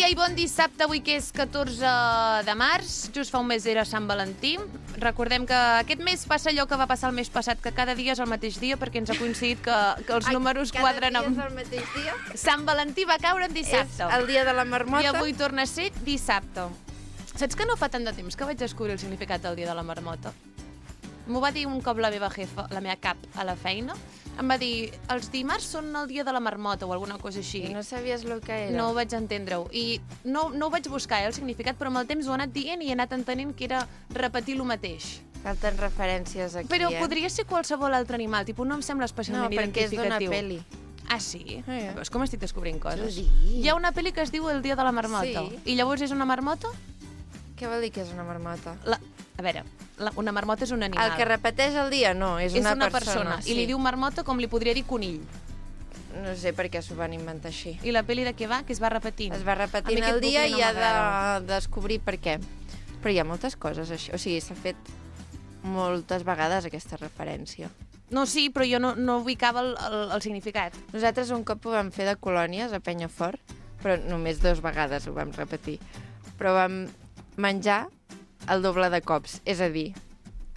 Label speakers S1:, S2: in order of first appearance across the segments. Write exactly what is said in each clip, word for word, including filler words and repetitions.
S1: dia i bon dissabte, avui que és catorze de març, just fa un mes era Sant Valentí. Recordem que aquest mes passa allò que va passar el mes passat, que cada dia és el mateix dia, perquè ens ha coincidit que, que els
S2: Ai,
S1: números quadren amb...
S2: Cada dia és el mateix dia?
S1: Sant Valentí va caure en dissabte.
S2: És el dia de la marmota?
S1: I avui torna a ser dissabte. Saps que no fa tant de temps que vaig descobrir el significat del dia de la marmota? M'ho va dir un cop la meva jefa, la meva cap, a la feina. Em va dir, els dimarts són el dia de la marmota o alguna cosa així.
S2: I no sabies el que era?
S1: No ho vaig entendre-ho. I no, no ho vaig buscar, eh, el significat, però amb el temps ho he anat dient i he anat entenent que era repetir el mateix.
S2: Falten referències aquí,
S1: però
S2: eh?
S1: Però podria ser qualsevol altre animal, tipus, no em sembla especialment
S2: no,
S1: identificatiu.
S2: No, perquè és d'una pel·li.
S1: Ah, sí?
S2: Ah, ja.
S1: Veus com estic descobrint coses?
S2: Sí.
S1: Hi ha una pel·li que es diu El dia de la marmota.
S2: Sí.
S1: I llavors és una marmota?
S2: Què vol dir que és una marmota?
S1: La... A veure, la... una marmota és un animal.
S2: El que repeteix el dia, no, és,
S1: és
S2: una,
S1: una
S2: persona.
S1: persona. I li diu marmota com li podria dir conill.
S2: No sé per què s'ho van inventar així.
S1: I la pel·li de què va? Que es va repetint.
S2: Es va repetint el dia i ha de descobrir per què. Però hi ha moltes coses així. O sigui, s'ha fet moltes vegades aquesta referència.
S1: No, sí, però jo no, no ubicava el, el, el significat.
S2: Nosaltres un cop ho vam fer de colònies a Penyafort, però només dues vegades ho vam repetir. Però vam menjar el doble de cops, és a dir,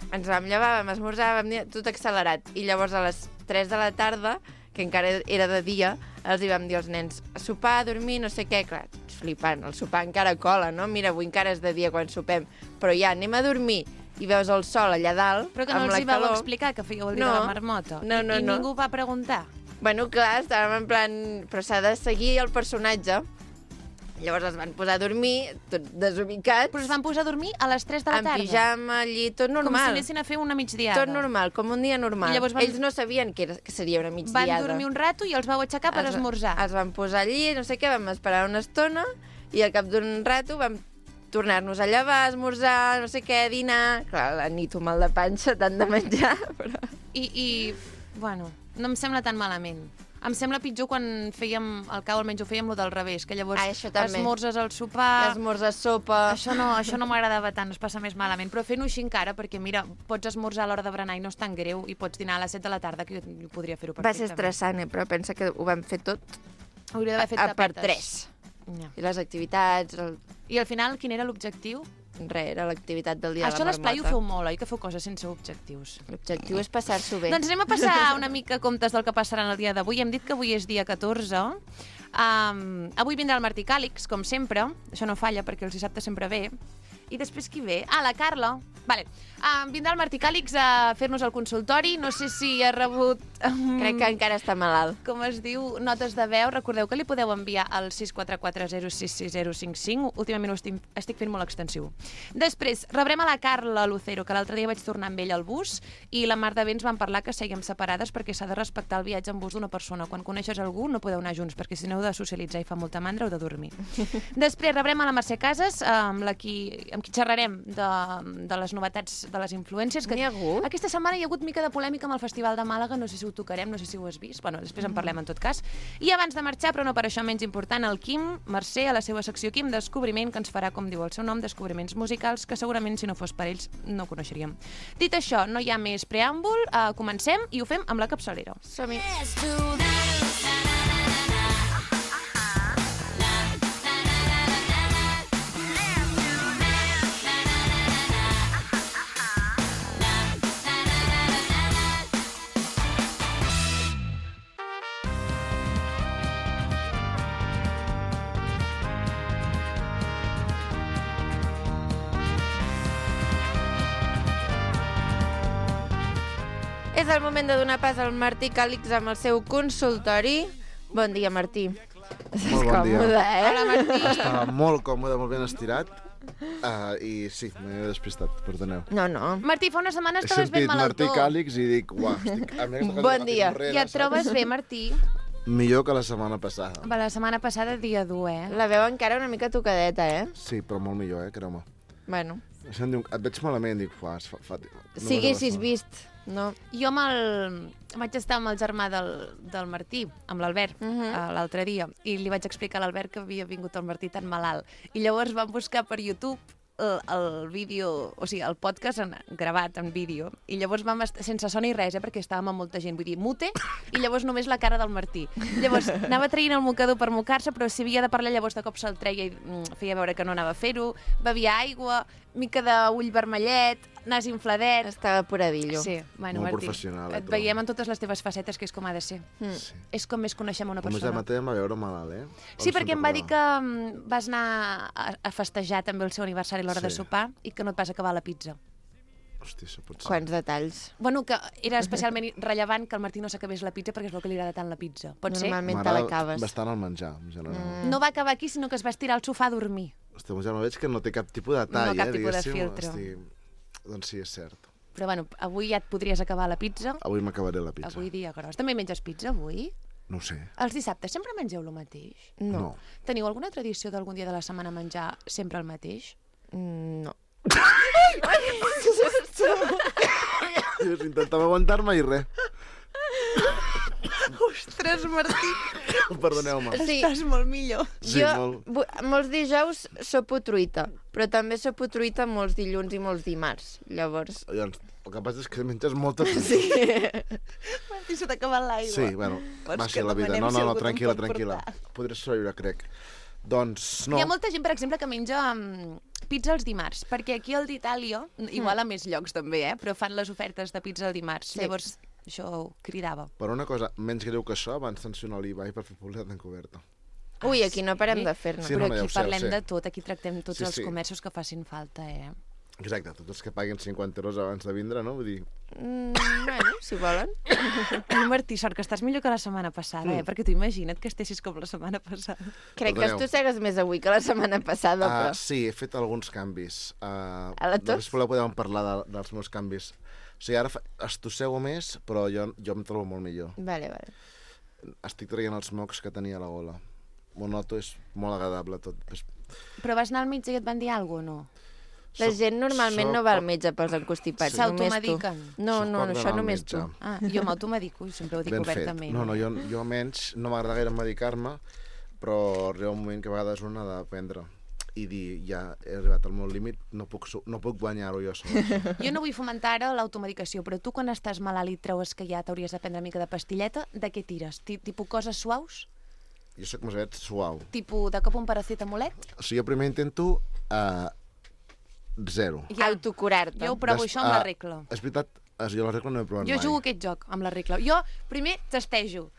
S2: ens vam llevar, vam esmorzar, vam dir tot accelerat, i llavors a les tres de la tarda, que encara era de dia, els hi vam dir als nens, a sopar, a dormir, no sé què, clar, flipant, el sopar encara cola, no? Mira, avui encara és de dia quan sopem, però ja, anem a dormir, i veus el sol allà dalt,
S1: però que no
S2: amb
S1: els
S2: la
S1: hi vau
S2: calor.
S1: explicar que fèieu el dia
S2: no,
S1: de la marmota?
S2: No, no,
S1: I, i
S2: no.
S1: ningú va preguntar?
S2: Bueno, clar, estàvem en plan... Però s'ha de seguir el personatge. Llavors es van posar a dormir, tot desubicats.
S1: Però es van posar a dormir a les tres de la tarda?
S2: En pijama, allí, tot normal.
S1: Com si anessin a fer una migdiada.
S2: Tot normal, com un dia normal.
S1: I llavors van...
S2: Ells no sabien que, era, que seria una migdiada.
S1: Van dormir un rato i els vau aixecar per
S2: els,
S1: esmorzar.
S2: Els van posar allí, no sé què, vam esperar una estona i al cap d'un rato vam tornar-nos a llevar, esmorzar, no sé què, dinar... Clar, la nit un mal de panxa, tant de menjar, però...
S1: I, i, bueno, no em sembla tan malament. Em sembla pitjor quan fèiem, al cau almenys ho fèiem lo del revés, que llavors
S2: ah,
S1: esmorzes al sopar...
S2: L'esmorzar sopa...
S1: Això no, això no m'agradava tant, es passa més malament. Però fent-ho així encara, perquè mira, pots esmorzar a l'hora de berenar i no és tan greu, i pots dinar a les set de la tarda, que jo podria fer-ho perfectament.
S2: Va ser estressant, eh? Però pensa que ho vam fer tot
S1: hauria d'haver fet
S2: a, per
S1: tapetes.
S2: tres.
S1: Ja.
S2: I les activitats... El...
S1: I al final, quin era l'objectiu?
S2: Res, era l'activitat del dia
S1: Això
S2: de la
S1: a l'esplai
S2: marmota.
S1: ho feu molt, oi? Que feu coses sense objectius.
S2: L'objectiu és passar-s'ho bé.
S1: Doncs anem a passar una mica comptes del que passarà el dia d'avui. Hem dit que avui és dia catorze. Um, avui vindrà el Martí Càlix, com sempre. Això no falla, perquè els dissabtes sempre ve. I després qui ve? Ah, la Carla. Vale. Um, vindrà el Martí Càlix a fer-nos el consultori. No sé si ha rebut... Um,
S2: Crec que encara està malalt.
S1: Com es diu, notes de veu. Recordeu que li podeu enviar al sis quatre quatre zero sis sis zero cinc cinc. Últimament ho estic, estic fent molt extensiu. Després, rebrem a la Carla Lucero, que l'altre dia vaig tornar amb ell al bus, i la Mar de Vents van parlar que sèiem separades perquè s'ha de respectar el viatge en bus d'una persona. Quan coneixes algú no podeu anar junts, perquè si no heu de socialitzar i fa molta mandra, heu de dormir. Després rebrem a la Mercè Casas, amb, la qui, amb qui xerrarem de, de les novetats de les influències. Que
S2: N'hi ha hagut?
S1: Aquesta setmana hi ha hagut mica de polèmica amb el Festival de Màlaga, no sé si ho tocarem, no sé si ho has vist, bueno, després en parlem en tot cas. I abans de marxar, però no per això menys important, el Quim Mercè, a la seva secció Quim Descobriment, que ens farà, com diu el seu nom, descobriments musicals, que segurament si no fos per ells no coneixeríem. Dit això, no hi ha més preàmbul, uh, comencem i ho fem amb la capçalera.
S2: Som-hi. És el moment de donar pas al Martí Càlix amb el seu consultori. Bon dia, Martí.
S3: Molt bon dia.
S2: Còmode, eh?
S1: Hola, Martí.
S3: Estava molt còmode, molt ben estirat. Uh, I sí, m'he despistat, perdoneu.
S2: No, no.
S1: Martí, fa unes setmanes
S3: He
S1: estaves ben
S3: sentit Martí
S1: malaltó.
S3: Càlix i dic, uah, estic... A mi aquesta
S2: Bon
S3: cançó
S2: dia.
S3: enrere,
S1: I et
S3: saps?
S1: trobes bé, Martí?
S3: Millor que la setmana passada.
S1: Va, la setmana passada, dia dur, eh?
S2: La veu encara una mica tocadeta, eh?
S3: Sí, però molt millor, eh, creu-me.
S2: Bueno.
S3: Això em diu, et veig malament, dic, uah, es fa... fa no
S2: Si haguessis vist, no?
S1: Jo amb el... vaig estar amb el germà del, del Martí, amb l'Albert, uh
S2: Mhm.
S1: -huh. l'altre dia, i li vaig explicar a l'Albert que havia vingut el Martí tan malalt. I llavors vam buscar per YouTube el, el vídeo, o sigui, el podcast en, gravat en vídeo, i llavors vam estar, sense son ni res, eh, perquè estàvem amb molta gent, vull dir, mute, i llavors només la cara del Martí. Llavors anava traient el mocador per mocar-se, però si havia de parlar llavors de cop se'l treia i mm, feia veure que no anava a fer-ho, bevia aigua, mica d'ull vermellet, nas infladet...
S2: Estava puradillo.
S1: Sí, bueno,
S3: Molt
S1: Martí,
S3: professional, eh,
S1: et
S3: trobo.
S1: veiem en totes les teves facetes, que és com ha de ser.
S2: Mm.
S3: Sí.
S1: És com més coneixem una
S3: Com ja
S1: persona.
S3: mateix em va veure malalt, eh?
S1: Sí,
S3: On
S1: perquè
S3: se'n
S1: em va dir que
S3: recordava?
S1: mm, vas anar a, a festejar també el seu aniversari a l'hora
S3: Sí.
S1: de sopar i que no et vas acabar la pizza.
S3: Hòstia, això pot ser.
S2: Quants detalls.
S1: Bueno, que era especialment rellevant que el Martí no s'acabés la pizza perquè és el que li agrada tant la pizza. Pot ser?
S2: Normalment te
S3: M'agrada
S2: l'acabes.
S3: bastant el menjar, en general.
S2: Mm.
S1: No va acabar aquí, sinó que es va estirar al sofà a dormir.
S3: Hòstia, ja no veig que no té cap tipus de tall,
S1: No, cap
S3: eh?
S1: tipus de
S3: diguéssim.
S1: filtre.
S3: Hosti, doncs sí, és cert.
S1: Però bueno, avui ja et podries acabar la pizza.
S3: Avui m'acabaré la pizza.
S1: Avui dia gros. També menges pizza avui?
S3: No ho sé.
S1: Els dissabtes sempre mengeu el mateix?
S2: No.
S3: No.
S1: Teniu alguna tradició d'algun dia de la setmana menjar sempre el mateix?
S2: Mm, no.
S3: Jo intentava aguantar-me i res.
S1: Ostres, Martí,
S3: Perdoneu-me.
S2: Sí.
S1: estàs molt millor.
S3: Sí,
S2: jo,
S3: molt.
S2: bu- molts dijous sopo truita, però també sopo truita molts dilluns i molts dimarts. Llavors...
S3: Llavors, el que passa és que menges molta fruita.
S2: Sí.
S1: Martí, se t'ha acabat l'aigua.
S3: Sí, bueno,
S1: Vols
S3: va
S1: que
S3: ser la vida.
S1: demanem
S3: No,
S1: si
S3: no, no,
S1: algú te'n
S3: tranquil·la,
S1: pot
S3: tranquil·la.
S1: portar?
S3: Podré sobreviure, crec. Doncs no.
S1: Hi ha molta gent, per exemple, que menja um, pizza els dimarts, perquè aquí al d'Itàlia, igual a més llocs també, eh, però fan les ofertes de pizza el dimarts.
S2: Sí.
S1: Llavors, això ho cridava.
S3: Per una cosa menys greu que això, van sancionar l'Ibai per fer publicitat encoberta.
S2: Ui, aquí no parem
S1: sí?
S2: de fer-ne.
S3: Sí,
S1: Però
S3: no, no, ja
S1: aquí
S3: ho sé,
S1: parlem
S3: ho sé.
S1: de tot, aquí tractem tots
S3: Sí,
S1: els
S3: sí.
S1: comerços que facin falta, eh?
S3: Exacte, tots els que paguen cinquanta euros abans de vindre, no? Vull dir,
S2: Mm, bueno, si volen.
S1: Ai, Martí, sort que estàs millor que la setmana passada, eh?
S3: Mm.
S1: Perquè tu imagina't que estessis com la setmana passada.
S2: Crec que
S3: Perdoneu.
S2: estossegues més avui que la setmana passada,
S3: uh,
S2: però...
S3: sí, he fet alguns canvis. Uh,
S2: A la tos?
S3: Després podem parlar de, dels meus canvis. O sigui, ara fa, estossego més, però jo, jo em trobo molt millor.
S2: Vale, vale.
S3: Estic traient els mocs que tenia a la gola. Ho noto, és molt agradable tot. És...
S1: Però vas anar al metge i et van dir alguna cosa o no?
S2: La
S3: Soc-
S2: gent normalment
S3: soc
S2: no va al
S3: poc-
S2: metge pels encostipats,
S3: Sí.
S2: només tu.
S1: S'automediquen.
S2: No,
S3: Soc
S2: no,
S3: poc
S2: això
S3: d'anar al
S2: només
S3: metge.
S2: tu.
S1: Ah, jo m'automedico, sempre ho dic
S3: Ben fet.
S1: obertament.
S3: No, no, jo, jo menys, no m'agrada gaire medicar-me, però arriba un moment que a vegades un ha d'aprendre i dir, ja he arribat al meu límit, no puc, su- no puc guanyar-ho jo sol.
S1: Jo no vull fomentar ara l'automedicació, però tu quan estàs malalt i et treues que ja t'hauries de prendre una mica de pastilleta, de què tires? Ti- Tipus coses suaus?
S3: Jo soc més aviat suau.
S1: Tipus de cop un paracetamolet?
S3: O sigui, jo primer intento uh, zero.
S1: Ja.
S2: Autocurar-te.
S1: Jo ho provo
S3: Des-
S1: això amb la
S3: ah,
S1: regla.
S3: És veritat, eh, jo la regla no he provat
S1: Jo
S3: mai.
S1: jugo aquest joc amb la regla. Jo primer testejo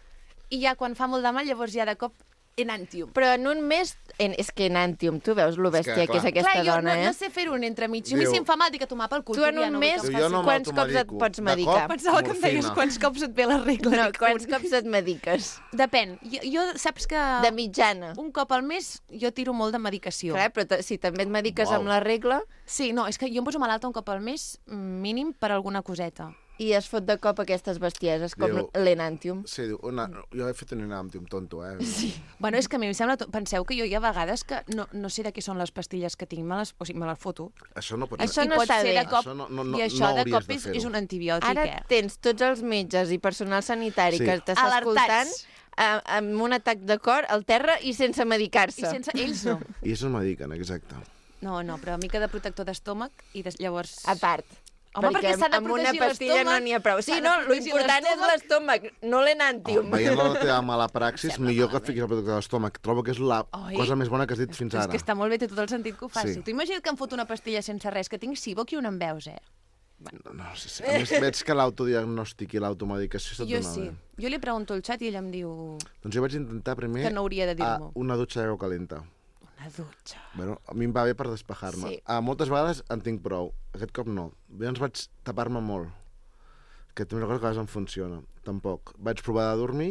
S1: i ja quan fa molt de mal llavors ja de cop enantium.
S2: Però en un mes... En, és que Enantium, tu veus lo bèstia que,
S3: clar.
S2: és aquesta
S1: Clar, jo
S2: dona,
S1: no,
S2: eh?
S1: no sé fer-ho en entremig. A mi
S3: Diu-
S1: si em fa mal, dic a tomar pel cul.
S2: Tu en
S1: tu ja
S2: un
S1: no vull
S2: mes
S1: que em
S3: Diu, jo
S1: faci-
S3: no
S2: quants cops et
S3: m'automedico.
S2: pots
S3: De
S2: medicar?
S3: cop,
S1: Pensava que em deies
S3: morfina.
S1: quants cops et ve la regla.
S2: No,
S1: Dic,
S2: quants
S1: un.
S2: cops et mediques?
S1: Depèn. Jo, jo saps que
S2: De mitjana.
S1: un cop al mes jo tiro molt de medicació.
S2: Clar, però ta- si també et mediques
S3: Uau.
S2: amb la regla
S1: Sí, no, és que jo em poso malalta un cop al mes mm, mínim per alguna coseta.
S2: i es fot de cop aquestes bestieses com
S3: Diu-
S2: l'Enantium.
S3: Sí, diu, una, jo he fet un enàmtium tonto, eh? Sí.
S1: Bueno, és que a mi em sembla... to- Penseu que jo hi ha vegades que no, no sé de què són les pastilles que tinc, me les, o sigui, me les foto.
S3: Això no pot
S2: Això
S1: I
S2: no
S1: pot
S2: està
S1: ser
S2: bé.
S1: de cop,
S3: Això no- no- no-
S1: I això
S3: no
S1: de
S3: hauries
S1: cop
S3: de
S1: és,
S3: fer-ho.
S1: és un antibiòtic,
S2: Ara
S1: eh?
S2: tens tots els metges i personal sanitari
S3: Sí.
S2: que t'està escoltant
S1: Alertats.
S2: eh, amb un atac de cor al terra i sense
S1: I
S2: medicar-se.
S1: sense... Ells no.
S3: I això em mediquen, exacte.
S1: No, no, però mica de protector d'estómac i des, llavors...
S2: A part.
S1: Home, perquè s'ha de
S2: amb una
S1: protegir
S2: pastilla no
S1: l'estómac,
S2: n'hi ha prou. Sí,
S1: s'ha de
S2: no,
S1: protegir
S2: l'important és l'estómac, no l'Enantium.
S3: Oh, veient la teva mala praxis, millor que et fiquis el protector de l'estómac. Trobo que és la
S1: Oi?
S3: cosa més bona que has dit fins
S1: És
S3: ara.
S1: que està molt bé, té tot el sentit que ho faci.
S3: Sí.
S1: Tu imagina't que em foto una pastilla sense res, que tinc SIBO, qui on em veus, eh?
S3: No, no, sí, sí. A més, veig que l'autodiagnòstic i l'automedicació se't
S1: Jo
S3: dona
S1: sí.
S3: bé.
S1: Jo li pregunto al xat i ell em diu...
S3: Doncs jo vaig intentar primer
S1: Que no hauria de
S3: a
S1: dir-m'ho.
S3: una dutxa d'aigua calenta.
S1: Una dutxa.
S3: Bueno, a mi em va bé per despejar-me.
S2: Sí.
S3: Ah, moltes vegades en tinc prou. Aquest cop no. Llavors vaig tapar-me molt. Que també és una cosa que a vegades em funciona. Tampoc. Vaig provar de dormir,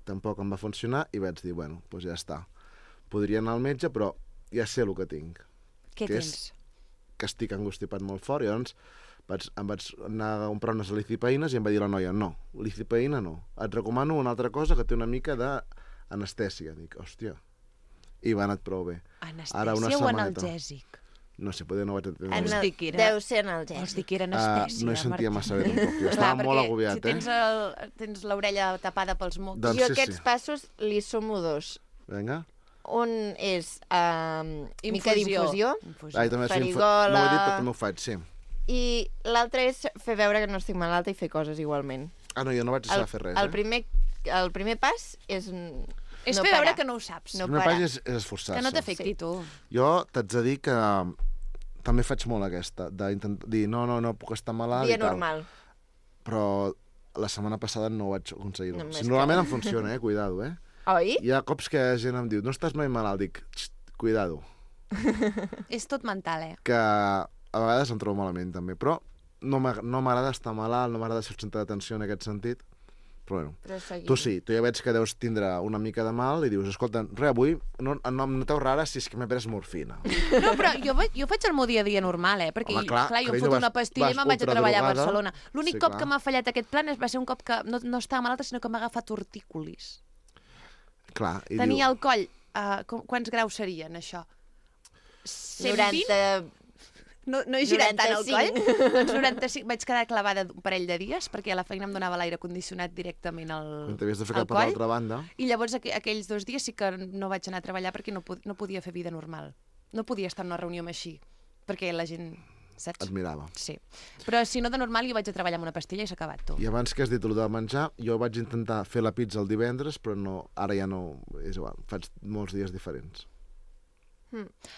S3: tampoc em va funcionar i vaig dir, bueno, doncs ja està. Podria anar al metge, però ja sé el que tinc.
S1: Què
S3: Que és-
S1: tens?
S3: Que estic angustipat molt fort. I llavors vaig, em vaig anar a comprar unes licipeïnes i em va dir la noia, no, licipeïna no. Et recomano una altra cosa que té una mica d'anestèsia. Dic, hòstia. I va anat prou bé. Ara una
S1: Anestèsia o
S3: setmaneta.
S1: analgèsic?
S3: No sé, poder no vaig entendre.
S1: Anal-
S2: Anal...
S1: Vols dir que era-
S2: Deu ser
S1: Vols
S2: analgèsic.
S1: dir que era
S3: Uh,
S1: anestèsia,
S3: no hi sentia
S1: Martí?
S3: massa bé tampoc. Jo
S1: Clar,
S3: estava molt
S1: perquè
S3: agobiat,
S1: si tens
S3: eh?
S1: el- tens l'orella tapada pels mocs.
S3: Doncs
S2: Jo
S3: sí,
S2: aquests
S3: sí.
S2: passos li sumo dos.
S3: Vinga.
S2: un és um, mica d'infusió,
S1: Infusió.
S3: Ai, també sí, infu-
S2: farigola...
S3: no ho he dit, però també ho faig, sí.
S2: i l'altre és fer veure que no estic malalta i fer coses igualment.
S3: Ah, no, jo no vaig deixar
S2: El,
S3: de fer res,
S2: el,
S3: eh?
S2: primer, el primer pas és
S1: És
S2: no
S1: fer veure
S2: parar.
S1: que no ho saps.
S2: No
S3: El primer
S2: parar.
S3: pas és, és esforçar-se.
S1: Que no t'afecti,
S2: Sí.
S1: tu.
S3: Jo t'haig de dir que també faig molt aquesta, d'intentar dir no, no, no puc estar malalt
S2: Dia
S3: i tal.
S2: normal.
S3: Però la setmana passada no ho vaig aconseguir.
S2: No,
S3: No,
S2: és
S3: si
S2: que-
S3: normalment em funciona, eh? Cuidado, eh?
S2: Oi?
S3: Hi ha cops que gent em diu, no estàs mai malalt? Dic, "Xt, cuidado,
S1: És tot mental, eh?
S3: que a vegades em trobo malament també, però no m'ag- no m'agrada estar malalt, no m'agrada ser el centre d'atenció en aquest sentit, però bueno.
S2: Però seguim.
S3: Tu sí, tu ja veig que deus tindre una mica de mal i dius, escolta, res, avui no, no em noteu rara si és que m'he pres morfina.
S1: No, però jo, vaig- jo faig el meu dia a dia normal, eh? Perquè,
S3: Home, clar,
S1: clar jo em
S3: carinyo,
S1: foto
S3: vas-
S1: una pastilla i
S3: vas
S1: me'n vaig a treballar a
S3: ultradrogada.
S1: Barcelona. L'únic
S3: Sí,
S1: cop
S3: clar.
S1: que m'ha fallat aquest plan és, va ser un cop que no, no estava malalta, sinó que m'ha agafat tortícolis.
S3: Clar, i
S1: Tenia
S3: diu,
S1: el coll... Uh, com, quants graus serien, això? cent vint?
S2: noranta...
S1: No, no he girat tant el coll?
S2: noranta-cinc.
S1: Doncs noranta-cinc. Vaig quedar clavada un parell de dies perquè a la feina em donava l'aire condicionat directament al,
S3: quan t'havies de fer
S1: al
S3: cap a
S1: coll.
S3: l'altra banda,
S1: I llavors aqu aquells dos dies sí que no vaig anar a treballar perquè no, pod no podia fer vida normal. No podia estar en una reunió amb així, perquè la gent... Saps?
S3: et mirava.
S1: Sí. Però si no de normal jo vaig a treballar amb una pastilla i s'ha acabat, tu.
S3: I abans que has dit el de menjar, jo vaig intentar fer la pizza el divendres, però no, ara ja no, és igual, faig molts dies diferents.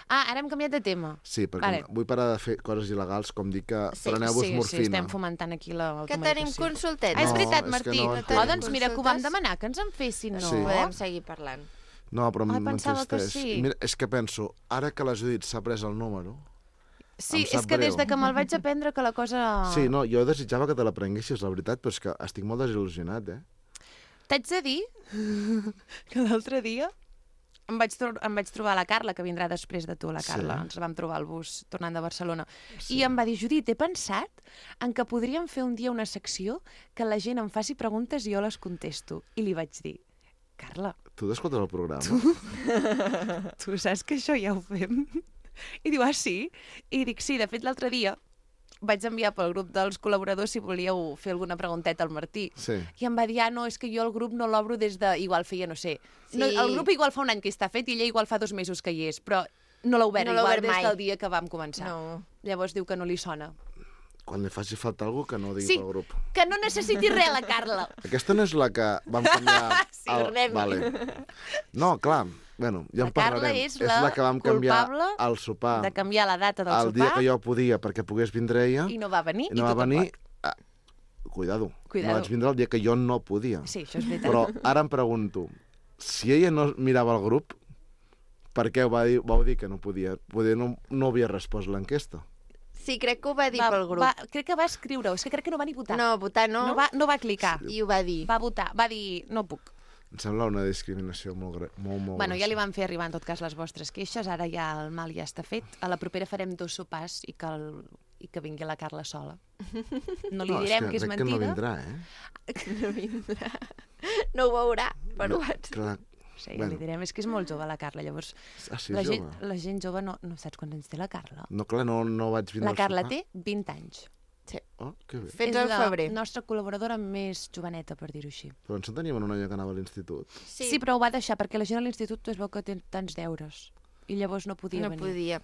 S1: Ah, ara hem canviat de tema.
S3: Sí, perquè
S1: Vale.
S3: vull parar de fer coses il·legals, com dir que
S2: Sí,
S3: preneu-vos
S1: sí,
S3: morfina.
S1: sí, estem fomentant aquí la
S2: Que tenim
S1: automedicació.
S2: consultet.
S1: Ah, és
S3: No,
S1: veritat,
S3: és que
S1: Martí.
S3: no
S1: Oh,
S3: entenc.
S1: doncs mira que ho vam
S2: Consultes?
S1: demanar, que ens en fessin, no?
S3: Sí.
S2: Podem seguir parlant.
S3: No, però
S1: Ai, pensava que
S3: m'entristeix.
S1: sí.
S3: Mira, és que penso, ara que la Judit s'ha pres el número...
S1: Sí,
S3: Em sap
S1: és que des
S3: greu.
S1: de que me'l vaig aprendre que la cosa...
S3: Sí, no, jo desitjava que te la prenguessis, la veritat, però és que estic molt desil·lusionat, eh?
S1: T'haig de dir que l'altre dia em vaig, em vaig trobar la Carla, que vindrà després de tu, la Carla.
S3: Sí.
S1: Ens la vam trobar al bus tornant de Barcelona. Sí. I em va dir, Judit, he pensat en que podríem fer un dia una secció que la gent em faci preguntes i jo les contesto. I li vaig dir, Carla,
S3: Tu t'escoltes el programa?
S1: tu saps que això ja ho fem? I diu, ah, sí? I dic, sí, de fet, l'altre dia vaig enviar pel grup dels col·laboradors si volíeu fer alguna pregunteta al Martí.
S3: Sí.
S1: I em va dir, ah, no, és que jo el grup no l'obro des de... Igual feia, no sé...
S2: Sí.
S1: No, el grup igual fa un any que està fet i ella igual fa dos mesos que hi és, però no l'ha obert
S2: No l'ha
S1: igual
S2: obert
S1: des
S2: mai.
S1: del dia que vam començar.
S2: No.
S1: Llavors diu que no li sona.
S3: Quan li faci falta algú que no digui
S1: Sí.
S3: pel grup.
S1: Que no necessiti res, la Carla.
S3: Aquesta no és la que vam canviar...
S1: Sí,
S2: tornem-hi.
S3: Vale. No, clar, bueno, ja
S1: La
S3: en
S1: Carla
S3: parlarem.
S1: és la
S3: que vam canviar
S1: culpable
S3: al sopar
S1: De canviar la data del
S3: el dia
S1: sopar
S3: que jo podia perquè pogués vindre ella
S1: i no va venir.
S3: i no
S1: i
S3: va
S1: tu
S3: venir...
S1: tampoc.
S3: Ah, cuidado.
S1: Cuidado.
S3: No vaig vindre el dia que jo no podia.
S1: Sí, això és veritat.
S3: Però ara em pregunto, si ella no mirava el grup, per què ho va dir, vau dir que no podia? Poder no, no havia respost l'enquesta.
S2: Sí, crec que ho va dir
S1: va,
S2: pel grup.
S1: Va, crec que va escriure-ho, és que crec que no va ni votar.
S2: No, votar no,
S1: no, va, no va clicar.
S2: i ho va dir.
S1: Va votar, va dir, no puc.
S3: Em sembla una discriminació molt, gre- molt, molt
S1: Bueno, ja li
S3: grossa.
S1: van fer arribar en tot cas les vostres queixes, ara ja el mal ja està fet. A la propera farem dos sopars i que, el, i que vingui la Carla sola. No li
S3: No,
S1: direm
S3: és
S1: que és
S3: crec que no
S1: mentida.
S3: vindrà, eh?
S2: No vindrà. No ho veurà per
S3: No,
S2: WhatsApp.
S3: clar.
S1: Sí, ja
S3: Bueno.
S1: li direm, és que és molt jove la Carla, llavors
S3: Ah, sí,
S1: la,
S3: jove.
S1: gent, la gent jove no, no saps quants anys té la Carla.
S3: No, clar, no, no vaig vindre
S1: La
S3: al
S1: Carla
S3: sopar.
S1: té vint anys.
S3: Oh, que bé.
S2: Fets
S1: és
S2: al
S1: la
S2: febrer.
S1: nostra col·laboradora més joveneta, per dir-ho així.
S3: Però ens en teníem una noia que anava a l'institut.
S1: Sí. sí, però ho va deixar, perquè la gent a l'institut es veu que té tants deures. I llavors no podia
S2: No
S1: venir.
S2: podia.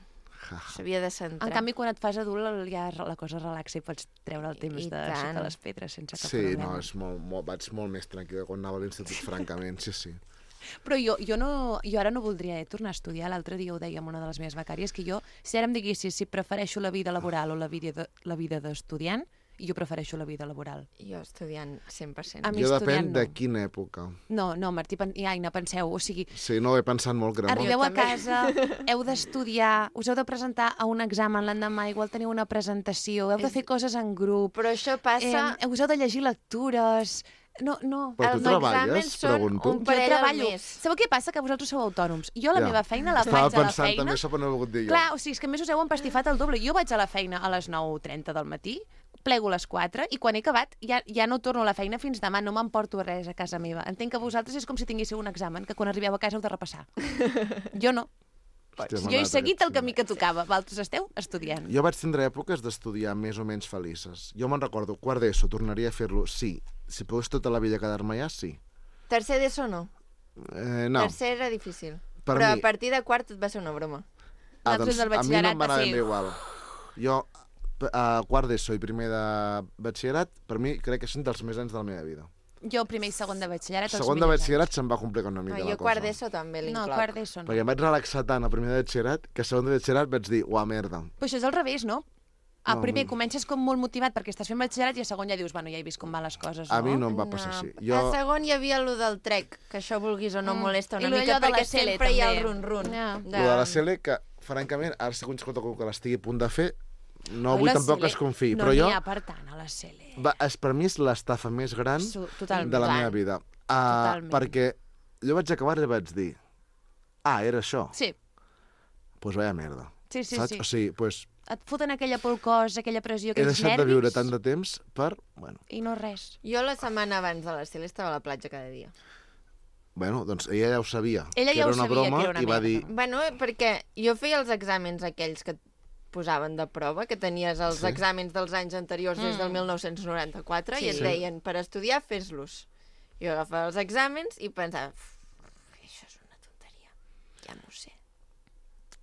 S3: Ja.
S2: S'havia de centrar.
S1: En canvi, quan et fas adult, ja la cosa relaxa i pots treure el temps
S2: I
S1: de
S2: tant.
S1: sota les pedres sense cap
S3: Sí,
S1: problema.
S3: no, és molt, molt, vaig molt més tranquil·la quan anava a l'institut, francament, sí, sí.
S1: Però jo, jo, no, jo ara no voldria eh, tornar a estudiar. L'altre dia ho deia amb una de les meves becàries, que jo, si ara em diguessis si prefereixo la vida laboral o la vida de, la vida d'estudiant, jo prefereixo la vida laboral.
S2: Jo estudiant cent per cent.
S1: A mi
S3: Jo
S1: estudiant
S3: depèn
S1: no.
S3: de quina època.
S1: No, no, Martí pen... i Aina, penseu, o sigui,
S3: Sí, no, he pensat molt greu.
S1: arribeu a
S2: també.
S1: casa, heu d'estudiar, us heu de presentar a un examen l'endemà, igual teniu una presentació, heu de
S2: És-
S1: fer coses en grup,
S2: Però això passa...
S1: eh, us heu de llegir lectures... No, no.
S3: Però tu
S2: Els
S3: treballes,
S2: exàmens són
S3: pregunto?
S2: un
S1: Jo
S2: parell al
S1: treballo.
S2: mes.
S1: Sabeu què passa? Que vosaltres sou autònoms. Jo a la
S3: Ja.
S1: meva feina la
S3: Estava
S1: faig a la
S3: pensant
S1: feina...
S3: també això, però no ho he volgut dir jo.
S1: Clar, o sigui, és que a més us heu empastifat el doble. Jo vaig a la feina a les nou trenta del matí, plego a les quatre i quan he acabat ja, ja no torno a la feina fins demà, no m'emporto res a casa meva. Entenc que vosaltres és com si tinguéssiu un examen, que quan arribeu a casa heu de repassar. Jo no.
S3: Hòstia, m'ha
S1: Jo he
S3: anat
S1: seguit el
S3: aquest
S1: camí que tocava. Vosaltres esteu estudiant.
S3: Jo vaig tindre èpoques d'estudiar més o menys felices. Jo me'n recordo, quart d'ESO, tornaria a fer-lo, sí. Si pogués tota la vida quedar-me allà, sí.
S2: Tercer d'ESO no.
S3: Eh, no,
S2: Tercer era difícil.
S3: Per
S2: Però
S3: mi,
S2: a partir de quart tot va ser una broma.
S3: ah,
S1: Nosaltres
S3: doncs,
S1: del
S3: a mi no
S1: batxillerat
S3: em va
S1: va
S3: anar
S1: ser-
S3: ben bé igual. Jo, a quart d'ESO i primer de batxillerat, per mi crec que són dels més anys de la meva vida.
S1: Jo primer i segon de batxillerat, els
S3: Segon de
S1: millors
S3: batxillerat se'm va complicar una mica
S2: No,
S3: la
S2: jo
S3: cosa.
S2: quart d'ESO també
S1: anys. No,
S2: l'incloc.
S1: quart d'ESO no.
S3: Perquè em vaig relaxar tant a primer de batxillerat que a segon de batxillerat vaig dir, uah, merda.
S1: Però això és al revés, no? A
S3: No,
S1: primer
S3: no.
S1: comences com molt motivat perquè estàs fent batxillerat i a segon ja dius, bueno, ja he vist com van les coses, no?
S3: A mi no em va passar així.
S2: A
S3: Jo,
S2: segon hi havia allò del trec, que això vulguis o no
S1: Mm.
S2: molesta una
S1: I lo
S2: mica,
S1: d'allò de la
S2: perquè
S1: Cele,
S2: sempre hi ha el
S1: també.
S2: run-run.
S1: Ja.
S2: De...
S3: lo de la Cele, que francament, ara segons que que l'estigui a punt de fer, no
S1: Ai,
S3: vull
S1: la
S3: tampoc
S1: Cele,
S3: que es confiï,
S1: no
S3: però
S1: n'hi
S3: jo,
S1: ha per tant a la Cele.
S3: va, és, per mi és l'estafa més gran
S1: Su- totalment.
S3: de la meva vida. Uh,
S1: Totalment.
S3: perquè jo vaig acabar i vaig dir, ah, era això?
S1: Sí,
S3: Doncs pues vaya merda.
S1: sí, sí.
S3: Saps?
S1: sí.
S3: O sigui, pues,
S1: Et foten aquella por al cos, aquella pressió,
S3: he
S1: aquells
S3: deixat
S1: nervis...
S3: de viure tant de temps per... Bueno,
S1: I no res.
S2: Jo la setmana abans de la Cele estava a la platja cada dia.
S3: bueno, doncs ella ja ho sabia,
S1: Ella
S3: que
S1: ja
S3: era
S1: ho
S3: una
S1: sabia,
S3: broma,
S1: que era una
S3: i va
S1: merda.
S3: dir,
S2: Bueno, perquè jo feia els exàmens aquells que et posaven de prova, que tenies els
S3: Sí.
S2: exàmens dels anys anteriors des del
S1: Mm.
S2: mil nou-cents noranta-quatre
S1: Sí.
S2: i et
S3: Sí.
S2: deien, per estudiar, fes-los. Jo agafava els exàmens i pensava, "Uf, això és una tonteria, ja m'ho sé.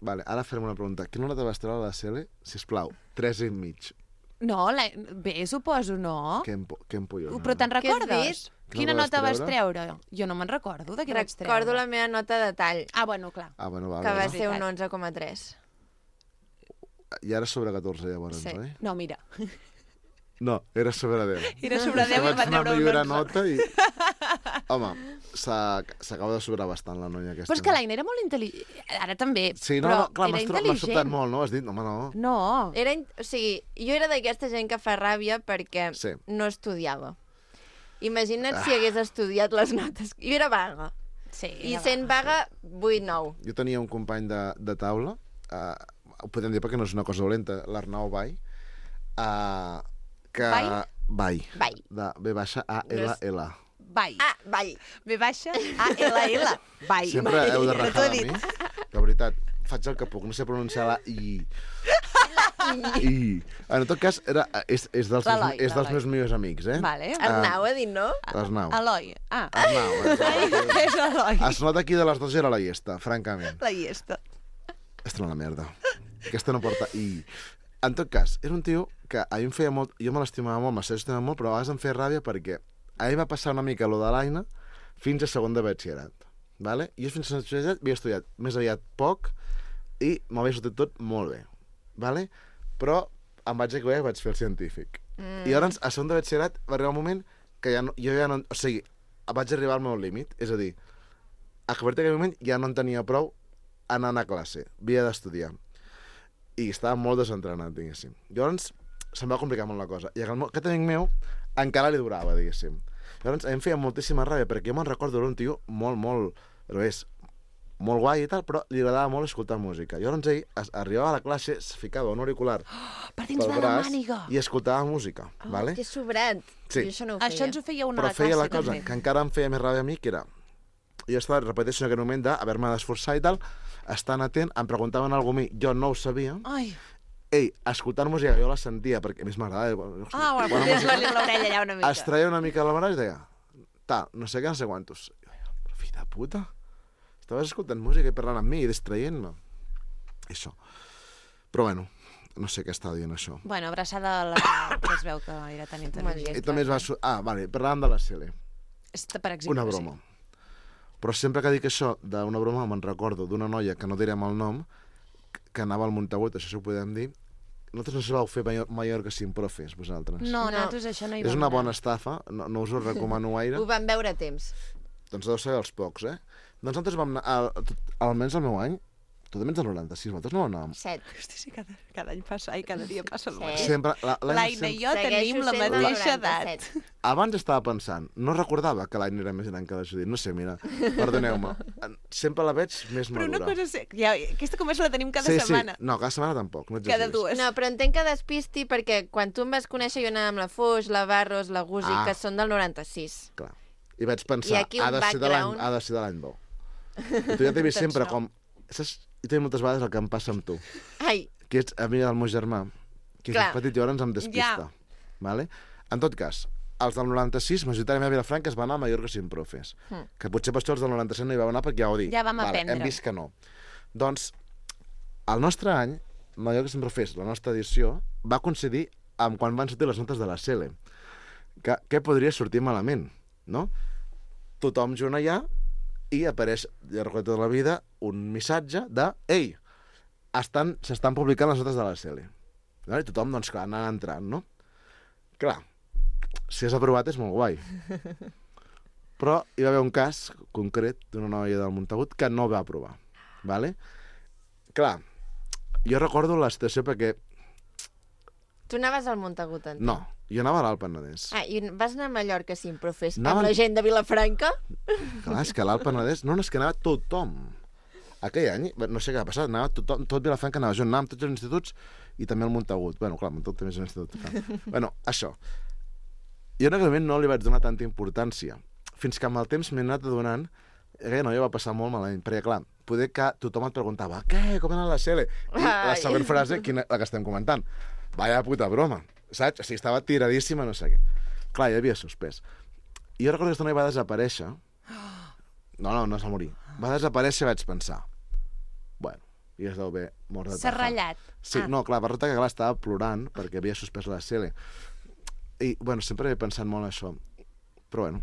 S3: vale, ara farem una pregunta. Quina nota vas treure a la Cele? Sisplau, tres i mig.
S1: No, la... bé, suposo, no?
S3: Que em, que em pollo.
S1: Però te'n
S2: Què has
S1: recordes?
S2: dit?
S1: Quina
S3: Quina
S1: nota
S3: vas
S1: vas
S3: treure?
S1: treure? Jo no me'n recordo de què vaig treure.
S2: Recordo la meva nota de tall,
S1: Ah, bueno, clar.
S3: Ah, bueno, va,
S2: que va
S3: va.
S2: ser un
S1: veritat.
S2: onze coma tres.
S3: I ara sobre catorze, llavors,
S2: Sí.
S3: oi?
S1: No, mira.
S3: No, era sobre deu.
S1: Era sobre deu i
S3: Vaig
S1: va
S3: anar
S1: treure un
S3: millorant
S1: onze.
S3: nota i... Home, s'ha- s'acaba de sobrar bastant la noia aquesta.
S1: Però és que l'Aina era molt intel·ligent. Ara també,
S3: Sí, no,
S1: però
S3: no, clar,
S1: era
S3: m'has tro- m'ha
S1: intel·ligent.
S3: sobtat molt, no? Has dit, home, no.
S1: No.
S2: Era, in- o sigui, jo era d'aquesta gent que fa ràbia perquè
S3: Sí.
S2: no estudiava. Imagina't si hagués estudiat les notes. Jo era vaga.
S1: Sí,
S2: I
S1: era
S2: sent vaga, vuit nou.
S3: Jo tenia un company de, de taula, uh, ho podem dir perquè no és una cosa dolenta, l'Arnau Bai, uh, que...
S1: Bai?
S3: Bai.
S2: Bai.
S3: De B baixa A L L.
S1: Bai.
S2: Ah, ball.
S1: B baixa, A, L, L. Bai.
S3: Sempre heu de
S1: No t'ho
S3: rajar
S1: he
S3: de
S1: dit.
S3: mi. De veritat, faig el que puc, no sé pronunciar la I. I. En tot cas, era, és, és, dels,
S1: L'Eloi,
S3: meus, és dels
S1: l'Eloi.
S3: meus millors amics, eh?
S1: Vale.
S2: Arnau ha dit no?
S3: L'Arnau.
S1: Eloi. Ah.
S3: Arnau. exacte.
S1: És Eloi.
S3: Es nota aquí de les dues era la llesta, francament.
S1: La llesta.
S3: Aquesta no la merda. Aquesta no porta I. En tot cas, era un tio que a mi em feia molt... Jo me l'estimava molt, me l'estimava molt, però a vegades em feia ràbia perquè a mi va passar una mica lo de l'Aina fins a segon de batxillerat. Vale? Jo fins a batxillerat havia estudiat més aviat poc i m'havia sortit tot molt bé. Vale? Però em vaig equivocar i vaig fer el científic. Mm. I llavors, a segon de batxillerat va arribar un moment que ja no, jo ja no... O sigui, vaig arribar al meu límit. És a dir, a partir d'aquell moment ja no en tenia prou anar a classe. Havia d'estudiar. I estava molt desentrenat, diguéssim. Llavors, se'm va complicar molt la cosa. I el meu, aquest amic meu encara li durava, diguéssim. Llavors, a mi em feia moltíssima ràbia, perquè jo me'n recordo d'un tio molt, molt... Però és molt guai i tal, però li agradava molt escoltar música. Llavors ell es, arribava a la classe, es ficava un auricular
S1: Per dins
S3: pel
S1: de la
S3: braç
S1: màniga.
S3: i escoltava música,
S2: Oh,
S3: vale?
S2: que sobrat.
S3: Sí.
S2: Jo això no ho feia.
S1: Això ens ho feia una
S3: Però
S1: a la
S3: feia
S1: classe,
S3: la cosa
S1: també.
S3: que encara em feia més ràbia a mi, que era... Jo estava, repeteixo, en aquell moment d'haver-me d'esforçar i tal, estant atent, em preguntaven alguna cosa a mi, jo no ho sabia,
S1: Ai.
S3: ell, escoltant música, jo la sentia, perquè a més m'agradava. Bueno,
S1: Ah, bueno,
S3: bona
S1: podies
S3: música,
S1: fer-li l'orella allà una mica.
S3: es treia una mica la mare i deia, tal, no sé què, no sé quantos. I jo, però fill de puta, estaves escoltant música i parlant amb mi i distraient-me. Això. Però bueno, no sé què estava dient això.
S1: Bueno, abraçada a la... que es veu que era tan intel·ligent.
S3: I també es va... Su... Ah, vale, parlàvem de la Cele.
S1: Esta, per exemple,
S3: Una broma. Però sempre que dic això d'una broma me'n recordo d'una noia, que no direm el nom, que anava al Montagut, això sí ho podem dir. Nosaltres no sabeu fer Mayor- Mallorca sin profes, vosaltres.
S1: Sí. No,
S2: No.
S1: nosaltres això no hi
S3: És
S1: vam
S3: una
S1: anar.
S3: bona estafa, no, no us ho recomano gaire.
S2: Ho vam veure a temps.
S3: Doncs deu ser els pocs, eh? Doncs nosaltres vam anar, al, tot- almenys el meu any, tu també ets del noranta-sis, vosaltres no anàvem.
S2: Set.
S1: Hosti, sí, cada, cada any passa, ai, cada dia passa el
S2: Sí.
S1: mateix.
S3: Sempre, la, l'any
S1: L'Aina i
S3: sempre-
S1: jo tenim la
S2: sent del
S1: mateixa
S2: noranta-set.
S1: edat.
S3: Abans estava pensant, no recordava que l'any era més gran que la Judit, no sé, mira, perdoneu-me, sempre la veig més
S1: Però
S3: madura.
S1: una cosa sé, ja, aquesta conversa la tenim cada
S3: sí,
S1: setmana.
S3: Sí, no, cada setmana tampoc, no
S1: Cada
S3: exageris.
S1: dues.
S2: No, però entenc que despisti perquè quan tu em vas conèixer jo anava amb la Foix, la Barros, la Gusi,
S3: Ah.
S2: que són del noranta-sis.
S3: Clar. I vaig pensar,
S2: I aquí un
S3: ha de ser de l'any
S2: background.
S3: ha de ser de l'any bo. I tu ja t'he vist sempre
S1: Atenció.
S3: com... Saps? I també moltes vegades el que em passa amb tu,
S2: Ai,
S3: que ets amiga del meu germà, que és
S2: Clar.
S3: petit i ara ens em despista.
S1: Ja.
S3: Vale? En tot cas, els del noranta-sis, majoritàriament a Vilafranca, es van anar a Mallorca sin profes. Mm. Que potser per això els del noranta-set no hi vau anar perquè ja ho dic.
S1: Ja vam
S3: vale,
S1: aprendre.
S3: Hem vist que no. Doncs, el nostre any, Mallorca sin profes, la nostra edició, va coincidir amb quan van sortir les notes de la C L E. Que, què podria sortir malament, no? Tothom junt allà i apareix, ja recordo tota la vida, un missatge de «Ei, estan, s'estan publicant les notes de la C L E». I tothom, doncs, clar, anant entrant, no? Clar, si has aprovat és molt guai. Però hi va haver un cas concret d'una noia del Montagut que no va aprovar. Vale? Clar, jo recordo la situació perquè...
S2: Tu anaves al Montagut, entenc?
S3: No, jo anava a l'Alt Penedès.
S2: Ah, i vas anar a Mallorca sin profes
S3: Anava...
S2: amb la gent de Vilafranca?
S3: Clar, és que a l'Alt Penedès... No, no, és que anava tothom. Aquell any, no sé què va passar, anava tothom, tot Vilafranca anava jo, anàvem tots els instituts i també al Montagut. Bueno, clar, el Montagut també és un institut. Clar. Bueno, això. Jo en aquell moment no li vaig donar tanta importància, fins que amb el temps m'he anat adonant que aquella noia va passar molt malament, perquè clar, poder que tothom et preguntava què, com era la C L E? I la següent frase, quina, la que estem comentant, vaya puta broma, saps? O sigui, estava tiradíssima, no sé què. Clar, ja havia suspès. I jo recordo que aquesta noia va desaparèixer. No, no, no es va morir. Va desaparèixer i vaig pensar, bueno, i es deu haver mort de
S1: S'ha
S3: tafa.
S1: ratllat.
S3: Sí,
S1: Ah.
S3: no, clar, va resultar que clar, estava plorant perquè havia suspès la C L E. I, bueno, sempre he pensat molt en això. Però, bueno,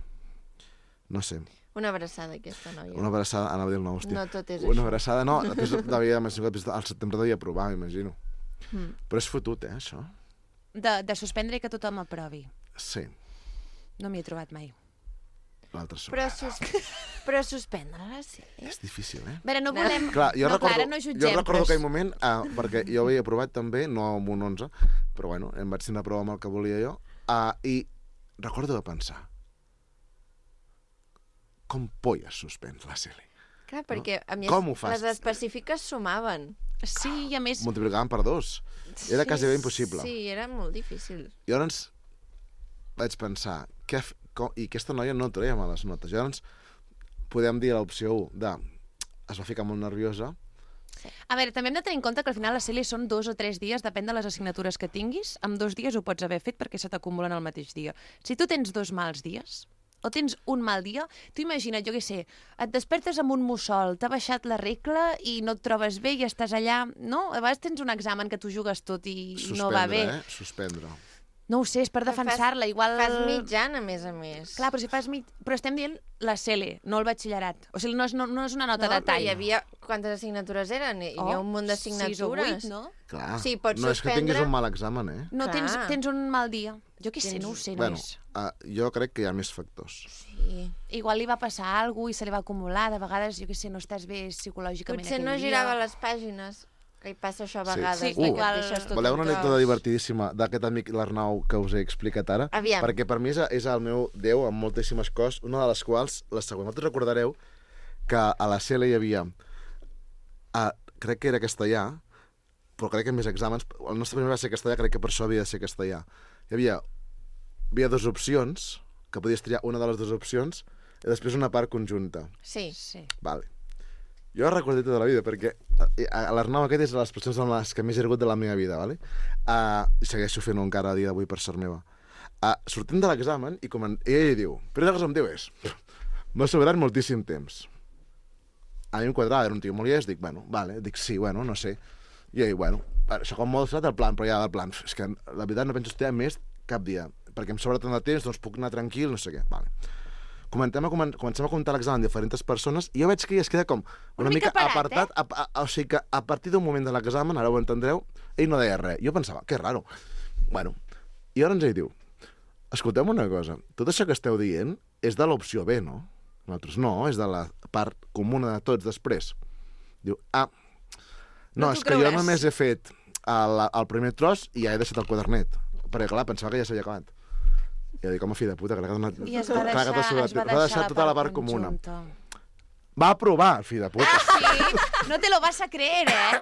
S3: no sé.
S2: Una abraçada, aquesta noia.
S3: Una abraçada, anava a dir el nou, hòstia.
S2: No tot és
S3: Una
S2: això.
S3: abraçada, no, després devia, al setembre devia provar, m'imagino.
S2: Mm.
S3: Però és fotut, eh, això?
S1: De, de suspendre i que tothom aprovi.
S3: Sí,
S1: No m'hi he trobat mai.
S3: l'altre sóc.
S2: Però, sus... Però suspendre-la, sí.
S3: És difícil, eh?
S1: A veure, no volem...
S3: Clar, jo
S1: no,
S3: recordo,
S1: Clara, no jutgem,
S3: jo recordo
S1: però
S3: aquell
S1: és-
S3: moment, ah, perquè jo havia aprovat també, no amb un onze, però bueno, em vaig tenir una prova amb el que volia jo, ah, i recordo de pensar, com polles suspens la C L E?
S2: Clar, perquè a més
S3: Com ho fas?
S2: les específiques sumaven.
S1: Sí, i a més...
S3: Multiplicaven per dos. Era quasi bé impossible.
S2: Sí, era molt difícil.
S3: I llavors vaig pensar, què, f- com, i aquesta noia no treia males notes. Llavors podem dir l'opció u de es va ficar molt nerviosa.
S1: A veure, també hem de tenir en compte que al final la C L E són dos o tres dies, depèn de les assignatures que tinguis. Amb dos dies ho pots haver fet perquè se t'acumulen el mateix dia. Si tu tens dos mals dies, o tens un mal dia, tu imagina't, jo què sé, et despertes amb un mussol, t'ha baixat la regla i no et trobes bé i estàs allà, no? A vegades tens un examen que tu jugues tot i
S3: Suspendre,
S1: no va bé.
S3: eh? Suspendre.
S1: No ho sé, és per
S2: Fas-
S1: defensar-la. Igual...
S2: Fas mitjan, a més a més.
S1: Clar, però si fas mig... Però estem dient la C L E, no el batxillerat. O sigui, no és, no, no és una nota
S2: no,
S1: de
S2: però
S1: tall.
S2: hi havia... Quantes assignatures eren? Hi havia
S1: Oh,
S2: un munt
S1: sis o
S2: d'assignatures.
S1: vuit, no?
S3: Clar,
S2: Sí, pots
S3: no és que tinguis
S2: suspendre.
S3: un mal examen, eh?
S1: No,
S2: Clar.
S1: tens, tens un mal dia. Jo què sé,
S2: Tens-
S1: no ho sé,
S3: Bueno,
S1: nois.
S3: uh, jo crec que hi ha més factors.
S2: Sí.
S1: Igual li va passar alguna cosa i se li va acumular. De vegades, jo què sé, no estàs bé psicològicament
S2: Potser
S1: aquell
S2: no
S1: dia.
S2: girava les pàgines. Que hi passa això a
S3: Sí.
S2: vegades.
S1: Sí,
S2: de que et
S1: igual-
S2: deixes tot
S3: Voleu
S2: un
S3: una anècdota
S2: tros.
S3: divertidíssima d'aquest amic l'Arnau que us he explicat ara?
S2: Aviam.
S3: Perquè per mi és, és el meu déu amb moltíssimes coses, una de les quals, la següent. Vosaltres recordareu que a la C L hi havia, a, crec que era castellà, però crec que més exàmens, el nostre primer va ser castellà, crec que per això havia de ser castellà. Hi havia, hi havia dues opcions, que podies triar una de les dues opcions, i després una part conjunta.
S2: Sí.
S1: Sí.
S3: Vale. Jo ho recordo tota la vida, perquè l'Arnau aquest és de les persones amb les que més he rigut de la meva vida, vale? Uh, i segueixo fent-ho encara a dia d'avui per sort meva. Uh, sortim de l'examen i comen... ell diu, però el que em diu és, m'ha sobrat moltíssim temps. A mi em quadrava, era un tio molt llest, dic, bueno, vale, dic, sí, bueno, no sé. I ell, bueno, això com molt fet el plan, però ja el plan, és que la veritat no penso estudiar més cap dia, perquè em sobra tant de temps, doncs puc anar tranquil, no sé què, vale. Comencem a, comen comencem a comptar l'examen amb diferents persones i jo veig que ell es queda com una,
S1: Una mica
S3: mica
S1: parat,
S3: apartat,
S1: eh?
S3: a, a, o sigui que a partir d'un moment de l'examen, ara ho entendreu, ell no deia res. Jo pensava, que raro. Bueno, i llavors ell diu, escolteu una cosa, tot això que esteu dient és de l'opció B, no? Nosaltres no, és de la part comuna de tots després. Diu, ah, no,
S1: No t'ho
S3: és que jo
S1: creuràs.
S3: només he fet el, el primer tros i ja he deixat el quadernet. Perquè, clar, pensava que ja s'havia acabat. I jo dic, home, fill de puta, que l'ha quedat...
S1: I es va deixar,
S3: clar, que t'ha sobrat-
S1: es va
S3: va
S1: deixar,
S3: deixar tota la part comuna.
S1: conjunta.
S3: Va aprovar, fill de puta.
S1: Sí, no te lo vas a creer, eh?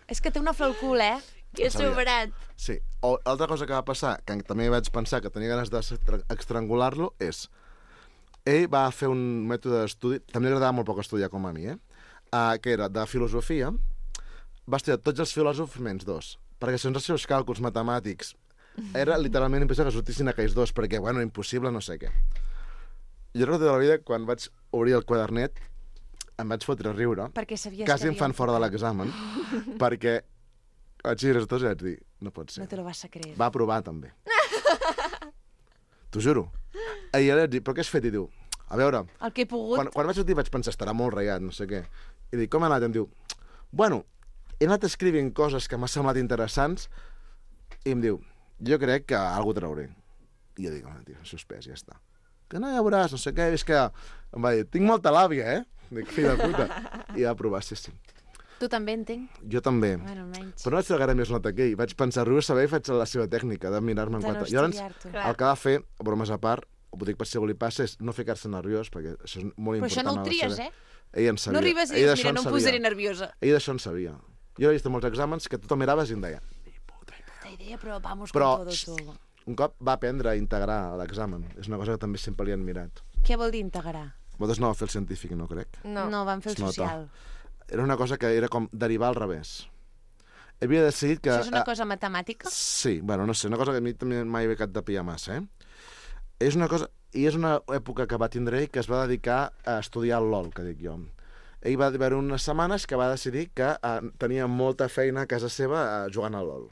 S1: És que té una flor al cul, eh?
S2: Que sobrat.
S3: Sí. O altra cosa que va passar, que també vaig pensar que tenia ganes d'estrangular-lo, és... Ell va fer un mètode d'estudi... També li agradava molt poc estudiar com a mi, eh? Uh, que era de filosofia. Va estudiar tots els filòsofs menys dos. Perquè segons els seus càlculs matemàtics era literalment impossible que sortissin aquells dos, perquè, bueno, impossible, no sé què. Jo recordo de la vida, quan vaig obrir el quadernet, em vaig fotre a riure.
S1: Perquè sabies
S3: quasi
S1: que
S3: em fan fora de l'examen, perquè vaig dir els dos i vaig dir, no pot ser.
S1: No te lo vas a creer.
S3: Va aprovar, també. T'ho juro. I jo li vaig dir, però què has fet? I diu, a veure...
S1: El que he pogut...
S3: Quan, quan vaig sortir vaig pensar, estarà molt reiat, no sé què. I dic, com ha anat? I em diu, bueno, he anat escrivint coses que m'ha semblat interessants i em diu, jo crec que alguna trauré. I jo dic, home, tio, suspès, ja està. Que no, ja veuràs, no sé què, és que... Em va dir, tinc molta làbia, eh? Dic, fill de puta. I va aprovar, sí, sí.
S1: Tu també, entenc?
S3: Jo també.
S1: Bueno, almenys.
S3: Però no vaig fer gaire més nota que ell. Vaig pensar, riu saber i faig la seva tècnica de mirar-me en
S1: De no
S3: quatre... Llavors,
S1: estudiar-t'ho.
S3: el que va fer, bromes a part, ho dic per si algú li passa, és no ficar-se nerviós, perquè això és molt
S1: Però
S3: important.
S1: això no ho
S3: a la
S1: tries,
S3: seva-
S1: eh?
S3: Ell en sabia.
S1: No arribes i
S3: Ell
S1: dius,
S3: d'això
S1: mira,
S3: en
S1: no em
S3: sabia.
S1: posaré nerviosa.
S3: Ell d'això en sabia. Jo he vist molts exàmens que tothom miraves i em deia, ni puta idea.
S1: Puta idea, però vamos
S3: Però,
S1: con todo, todo.
S3: Un cop va aprendre a integrar l'examen. És una cosa que també sempre li han mirat.
S1: Què vol dir integrar?
S3: Vosaltres no vau fer el científic, no crec?
S2: No.
S1: No, van fer el
S3: Es nota.
S1: social.
S3: Era una cosa que era com derivar al revés. Havia decidit que...
S1: Això és una
S3: eh,
S1: cosa matemàtica?
S3: Sí, bueno, no sé, una cosa que a mi també mai he acabat de pillar massa, eh? És una cosa... I és una època que va tindre ell que es va dedicar a estudiar el LOL, que dic jo. Ell va haver unes setmanes que va decidir que eh, tenia molta feina a casa seva eh, jugant al LOL.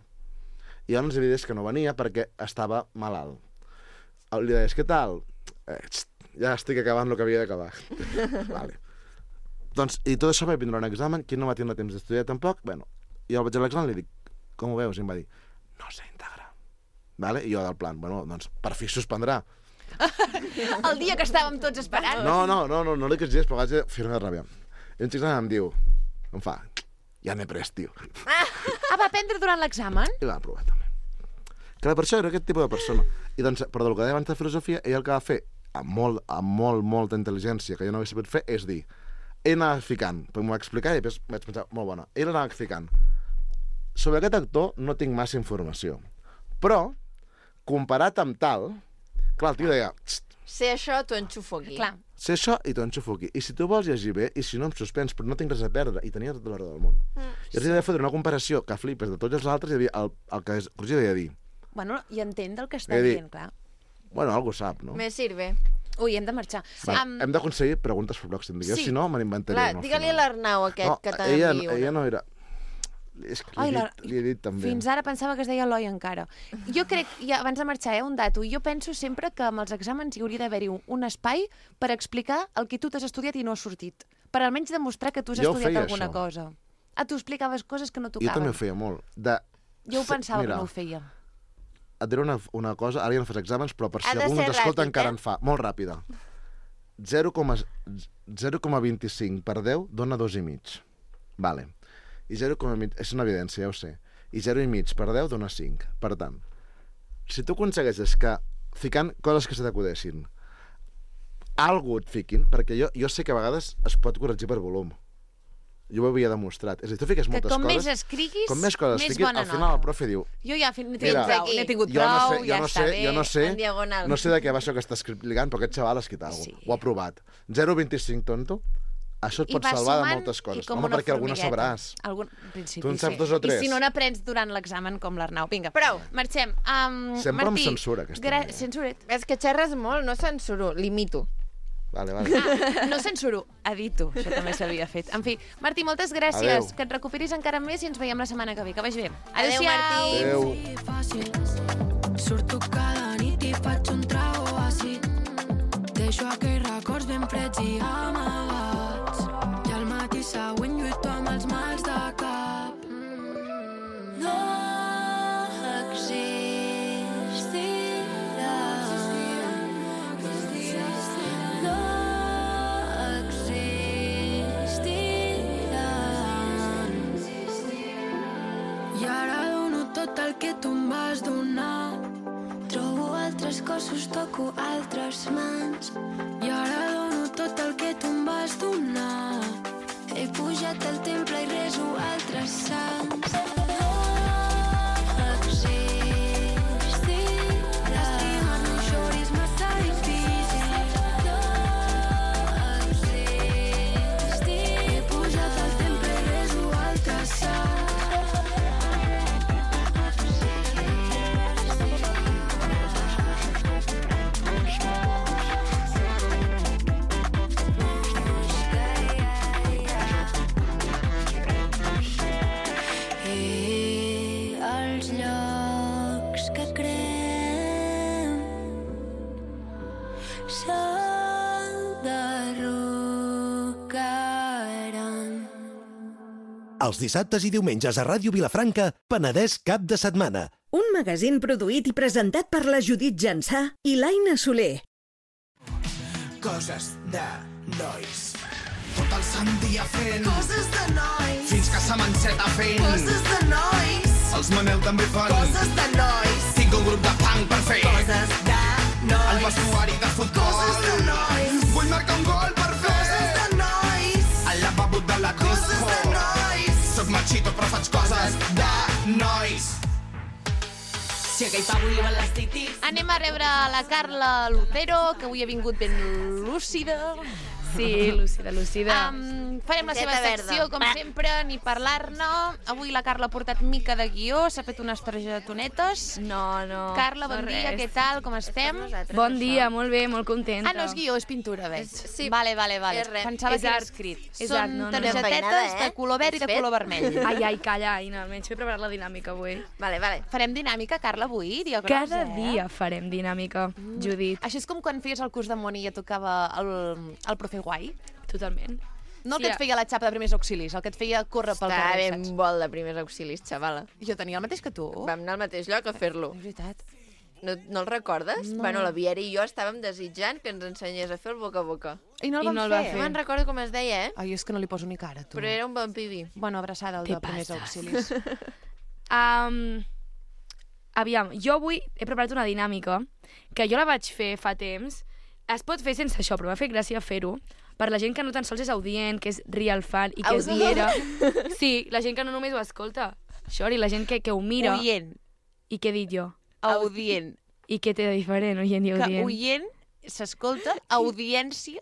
S3: I llavors hi havia que no venia perquè estava malalt. Li deies, què tal? Eh, txt, ja estic acabant el que havia d'acabar. Vale. Doncs, i tot això va vindre un examen, qui no va tindre temps d'estudiar tampoc, bueno, i jo vaig a l'examen i li dic, com ho veus? I em va dir, no sé integrar. Vale? I jo del plan, bueno, doncs per fi suspendrà.
S1: El dia que estàvem tots esperant.
S3: No, no, no, no, no li queixis, però vaig a fer-me ràbia. I un xic em diu, em fa, ja n'he pres, tio.
S1: Ah, va aprendre durant l'examen?
S3: I va aprovar també. Clar, per això era aquest tipus de persona. I doncs, però del que deia abans de filosofia, ell el que va fer, amb molt, amb molt, molta intel·ligència, que jo no havia sabut fer, és dir, ell anava ficant, perquè m'ho va explicar i després vaig pensar, molt bona, ell anava ficant. Sobre aquest actor no tinc massa informació, però, comparat amb tal, clar, el tio deia,
S2: Sé això, t'ho enxufo aquí.
S1: Clar.
S3: sé això i t'ho enxufo aquí. I si tu vols llegir bé, i si no em suspens, però no tinc res a perdre, i tenia tota l'hora del món. Mm, I els he de fotre una comparació que flipes de tots els altres, hi havia el, el que és, Roger deia dir,
S1: Bueno, i entén del que està
S3: He dit-
S1: dient, clar.
S3: bueno, algú sap, no?
S2: Me sirve.
S1: Ui, hem de marxar.
S3: Va,
S1: Am,
S3: hem d'aconseguir preguntes per pròxim dia,
S1: Sí.
S3: si no, me n'inventaré
S2: Clar,
S3: una. al
S2: digue-li a
S3: final.
S2: l'Arnau aquest
S3: no,
S2: que
S3: ella,
S2: t'envio
S3: ella
S2: una.
S3: no era... És que li,
S1: Ai,
S3: he
S1: la...
S3: dit, li he dit també.
S1: Fins ara pensava que es deia Eloi encara. Jo crec, ja, abans de marxar, eh, un dato, jo penso sempre que amb els exàmens hi hauria d'haver-hi un, un espai per explicar el que tu t'has estudiat i no has sortit. Per almenys demostrar que tu has
S3: Jo ho
S1: estudiat
S3: feia,
S1: alguna
S3: això.
S1: cosa. Ah, tu explicaves coses que no
S3: Jo
S1: tocaven.
S3: també ho feia molt. De...
S1: Jo ho pensava
S3: Mira,
S1: que no ho feia.
S3: et diré una, una cosa, ara ja no fas exàmens, però per
S2: Ha
S3: si
S2: de
S3: algú
S2: ser
S3: ens escolta
S2: ràpid,
S3: encara
S2: eh?
S3: en fa. Molt ràpida. zero coma vint-i-cinc per deu dona dos i mig. Vale. I zero coma cinc, és una evidència, ja ho sé. I zero i mig per deu dona cinc. Per tant, si tu aconsegueixes que, ficant coses que se t'acudeixin, algú et fiquin, perquè jo, jo sé que a vegades es pot corregir per volum. Jo ho havia demostrat. És a dir, tu fiques
S1: Que
S3: moltes
S1: com
S3: coses...
S1: més escriguis,
S3: com més coses
S1: més
S3: fiquis,
S1: bona
S3: al final
S1: nota.
S3: el profe diu,
S1: Jo ja n'he tingut
S3: Mira,
S1: prou, n'he tingut
S3: jo no
S1: prou,
S3: sé, jo
S1: ja
S3: no
S1: està
S3: sé,
S1: bé.
S3: jo no sé,
S2: en diagonal.
S3: no sé de què va això que està explicant, però aquest xaval ha escrit alguna cosa.
S1: Sí.
S3: Ho ha provat. zero coma vint-i-cinc, tonto. Això et
S1: I
S3: pot
S1: vas
S3: salvar de
S1: sumant
S3: moltes
S1: i
S3: coses.
S1: com
S3: Home,
S1: una
S3: perquè alguna
S1: formigueta.
S3: sabràs.
S1: Algun... En principi,
S3: Tu en saps
S1: sí.
S3: dos o tres?
S1: I si no n'aprens durant l'examen, com l'Arnau. Vinga,
S2: Prou.
S1: Marxem. Um,
S3: Sempre
S1: Martí,
S3: amb censura, aquesta
S1: gra...
S3: noia.
S1: Censuret.
S2: És que xerres molt, no censuro, limito.
S3: Vale, vale.
S1: Ah, no censuro, edito. Això també s'havia fet. En fi, Martí, moltes gràcies.
S3: Adéu.
S1: Que et recuperis encara més i ens veiem la setmana que ve. Que vagi bé.
S2: Adéu, Martí.
S3: Adéu.
S4: Fàcil. Surto cada nit i faig un trago àcid. Deixo aquells records ben freds i amagats. I al matí següent lluito amb els mals de cap. No existirà. No existirà. I ara dono tot el que tu em vas donar. Trobo altres cossos, toco altres mans. I ara dono tot el que tu em vas donar. He pujat al temple i reso altres sants. No existirà. Estimar-me això és massa difícil. No existirà. He pujat al temple i reso altres sants. s'enderrocaran.
S5: Els dissabtes i diumenges a Ràdio Vilafranca, Penedès cap de setmana.
S6: Un magazín produït i presentat per la Judit Jansà i l'Aina Soler.
S7: Coses de nois. Tot el sant dia fent
S8: Coses de nois.
S7: fins que se m'enceta fent
S8: Coses de nois.
S7: Els Manel també fan
S8: Coses de nois.
S7: Tinc un grup de punk per fer
S8: Coses de nois.
S7: el vestuari de futbol.
S8: Coses de nois.
S7: Vull marcar un gol per fer
S8: Coses de nois.
S7: al lavabo de la
S8: Coses
S7: disco.
S8: de nois.
S7: Soc machito però faig coses de nois.
S8: Si aquell pavo li van les titis.
S1: Anem a rebre la Carla Lucero, que avui ha vingut ben lúcida.
S9: Sí, lúcida, lúcida.
S1: Um, farem la seva
S2: Camiseta verda.
S1: secció, com sempre, ni parlar-ne. Avui la Carla ha portat mica de guió, s'ha fet unes targetonetes.
S9: No, no.
S1: Carla, bon
S9: no
S1: dia,
S9: res.
S1: què tal, com estem?
S9: Bon dia, molt bé, molt contenta.
S1: Ah, no és guió, és pintura, veig.
S2: És- sí,
S1: vale, vale, vale.
S2: és res.
S1: Pensava
S9: És
S1: que era
S9: art.
S1: escrit.
S9: És
S1: Són
S9: art, no, no, no.
S1: targetetes
S2: Enfeinada, eh?
S1: de color verd i de
S2: Has fet?
S1: color vermell.
S9: Ai, ai, calla, Aina, almenys m'he preparat la dinàmica avui.
S2: Vale, vale.
S1: Farem dinàmica, Carla, avui? Dia gros,
S9: Cada
S1: eh?
S9: dia farem dinàmica, Judit.
S1: Això és com quan feies el curs de moni i et tocava el, el profe guai.
S9: Totalment.
S1: No el
S9: Sí,
S1: que et
S9: a-
S1: feia la xapa de primers auxilis, el que et feia córrer pel
S2: Estava
S1: carrer,
S2: ben
S1: saps?
S2: vol de primers auxilis, xavala.
S1: Jo tenia el mateix que tu.
S2: Vam anar al mateix lloc a fer-lo.
S1: És veritat.
S2: No, no el recordes?
S1: No.
S2: Bueno, la Viera i jo estàvem desitjant que ens ensenyés a fer el boca a boca.
S1: I no el
S9: I
S1: vam
S9: no el va
S1: fer.
S9: fer.
S2: No me'n recordo com es deia, eh?
S1: Ai, és que no li poso ni cara, tu.
S2: Però era un bon pibi.
S1: Bueno, abraçada al
S9: Te
S1: de primers
S9: passes.
S1: auxilis.
S9: Um, aviam, jo avui he preparat una dinàmica que jo la vaig fer fa temps. Es pot fer sense això, però m'ha fet gràcia fer-ho. Per la gent que no tan sols és audient, que és real fan i que és
S2: Audient?
S9: viera. Sí, la gent que no només ho escolta. Xori, la gent que, que ho mira.
S1: Oient.
S9: I què he dit jo?
S1: Audient.
S9: I què té de diferent, oient i
S1: Que
S9: audient?
S1: oient s'escolta, audiència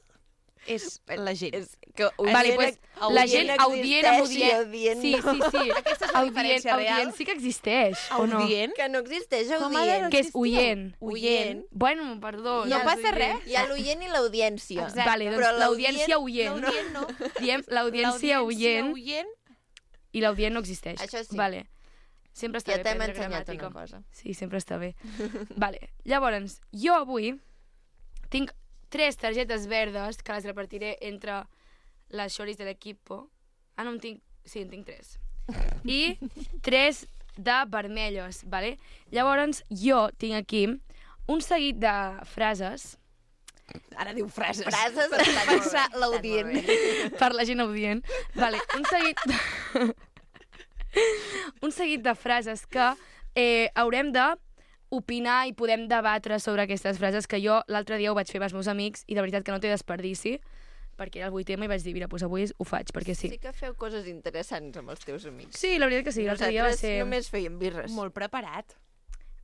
S1: és la gent.
S2: És que
S9: Vale, pues, la gent audient amb audient...
S2: audient
S9: Sí,
S2: no.
S9: sí, sí.
S1: Aquesta és la
S9: Audient,
S1: diferència real.
S9: audient sí que existeix, o no?
S1: Audient?
S2: Que no existeix
S1: Com ha de
S2: audient.
S1: no
S9: Que és
S1: existir?
S9: oient.
S1: Oient.
S9: Bueno, perdó.
S1: No
S9: ja
S1: passa
S9: és
S1: res.
S9: oient.
S2: Hi ha l'oient i l'audiència.
S1: Exacte.
S9: Vale, doncs
S2: Però
S9: l'audiència
S2: l'audient-
S9: oient.
S1: L'audient no.
S9: Diem l'audiència oient
S1: oient.
S9: i l'audient no existeix.
S2: Això sí.
S9: Vale. Sempre està
S2: Ja
S9: bé
S2: t'hem
S9: aprendre
S2: ensenyat
S9: gramàtica.
S2: una cosa.
S9: Sí, sempre està bé. Vale. Llavors, jo avui tinc tres targetes verdes que les repartiré entre les xoris de l'equipo. Ah, no en tinc... Sí, en tinc tres. I tres de vermelles, vale? Llavors, jo tinc aquí un seguit de frases
S1: Ara diu frases.
S2: Frases
S1: Per
S2: estan
S1: pensar
S2: molt bé,
S1: l'audient.
S2: estan molt bé.
S9: per la gent audient. Vale, un seguit... De... un seguit de frases que eh, haurem de opinar i podem debatre sobre aquestes frases que jo l'altre dia ho vaig fer amb els meus amics i de veritat que no té desperdici perquè era el vuit eme i vaig dir, mira, doncs avui ho faig, perquè sí.
S2: Sí que feu coses interessants amb els teus amics.
S9: Sí, la veritat que sí, l'altre dia va
S2: Nosaltres
S9: ser...
S2: només fèiem birres.
S1: Molt preparat.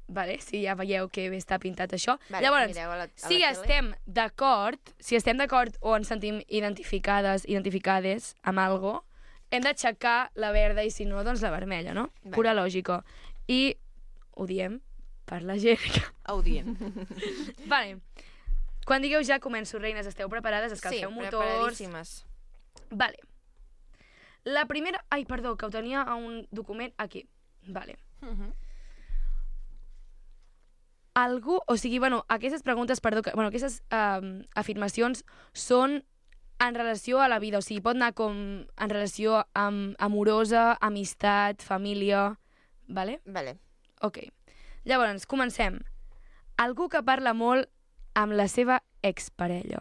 S9: Vale, sí, ja veieu que bé està pintat això.
S2: Vale,
S9: Llavors,
S2: mireu a la- a la
S9: si
S2: tele.
S9: estem d'acord, si estem d'acord o ens sentim identificades, identificades amb algo, hem d'aixecar la verda i si no, doncs la vermella, no?
S2: Vale.
S9: Pura lògica. I ho diem per la gent que...
S1: Audient.
S9: Vale. Quan digueu ja començo, reines, esteu preparades?
S2: Sí,
S9: Escalfeu motors...
S2: preparadíssimes.
S9: Vale. La primera... Ai, perdó, que ho tenia a un document aquí. Vale. Algú... O sigui, bueno, aquestes preguntes, perdó, que, bueno, aquestes um, afirmacions són en relació a la vida. O sigui, pot anar com en relació amb amorosa, amistat, família... Vale?
S2: Vale.
S9: Ok. Llavors, comencem. Algú que parla molt amb la seva exparella.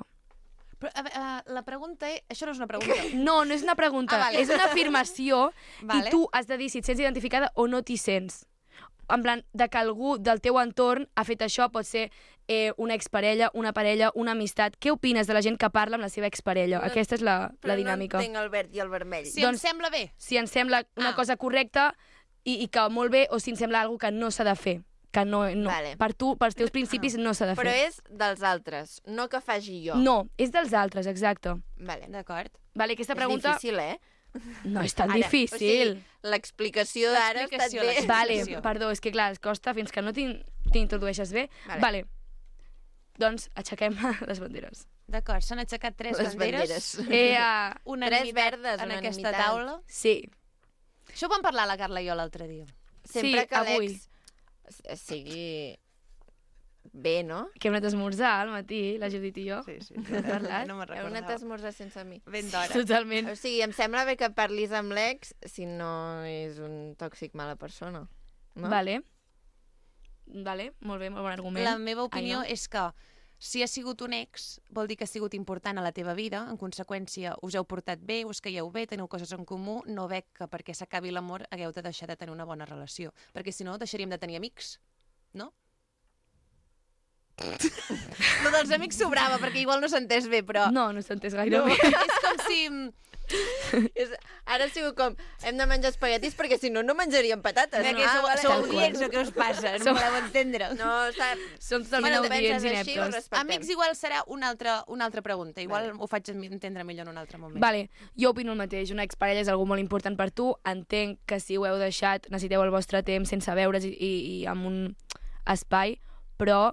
S1: Però, a, a, la pregunta és... Això no és una pregunta.
S9: No, no és una pregunta,
S1: Ah, vale.
S9: és una afirmació
S1: Vale.
S9: i tu has de dir si et sents identificada o no t'hi sents. En plan, de que algú del teu entorn ha fet això, pot ser eh, una exparella, una parella, una amistat. Què opines de la gent que parla amb la seva exparella?
S2: No,
S9: Aquesta és la,
S2: Però
S9: la dinàmica.
S2: no entenc el verd i el vermell.
S1: Si
S9: Doncs-
S1: em sembla bé.
S9: Si ens sembla una
S1: Ah.
S9: cosa correcta i, i que molt bé, o si ens sembla alguna que no s'ha de fer. Que no, no.
S2: Vale.
S9: Per tu, pels teus principis, no s'ha de fer.
S2: Però és dels altres, no que faci jo.
S9: No, és dels altres, exacte.
S2: Vale.
S1: D'acord.
S9: Vale, aquesta pregunta...
S2: És difícil, eh?
S9: No és tan
S2: Ara,
S9: difícil.
S2: O sigui, l'explicació d'ara ha estat
S1: L'explicació,
S2: bé.
S1: l'explicació.
S9: Vale,
S1: Explicació.
S9: perdó, és que clar, es costa fins que no t'in- t'introdueixes bé.
S2: Vale.
S9: Vale. Doncs aixequem les banderes.
S1: D'acord, s'han aixecat tres
S2: Les
S1: banderes.
S2: banderes.
S9: Eh, uh,
S1: Unanimitat
S2: Tres verdes,
S1: en aquesta
S2: unanimitat.
S1: taula.
S9: sí,
S1: Això ho vam parlar la Carla i jo l'altre dia.
S2: Sempre
S9: Sí,
S2: que
S9: avui.
S2: l'ex s- sigui bé, no?
S9: Que hem anat a esmorzar al matí, la Judit i jo.
S1: Sí, sí.
S9: Hem parlat.
S1: No me'n
S2: Heu anat a
S1: recordava.
S2: esmorzar sense mi.
S1: Ben d'hora.
S9: Totalment.
S2: O sigui, em sembla bé que parlis amb l'ex si no és un tòxic mala persona. No?
S9: Vale. Vale, molt bé, molt bon argument.
S1: La meva opinió
S9: Ai, no?
S1: és que si ha sigut un ex, vol dir que ha sigut important a la teva vida, en conseqüència us heu portat bé, us caieu bé, teniu coses en comú, no veig que perquè s'acabi l'amor hagueu de deixar de tenir una bona relació, perquè si no deixaríem de tenir amics, no? Lo dels amics sobrava, perquè igual no s'ha entès bé, però...
S9: No, no s'ha entès gaire
S1: No,
S9: bé.
S1: és com si...
S2: És, ara ha sigut com, hem de menjar espaguetis perquè si no, no menjaríem patates.
S1: Que
S2: no?
S1: sou,
S2: vale.
S1: sou
S9: Tal qual.
S1: audients o què us passa? No
S9: Som-
S1: voleu entendre.
S2: No, està...
S9: Som
S2: Si
S9: totalment
S2: no ho
S9: audients
S2: penses així, ho
S9: ineptos.
S2: respectem.
S1: Amics igual serà una altra, una altra pregunta. Igual ho faig entendre millor en un altre moment.
S9: Vale, jo opino el mateix. Una exparella és algú molt important per tu. Entenc que si ho heu deixat necessiteu el vostre temps sense veure's i, i, i amb un espai, però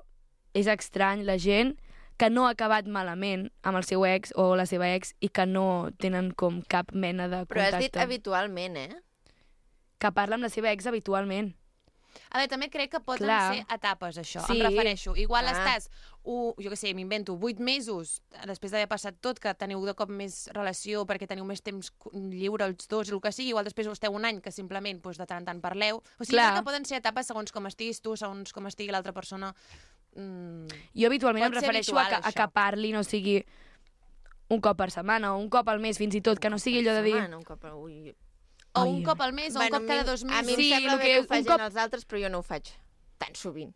S9: és estrany la gent que no ha acabat malament amb el seu ex o la seva ex i que no tenen com cap mena de
S2: Però has dit
S9: contacte.
S2: habitualment, eh?
S9: Que parla amb la seva ex habitualment.
S1: A veure, també crec que poden
S9: Clar.
S1: ser etapes, això.
S9: Sí.
S1: Em refereixo. Igual
S2: Ah.
S1: estàs, u, jo què sé, m'invento, vuit mesos després d'haver passat tot, que teniu de cop més relació perquè teniu més temps lliure els dos, el que sigui, igual després esteu un any que simplement doncs, de tant en tant parleu. O sigui,
S9: Clar.
S1: crec que poden ser etapes segons com estiguis tu, segons com estigui l'altra persona. Mm.
S9: Jo habitualment
S1: Pot
S9: em
S1: ser
S9: refereixo a
S1: habitual,
S9: que, a
S1: això.
S9: que parli, no sigui un cop per setmana o un cop al mes fins i tot, que no sigui allò de dir...
S2: Setmana, un cop... Ui.
S1: O
S9: Ai.
S1: un cop al mes, o un
S2: Bueno,
S1: cop cada
S2: a mi-
S1: dos
S2: A mi
S1: mesos.
S2: em
S9: Sí,
S2: sembla
S9: el
S2: bé
S9: que
S2: que ho
S9: un
S2: facin
S9: cop-
S2: els altres, però jo no ho faig tan sovint.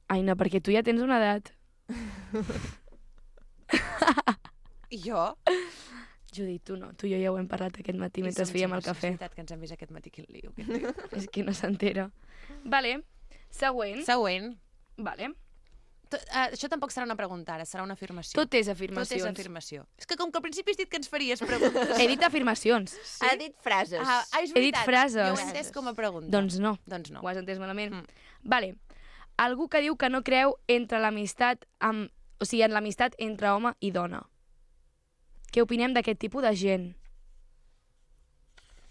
S9: Ai, no, perquè tu ja tens una edat.
S1: I jo?
S9: Judit, tu no. Tu i jo ja ho hem parlat aquest matí mentre
S1: I som
S9: fèiem el
S1: sempre-
S9: cafè.
S1: És veritat que ens hem vist aquest matí, quin lío. Quin lío.
S9: És que no s'entera. Vale, següent.
S1: Següent.
S9: Vale.
S1: Tot, uh, això tampoc serà una pregunta ara, serà una afirmació.
S9: Tot és
S1: Tot és
S9: afirmacions.
S1: afirmació. És que com que al principi has dit que ens faries preguntes...
S9: He dit afirmacions.
S2: Sí? Ha dit frases.
S1: Ah, ah, és
S9: He dit
S1: veritat.
S9: frases.
S1: Jo ho he entès com a pregunta.
S9: Doncs no.
S1: Doncs no.
S9: Ho has entès malament?
S1: Mm.
S9: Vale. Algú que diu que no creu entre l'amistat amb... O sigui, en l'amistat entre home i dona. Què opinem d'aquest tipus de gent?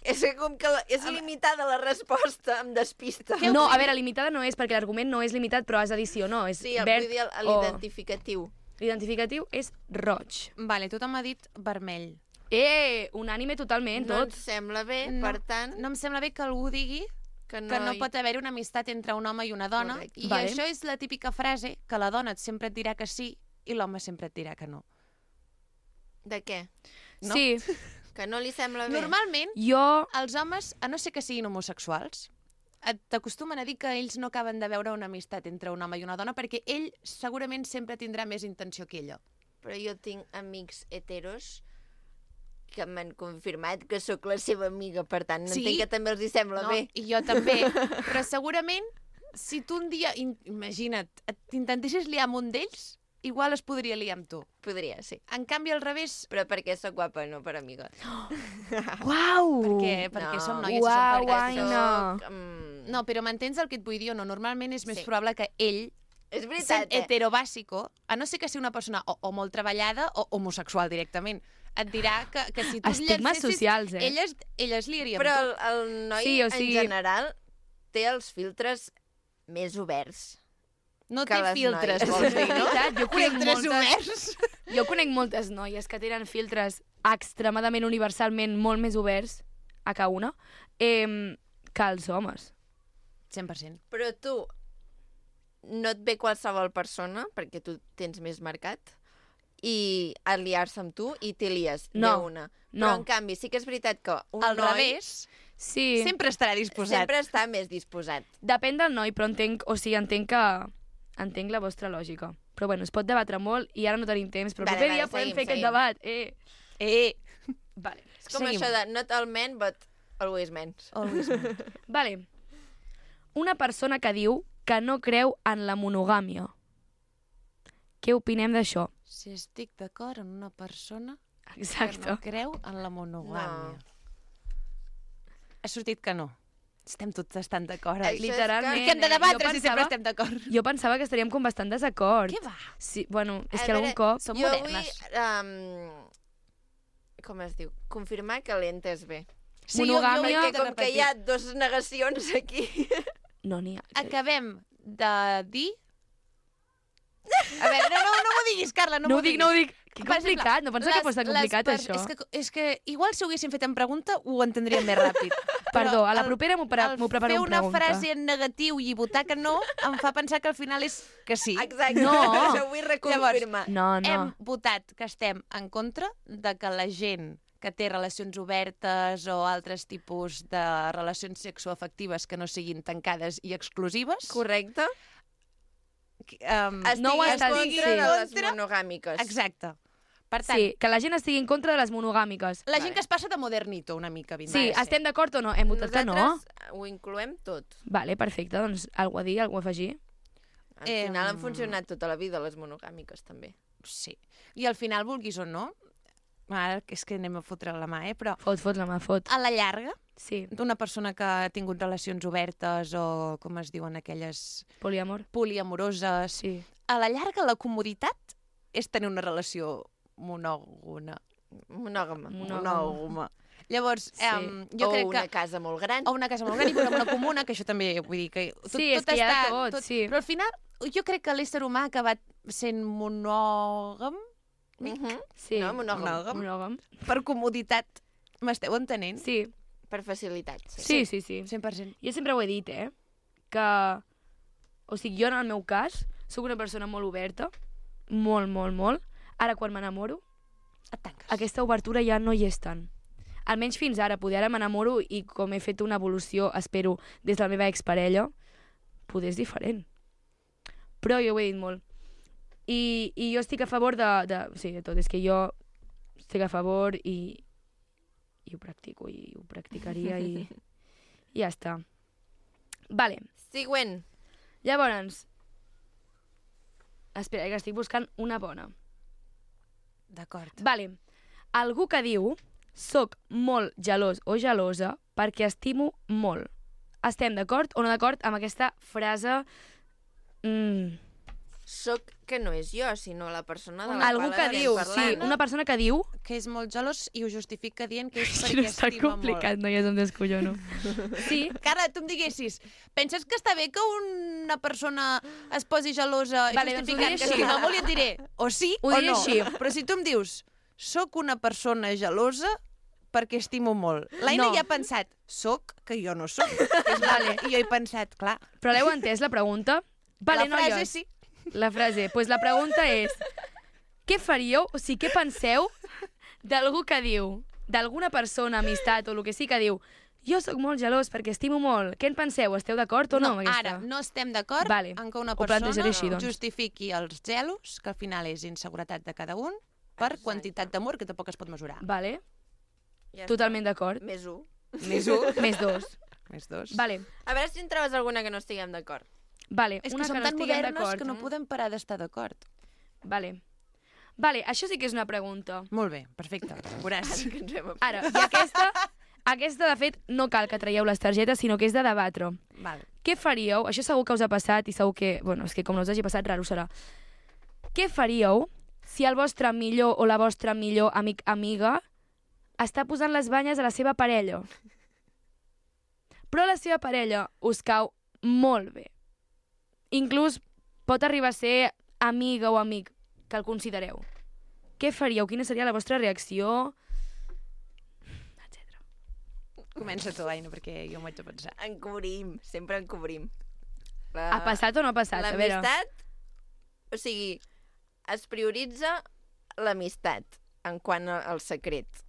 S2: És que com que la, és limitada la resposta, em despista.
S1: Què
S9: No,
S1: opinem?
S9: a veure, limitada no és, perquè l'argument no és limitat, però has de dir sí o no. És
S2: Sí, el,
S9: verd
S2: vull dir el-
S9: o-
S2: l'identificatiu.
S9: L'identificatiu és roig.
S1: Vale, tothom m'ha dit vermell.
S9: Eh, unànime totalment,
S2: No
S9: tot.
S2: ens sembla bé,
S1: No,
S2: per tant,
S1: No em sembla bé que algú digui
S2: que no,
S1: que no
S2: hi-
S1: pot haver una amistat entre un home i una dona.
S2: Correcte.
S1: I
S9: Vale.
S1: això és la típica frase que la dona sempre et dirà que sí i l'home sempre et dirà que no.
S2: De què?
S1: No?
S9: Sí,
S2: Que no li sembla bé?
S1: Normalment,
S9: jo...
S1: els homes, a no ser que siguin homosexuals, et- t'acostumen a dir que ells no acaben de veure una amistat entre un home i una dona perquè ell segurament sempre tindrà més intenció que ella.
S2: Però jo tinc amics heteros que m'han confirmat que sóc la seva amiga, per tant,
S1: Sí?
S2: entenc que també els hi sembla
S1: No?
S2: bé.
S1: I jo també. Però segurament, si tu un dia, in- imagina't, et- t'intentessis liar amb un d'ells, igual es podria liar amb tu.
S2: Podria, sí.
S1: En canvi, al revés,
S2: Però perquè sóc guapa, no per amiga.
S9: Uau!
S1: perquè, perquè
S2: no.
S1: som noies
S9: Uau,
S1: i som
S9: ai,
S1: fèrtils.
S9: no.
S2: Soc, mm,
S1: No, però m'entens el que et vull dir o no? Normalment és més
S2: Sí.
S1: probable que ell,
S2: És
S1: sent
S2: veritat, eh?
S1: heterobàsico, a no ser que sigui una persona o, o molt treballada o homosexual directament, et dirà que, que si tu et
S9: Estigmes
S1: llancessis,
S9: socials, eh?
S1: elles, elles liaria
S2: Però
S1: amb
S2: el, el noi,
S9: Sí, o
S2: en
S9: sigui-
S2: general, té els filtres més oberts.
S1: tu. No
S2: que
S1: té
S2: les
S1: filtres,
S2: noies.
S1: vols dir, no?
S9: Veritat, jo conec
S1: Filtres
S9: moltes...
S1: oberts.
S9: Jo conec moltes noies que tenen filtres extremadament universalment molt més oberts a cada una eh, que els homes.
S1: cent per cent.
S2: Però tu no et ve qualsevol persona, perquè tu tens més marcat, i a liar-se amb tu i t'hi lies
S9: No,
S2: d'una.
S9: no.
S2: Però, en canvi, sí que és veritat que un
S1: Al
S2: noi
S1: revés,
S9: Sí,
S1: sempre estarà disposat.
S2: sempre està més disposat.
S9: depèn del noi, però entenc, o sigui, entenc que entenc la vostra lògica. Però bueno, es pot debatre molt i ara no tenim temps, però el
S2: Vale,
S9: proper
S2: vale,
S9: dia podem
S2: seguim,
S9: fer aquest
S2: seguim.
S9: debat. Eh,
S1: Eh,
S9: vale.
S2: És com
S1: Seguim.
S2: això de not all men, but always men.
S1: always.
S9: Vale. Una persona que diu que no creu en la monogàmia. Què opinem d'això?
S1: Si estic d'acord en una persona que
S9: Exacte.
S1: no creu en la monogàmia.
S2: No.
S1: Ha sortit que no. Estem tots estan d'acord.
S2: Això
S1: Eh?
S2: és
S9: Literalment.
S2: que-
S1: I que hem de
S9: eh?
S1: debatre
S9: Jo
S1: si sempre
S9: pensava-
S1: estem d'acord.
S9: Jo pensava que estaríem com bastant desacord.
S1: Què va?
S9: Sí, bueno, és
S2: A
S9: que algun
S2: veure,
S9: cop...
S1: Som
S2: jo
S1: modernes.
S2: vull, um, com es diu, confirmar que l'entes bé.
S1: Sí,
S9: Monogàmia-
S1: jo, jo,
S2: Perquè com que hi ha dos negacions aquí...
S9: No n'hi ha.
S1: Acabem de dir A veure, no, no, no m'ho diguis, Carla, no,
S9: No
S1: m'ho
S9: ho dic,
S1: diguis.
S9: no ho dic. Que
S1: Per
S9: complicat,
S1: exemple,
S9: no pensava que
S1: les-
S9: fos tan
S1: les
S9: complicat,
S1: per-
S9: això.
S1: És que, és que igual si ho haguéssim fet en pregunta ho entendríem més ràpid.
S9: Perdó, a la
S1: el-
S9: propera m'ho pre-
S1: el
S9: m'ho preparo en
S1: fer una
S9: pregunta.
S1: frase en negatiu i votar que no em fa pensar que al final és que sí.
S2: Exacte,
S9: No.
S2: això vull reconfirmar.
S9: No, no.
S1: Hem votat que estem en contra de que la gent que té relacions obertes o altres tipus de relacions sexoafectives que no siguin tancades i exclusives.
S2: Correcte.
S1: Um,
S2: Estigui
S9: No ho
S2: en
S9: estàs
S2: contra
S9: dient.
S2: de les
S1: Contra-
S2: monogàmiques.
S1: Exacte. Per tant,
S9: Sí, que la gent estigui en contra de les monogàmiques.
S1: la gent que es passa de modernito una mica. vindrà
S9: Sí,
S1: a ser.
S9: estem d'acord o no? Hem votat que no?
S2: Nosaltres ho incloem tot.
S9: Vale, perfecte, doncs algú a dir, algú a afegir.
S2: Al
S1: Eh,
S2: final han funcionat tota la vida les monogàmiques, també.
S1: Sí. I al final, vulguis o no, ara és que anem a fotre la mà, eh? però
S9: Fot, fot, la mà, fot.
S1: a la llarga,
S9: Sí,
S1: d'una persona que ha tingut relacions obertes o, com es diuen, aquelles
S9: poliamor.
S1: poliamoroses,
S9: Sí.
S1: a la llarga la comoditat és tenir una relació monògona.
S2: Monògama.
S1: Monògama. Llavors,
S2: Sí.
S1: um, jo
S2: o
S1: crec
S2: una
S1: que...
S2: casa molt gran.
S1: O una casa molt gran i una comuna, que això també, vull dir, que tot,
S9: Sí, és
S1: tot
S9: que hi ha
S1: està...
S9: de tot, sí.
S1: Però al final, jo crec que l'ésser humà ha acabat sent monògam
S2: Mhm.
S9: Sí.
S2: No, monògam.
S1: Monògam.
S9: Monògam.
S1: per comoditat. M'esteu entenent?
S9: Sí,
S2: Per facilitat. Sí.
S9: sí, sí, sí.
S1: cent per cent.
S9: Jo sempre ho he dit, eh? Que... O sigui, jo en el meu cas, sóc una persona molt oberta, molt, molt, molt. Ara, quan m'enamoro,
S1: Et tanques.
S9: aquesta obertura ja no hi és tant. Almenys fins ara, poder ara m'enamoro i com he fet una evolució, espero, des de la meva exparella, poder és diferent. Però jo ho he dit molt. I, i jo estic a favor de, de... Sí, de tot. És que jo estic a favor i, i ho practico i ho practicaria i, i ja està. Vale.
S2: Següent.
S9: Llavors, espera, que estic buscant una bona.
S1: D'acord.
S9: Vale. Algú que diu soc molt gelós o gelosa perquè estimo molt. Estem d'acord o no d'acord amb aquesta frase? Mm.
S2: Soc que no és jo, sinó la persona de la
S9: Algú
S2: qual
S9: que
S2: estem
S9: diu,
S2: parlant.
S9: sí, una persona que diu...
S1: Que és molt gelós i ho justifica dient que és
S9: Sí,
S1: perquè
S9: no està
S1: estima
S9: complicat,
S1: molt.
S9: no ja és un descollono. Sí,
S1: Carla, tu em diguessis, penses que està bé que una persona es posi gelosa
S9: Vale,
S1: i
S9: doncs ho
S1: justificant
S9: diré
S1: que
S9: així.
S1: estima molt i et diré o sí
S9: Ho
S1: o
S9: diré
S1: no.
S9: així.
S1: Però si tu em dius, soc una persona gelosa perquè estimo molt. L'Aina
S9: No.
S1: ja ha pensat, soc, que jo no soc. És vale. I jo he pensat, clar,
S9: però l'heu entès, la pregunta? Vale,
S1: la frase
S9: noies,
S1: sí.
S9: La frase. Doncs pues la pregunta és, què faríeu, o sigui, què penseu d'algú que diu, d'alguna persona, amistat o el que sí que diu, jo sóc molt gelós perquè estimo molt. Què en penseu? Esteu d'acord o no, amb aquesta?
S1: Ara, no estem d'acord
S9: Vale.
S1: en que una
S9: Ho
S1: persona
S9: plantejaré així, doncs.
S1: justifiqui els gelos, que al final és inseguretat de cada un, per
S2: Exacte.
S1: quantitat d'amor que tampoc es pot mesurar.
S9: Vale,
S2: Ja està.
S9: totalment d'acord.
S2: Més un.
S1: Més un.
S9: Més dos.
S1: Més dos.
S9: Vale,
S2: A veure si en trobes alguna que no estiguem d'acord.
S9: vale.
S1: És
S9: una
S1: que som
S9: no
S1: tan
S9: estiguem
S1: modernes
S9: d'acord.
S1: que no podem parar d'estar d'acord.
S9: Vale. Vale, això sí que és una pregunta.
S1: Molt bé, perfecte. Veuràs.
S2: Que ens hem...
S9: Ara, i aquesta, aquesta, de fet, no cal que traieu les targetes, sinó que és de debatre.
S1: Val.
S9: Què faríeu? Això segur que us ha passat i segur que... Bueno, és que com no us hagi passat, raro serà. Què faríeu si el vostre millor o la vostra millor amic amiga està posant les banyes a la seva parella? Però la seva parella us cau molt bé. Inclús pot arribar a ser amiga o amic que el considereu. Què faríeu? Quina seria la vostra reacció? Etcètera.
S1: Comença tu, Aina, perquè jo m'ho haig de pensar.
S2: Encobrim, sempre encobrim. La...
S9: Ha passat o no ha passat? A veure.
S2: L'amistat, o sigui, es prioritza l'amistat en quant al secret.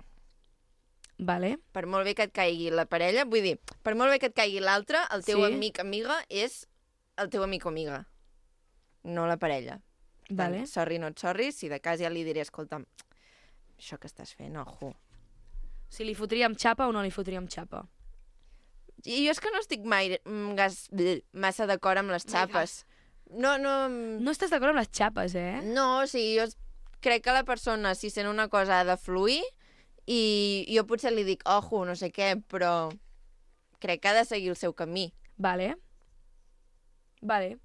S9: Vale.
S2: Per molt bé que et caigui la parella, vull dir, per molt bé que et caigui l'altre, el teu
S9: Sí.
S2: amic amiga és el teu amic o amiga, no la parella. Per tant,
S9: Vale.
S2: sorry, no et sorry, si de cas ja li diré, escolta'm, això que estàs fent, ojo.
S9: Si li fotríem xapa o no li fotríem xapa?
S2: I jo és que no estic mai mm, gas, bleh, massa d'acord amb les xapes. No, no...
S9: No estàs d'acord amb les xapes, eh?
S2: No, o sigui, jo crec que la persona, si sent una cosa, ha de fluir, i jo potser li dic, ojo, no sé què, però crec que ha de seguir el seu camí.
S9: Vale. Vale.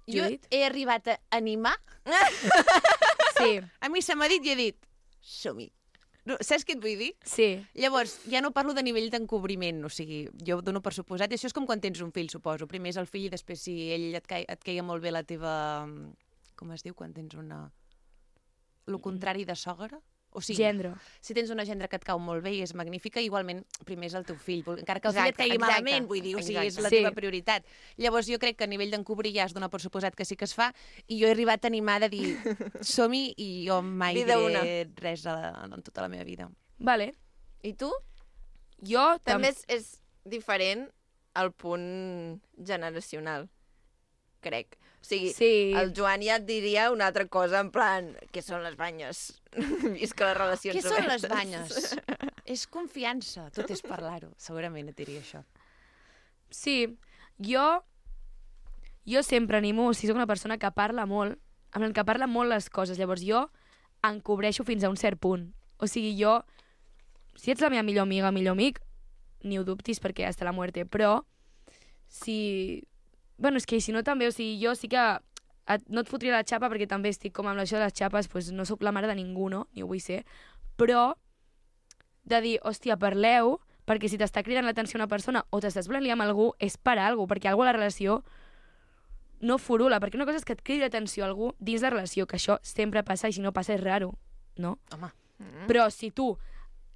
S1: Jo
S9: Judit?
S1: he arribat a animar.
S9: Sí,
S1: A mi se m'ha dit i he dit, som-hi. No, saps què et vull dir?
S9: sí.
S1: Llavors, ja no parlo de nivell d'encobriment, o sigui, jo dono per suposat, i això és com quan tens un fill, suposo. Primer és el fill i després si ell et, cai, et caia molt bé la teva com es diu quan tens una... Lo contrari de sogra? O sigui,
S9: Gendre.
S1: si tens una gendre que et cau molt bé i és magnífica, igualment primer és el teu fill, encara que el
S2: Exacte,
S1: fill et caigui
S2: exacte,
S1: malament, vull dir, o sigui, és la
S9: Sí.
S1: teva prioritat. Llavors jo crec que a nivell d'encobrir ja es dona per suposat que sí que es fa, i jo he arribat a animar de dir, som-hi, i jo mai
S2: Vida
S1: diré
S2: una.
S1: res a la, en tota la meva vida.
S9: Vale.
S2: I tu?
S9: Jo
S2: També és, és diferent el punt generacional, crec. O sigui,
S9: Sí.
S2: el Joan ja et diria una altra cosa, en plan, què són les banyes? Visca les relacions
S1: Què són les
S2: obertes.
S1: banyes? És confiança, tot és parlar-ho. Segurament et diria això.
S9: Sí, jo jo sempre animo, si soc una persona que parla molt, en plan que parla molt les coses, llavors jo encobreixo fins a un cert punt. O sigui, jo, si ets la meva millor amiga, millor amic, ni ho dubtis perquè hasta la muerte, però si... Bueno, és que si no també, o sigui, jo sí que et, no et fotria la xapa perquè també estic com amb això de les xapes, pues no sóc la mare de ningú, no? Ni ho vull ser, però de dir, hòstia, parleu, perquè si t'està cridant l'atenció una persona o t'estàs volent liar amb algú, és per a alguna cosa, perquè algú a la relació no furula, perquè una cosa és que et cridi l'atenció a algú dins la relació, que això sempre passa i si no passa és raro, no?
S1: Home.
S2: Mm.
S9: Però si tu,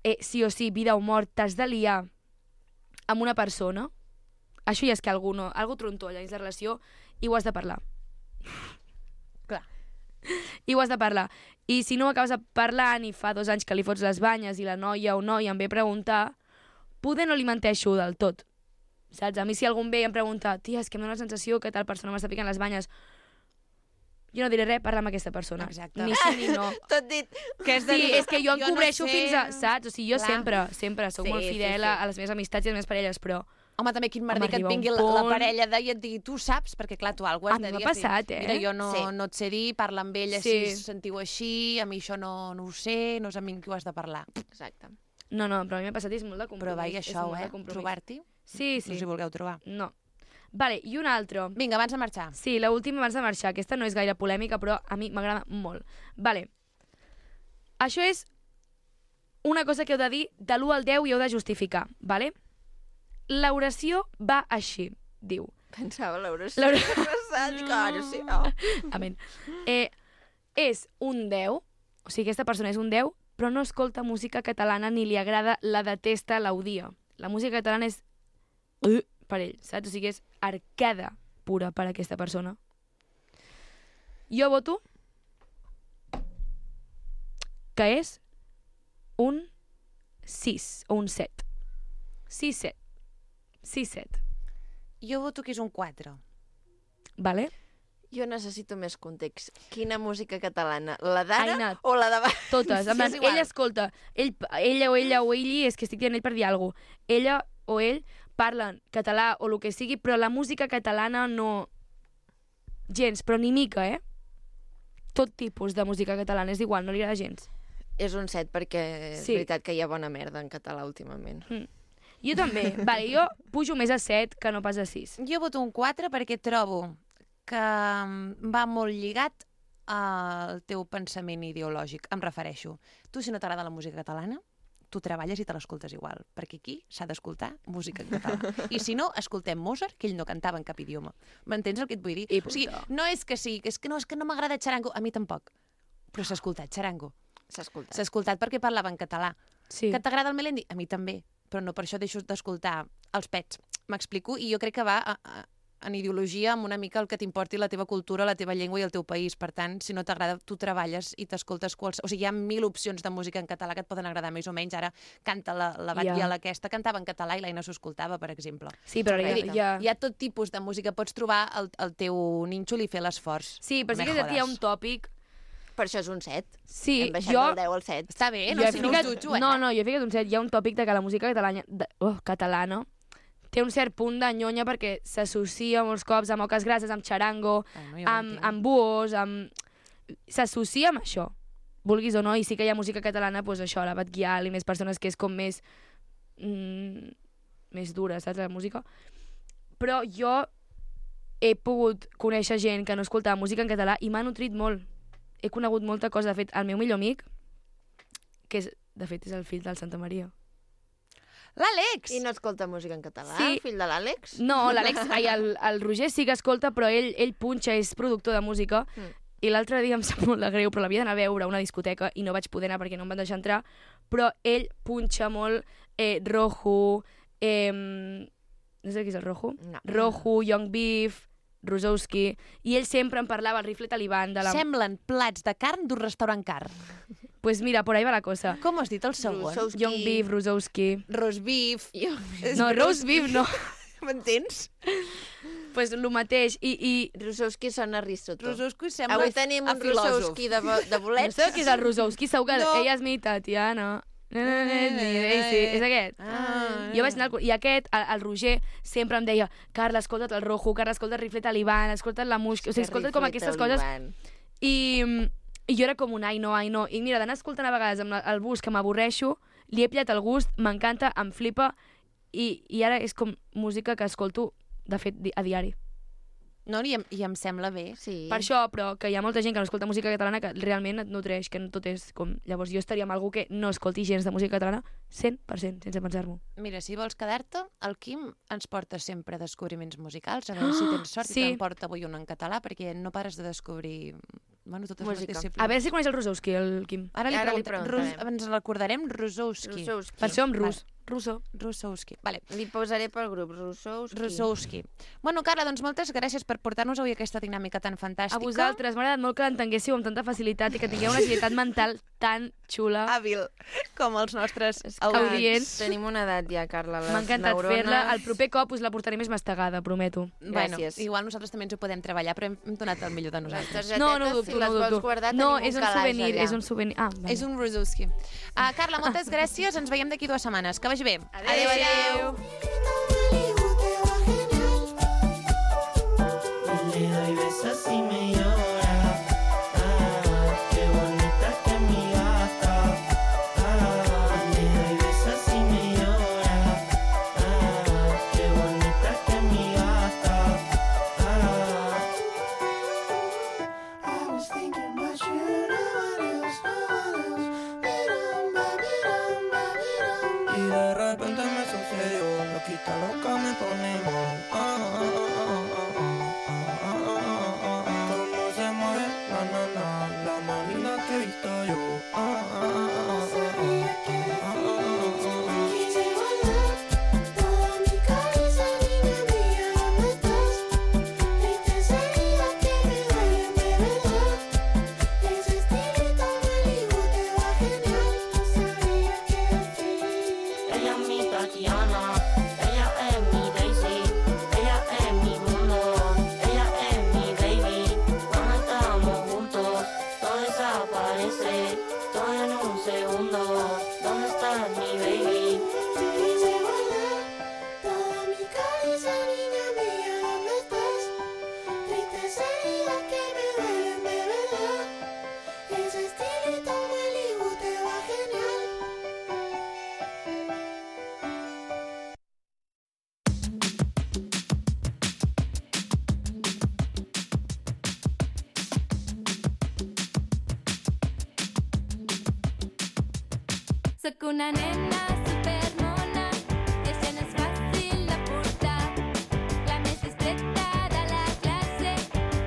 S9: eh, sí o sí, vida o mort, t'has de liar amb una persona, això ja és que algú, no, algú trontolla dins la relació i ho has de parlar.
S1: Clar.
S9: I ho has de parlar. I si no acabes parlant i fa dos anys que li fots les banyes i la noia o noia em ve a preguntar, poder no li menteixo del tot. Saps? A mi si algú em ve i em pregunta, tia, és que em dóna la sensació que tal persona m'està picant les banyes, jo no diré res, parla amb aquesta persona.
S1: Exacte.
S9: Ni sí ni no.
S2: Tot dit.
S1: Que és de
S9: Sí,
S1: dir,
S9: és que jo
S1: no
S9: encobreixo
S1: sé.
S9: fins a... Saps? O sigui, jo
S1: Clar.
S9: sempre, sempre soc
S2: Sí,
S9: molt
S2: sí,
S9: fidel
S2: sí.
S9: a, a les meves amistats i a les meves parelles, però...
S1: Home, també quin merder
S9: Home,
S1: que et
S9: arriba un
S1: vingui la, la
S9: punt-
S1: parella de i et digui, tu saps, perquè clar, tu alguna
S9: A
S1: has
S9: mi
S1: de
S9: m'ha
S1: dir.
S9: passat, eh?
S1: Mira, jo no,
S2: Sí.
S1: no et sé dir, parla amb ella
S9: Sí.
S1: si sentiu així, a mi això no, no ho sé, no és amb mi qui ho has de parlar.
S2: Exacte.
S9: No, no, però a mi m'ha passat i és molt de compromís.
S1: Però vaig,
S9: és
S1: això,
S9: molt de
S1: eh?
S9: compromís.
S1: Trobar-t'hi,
S9: Sí,
S1: no
S9: sí.
S1: us hi vulgueu trobar.
S9: No. Vale, i un altre.
S1: Vinga, abans de marxar.
S9: Sí, l'última abans de marxar. Aquesta no és gaire polèmica, però a mi m'agrada molt. Vale. Això és una cosa que heu de dir de l'u al deu i heu de justificar, vale? L'oració va així, diu.
S2: Pensava l'oració.
S9: L'oració-
S2: Passat, claro, sí. Oh.
S9: Amén. Eh, és un deu, o sigui, aquesta persona és un deu, però no escolta música catalana ni li agrada, la detesta, l'odia. La música catalana és uh, per ell, saps? O sigui, és arcada pura per a aquesta persona. Jo voto que és un sis o un set. sis set. sis set.
S1: Jo voto que és un quatre.
S9: Vale?
S2: Jo necessito més context. Quina música catalana? La d'ara
S9: Aina.
S2: o la de...
S9: Totes.
S1: Sí,
S9: En plan,
S1: és igual.
S9: ell escolta, ell, ella o ella o ell, és que estic dient ell per dir alguna cosa. Ella o ell parlen català o el que sigui, però la música catalana no... Gens, però ni mica, eh? Tot tipus de música catalana, és igual, no li agrada gens.
S2: És un set perquè és
S9: Sí.
S2: veritat que hi ha bona merda en català últimament.
S9: Jo també. Vale, jo pujo més a set que no pas a sis.
S1: Jo voto un quatre perquè trobo que mm, va molt lligat al teu pensament ideològic. Em refereixo. Tu, si no t'agrada la música catalana, tu treballes i te l'escoltes igual, perquè aquí s'ha d'escoltar música en català. I si no, escoltem Mozart, que ell no cantava en cap idioma. M'entens el que et vull dir?
S9: I
S1: O sigui,
S9: puta.
S1: no és que sí, és que no, és que no m'agrada xarango, a mi tampoc. Però s'ha escoltat xarango.
S2: S'ha escoltat.
S1: S'ha escoltat perquè parlava en català.
S9: Sí.
S1: Que t'agrada el Melendi? A mi també, però no per això deixo d'escoltar els pets. M'explico? I jo crec que va a, a, en ideologia amb una mica el que t'importi la teva cultura, la teva llengua i el teu país. Per tant, si no t'agrada, tu treballes i t'escoltes quals... O sigui, hi ha mil opcions de música en català que et poden agradar més o menys. Ara canta la, la Batllala
S9: Ja.
S1: aquesta, cantava en català i l'Aina s'ho escoltava, per exemple.
S9: Sí, però
S1: Vull
S9: ja,
S1: dir,
S9: ja...
S1: Hi ha tot tipus de música. Pots trobar el, el teu nínxol i fer l'esforç.
S9: Sí, però sí
S1: Me
S9: que aquí hi ha
S1: jodes.
S9: un tòpic.
S2: Per això és un set.
S9: Sí,
S2: Hem baixat
S9: jo...
S2: del deu al set.
S1: Està bé,
S9: jo
S1: no,
S9: he
S1: si no
S9: ficat...
S1: us jutjo, eh?
S9: No, no, jo he ficat un set. Hi ha un tòpic de que la música catalana, de... oh, catalana té un cert punt de nyonya perquè s'associa molts cops amb oques grasses, amb xarango,
S1: Ah, no, jo ho
S9: amb,
S1: entenc.
S9: amb buos, amb... S'associa amb això, vulguis o no, i sí que hi ha música catalana, doncs això, la Bat Guial i més persones que és com més... Mm, més dura, saps, la música? Però jo he pogut conèixer gent que no escoltava música en català i m'ha nutrit molt. He conegut molta cosa. De fet, el meu millor amic, que és, de fet és el fill del Santa Maria.
S1: L'Àlex!
S2: I no escolta música en català,
S9: Sí.
S2: el fill de l'Àlex?
S9: No, l'Àlex, ai, el, el Roger sí que escolta, però ell, ell punxa, és productor de música,
S2: Mm.
S9: i l'altre dia em sap molt de greu, però l'havia d'anar a veure a una discoteca i no vaig poder anar perquè no em van deixar entrar, però ell punxa molt eh, Rojo, eh, no sé qui és el Rojo?
S2: No.
S9: Rojo, Young Beef, Rosowski, i ell sempre em parlava, el rifle taliban de la...
S1: Semblen plats de carn d'un restaurant car.
S9: Pues mira, por ahí va la cosa.
S1: Com has dit el segon?
S2: Rosowski.
S9: Young Beef, Rosowski...
S1: Roast beef.
S9: No, roast beef no.
S1: M'entens?
S9: Pues el mateix, i... i...
S2: Rosowski sona Aristotle.
S1: Rosowski sembla
S2: Avui tenim
S1: a
S2: un
S1: filòsof.
S2: Rosowski de, bo- de bolets.
S9: No sé qui és el Rosowski, segur que
S1: No.
S9: ella és mi Tatiana. No, no, no, no, sí, és aquest.
S1: Ah,
S9: Jo vaig anar al... I aquest, el, el Roger, sempre em deia Carla, escolta't el Rojo, Carla, escolta el rifle taliban, escolta't la música... O sigui, escolta't com aquestes coses... I, I jo era com un ai no, ai no. I mira, d'anar escoltant a vegades amb la, el bus que m'avorreixo, li he pillat el gust, m'encanta, em flipa, i, i ara és com música que escolto, de fet, di- a diari.
S1: No, i em, i em sembla bé.
S2: Sí.
S9: Per això, però que hi ha molta gent que no escolta música catalana que realment et nutreix, que no tot és com... Llavors jo estaria amb algú que no escolti gens de música catalana cent per cent, sense pensar-m'ho.
S1: Mira, si vols quedar-te, el Quim ens porta sempre descobriments musicals. A veure si tens sort
S9: sí.
S1: i te'n porta avui un en català, perquè no pares de descobrir... Bueno, totes
S2: Música.
S1: les disciplines.
S9: A veure si coneix el Rosowski, el Quim.
S1: Ara li,
S2: Ara li
S1: preguntem,
S2: preguntarem.
S1: Rus, ens recordarem Rosowski.
S2: Rosowski.
S9: Per això amb rus. Russo.
S1: Rosowski. Vale.
S2: Li posaré pel grup, Rosowski.
S1: Rosowski. Bueno, Carla, doncs moltes gràcies per portar-nos avui aquesta dinàmica tan fantàstica.
S9: A vosaltres, m'ha agradat molt que l'entenguéssiu amb tanta facilitat i que tingueu una agilitat mental tan xula.
S1: Hàbil, com els nostres
S2: És que
S9: audients.
S2: Tenim una edat ja, Carla. Les
S9: M'ha encantat
S2: neurones...
S9: fer-la. El proper cop us la portaré més mastegada, prometo.
S1: Bueno,
S2: Gràcies.
S1: igual nosaltres també ens ho podem treballar, però hem, hem donat el millor de
S2: Les
S1: nosaltres.
S2: targetetes,
S9: No, no ho
S2: si
S9: dubto,
S2: les
S9: no ho
S2: vols
S9: dubto.
S2: guardar,
S9: No,
S2: tenim
S9: és un
S2: calaix
S9: souvenir,
S2: allà.
S9: és un souvenir. Ah, vale.
S1: És un Rosowski. Uh, Carla, moltes gràcies. Ens veiem d'aquí dues setmanes. Que vagi bé.
S2: Adéu, adéu.
S8: Le doy besos y me llora. Ah, qué bonita que es mi gata. Ah, le doy besos y me llora. Ah, qué bonita que es mi gata. Ah. I was thinking about you, no one else, no one else. Biramba, biramba, biramba. Y de repente me sucedió, loquita loca me pone mal. Ah, ah, ah, ah, ah, ah, ah, ah. Cómo se mueve, na, na, na, la más linda que he visto yo. Ah, ah, ah, ah, ah, ah, ah, ah.
S4: Quise volar toda mi cabeza, niña mía, ¿dónde estás? Triste sería que me duelen de verdad. Ese estilito Malibu te va genial. No sabía que así.
S8: Ella es mi Tatiana, ella es mi Daisy, ella es mi mundo, ella es mi baby. Cuando estamos juntos, todo desaparece, todo en un segundo. ¿Dónde estás, mi baby?
S4: Quise volar toda mi cabeza, niña mía, ¿dónde estás? Triste sería que me duelen de verdad. Ese estilito Malibu te va genial.
S10: Soc una nena supermona que se n'és fàcil de portar. La més discreta de la classe,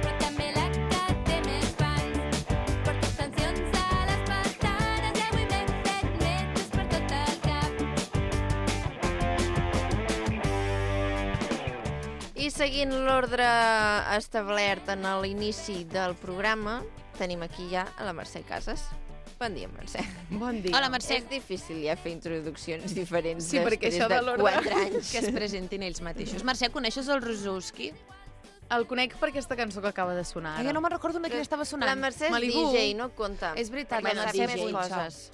S10: però també la que té més fans. Porto extensions a les pestanes i avui m'he fet metres per tot el cap.
S2: I seguint l'ordre establert en l'inici del programa, tenim aquí ja a la Mercè Casas. Bon dia, Mercè.
S11: Bon dia.
S1: Hola, Mercè.
S2: És difícil ja fer introduccions diferents
S11: Sí, perquè
S2: després
S11: això de
S2: de
S11: l'ordre-
S2: quatre anys.
S1: Que es presentin ells mateixos. Mercè, coneixes el Rosowski?
S11: El conec per aquesta cançó que acaba de sonar
S1: Ai,
S11: ara.
S1: jo no me'n recordo de quina estava sonant.
S2: La Mercè és
S11: Malibu.
S2: D J, no compta.
S1: És veritat,
S2: Perquè
S1: la
S2: no
S1: Mercè
S2: sap
S1: és
S2: més
S1: punxa.
S2: coses.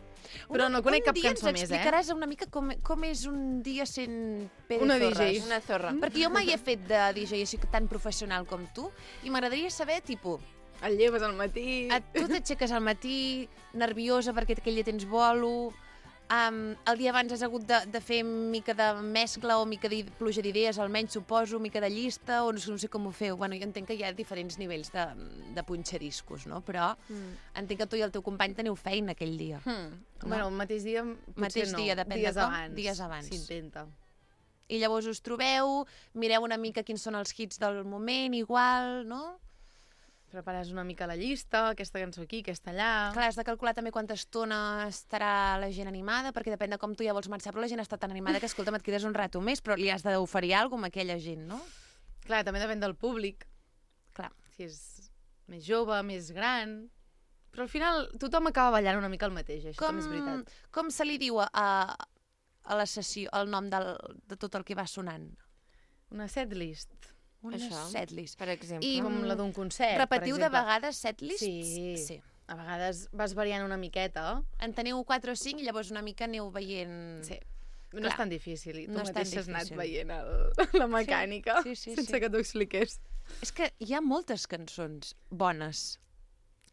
S11: Però no conec cap
S1: un dia
S11: cançó
S1: ens
S11: més, eh?
S1: explicaràs una mica com, com és un dia sent Pere
S11: Una D J.
S1: Torres.
S2: Una zorra.
S1: Perquè jo mai he fet de D J així tan professional com tu i m'agradaria saber, tipus,
S11: Et lleves al matí...
S1: et, tu t'aixeques al matí nerviosa perquè aquell dia tens bolo, um, el dia abans has hagut de, de fer mica de mescla o mica de pluja d'idees, almenys suposo, mica de llista, o no sé, no sé com ho feu. Bueno, jo entenc que hi ha diferents nivells de, de punxadiscos, no? Però
S2: Mm.
S1: entenc que tu i el teu company teniu feina aquell dia.
S11: Hmm. Bueno, el mateix dia potser
S1: Mateix
S11: no.
S1: dia, depèn de
S11: dies
S1: com.
S11: abans.
S1: Dies abans.
S11: S'intenta.
S1: I llavors us trobeu, mireu una mica quins són els hits del moment, igual, no?
S11: prepares una mica la llista, aquesta cançó aquí, aquesta allà...
S1: Clar, has de calcular també quanta estona estarà la gent animada, perquè depèn de com tu ja vols marxar, però la gent està tan animada que, escolta'm, et quedes un rato més, però li has d'oferir alguna cosa a aquella gent, no?
S11: Clar, també depèn del públic.
S1: Clar.
S11: Si és més jove, més gran... Però al final tothom acaba ballant una mica el mateix, això
S1: Com,
S11: també és veritat.
S1: com se li diu a, a la sessió el nom del, de tot el que va sonant?
S11: Una setlist.
S1: Una
S2: Això,
S1: setlist.
S2: per exemple.
S1: I,
S11: Com la d'un concert,
S1: Repetiu
S11: per
S1: de
S11: exemple.
S1: vegades setlists?
S11: Sí.
S1: sí.
S11: A vegades vas variant una miqueta.
S1: En teniu quatre o cinc i llavors una mica aneu veient...
S11: Sí. No
S1: Clar.
S11: és tan difícil. I tu
S1: No és tan
S11: mateix has anat
S1: difícil.
S11: veient el, la mecànica
S1: Sí, sí, sí,
S11: sense
S1: sí.
S11: que t'ho expliqués.
S1: És que hi ha moltes cançons bones.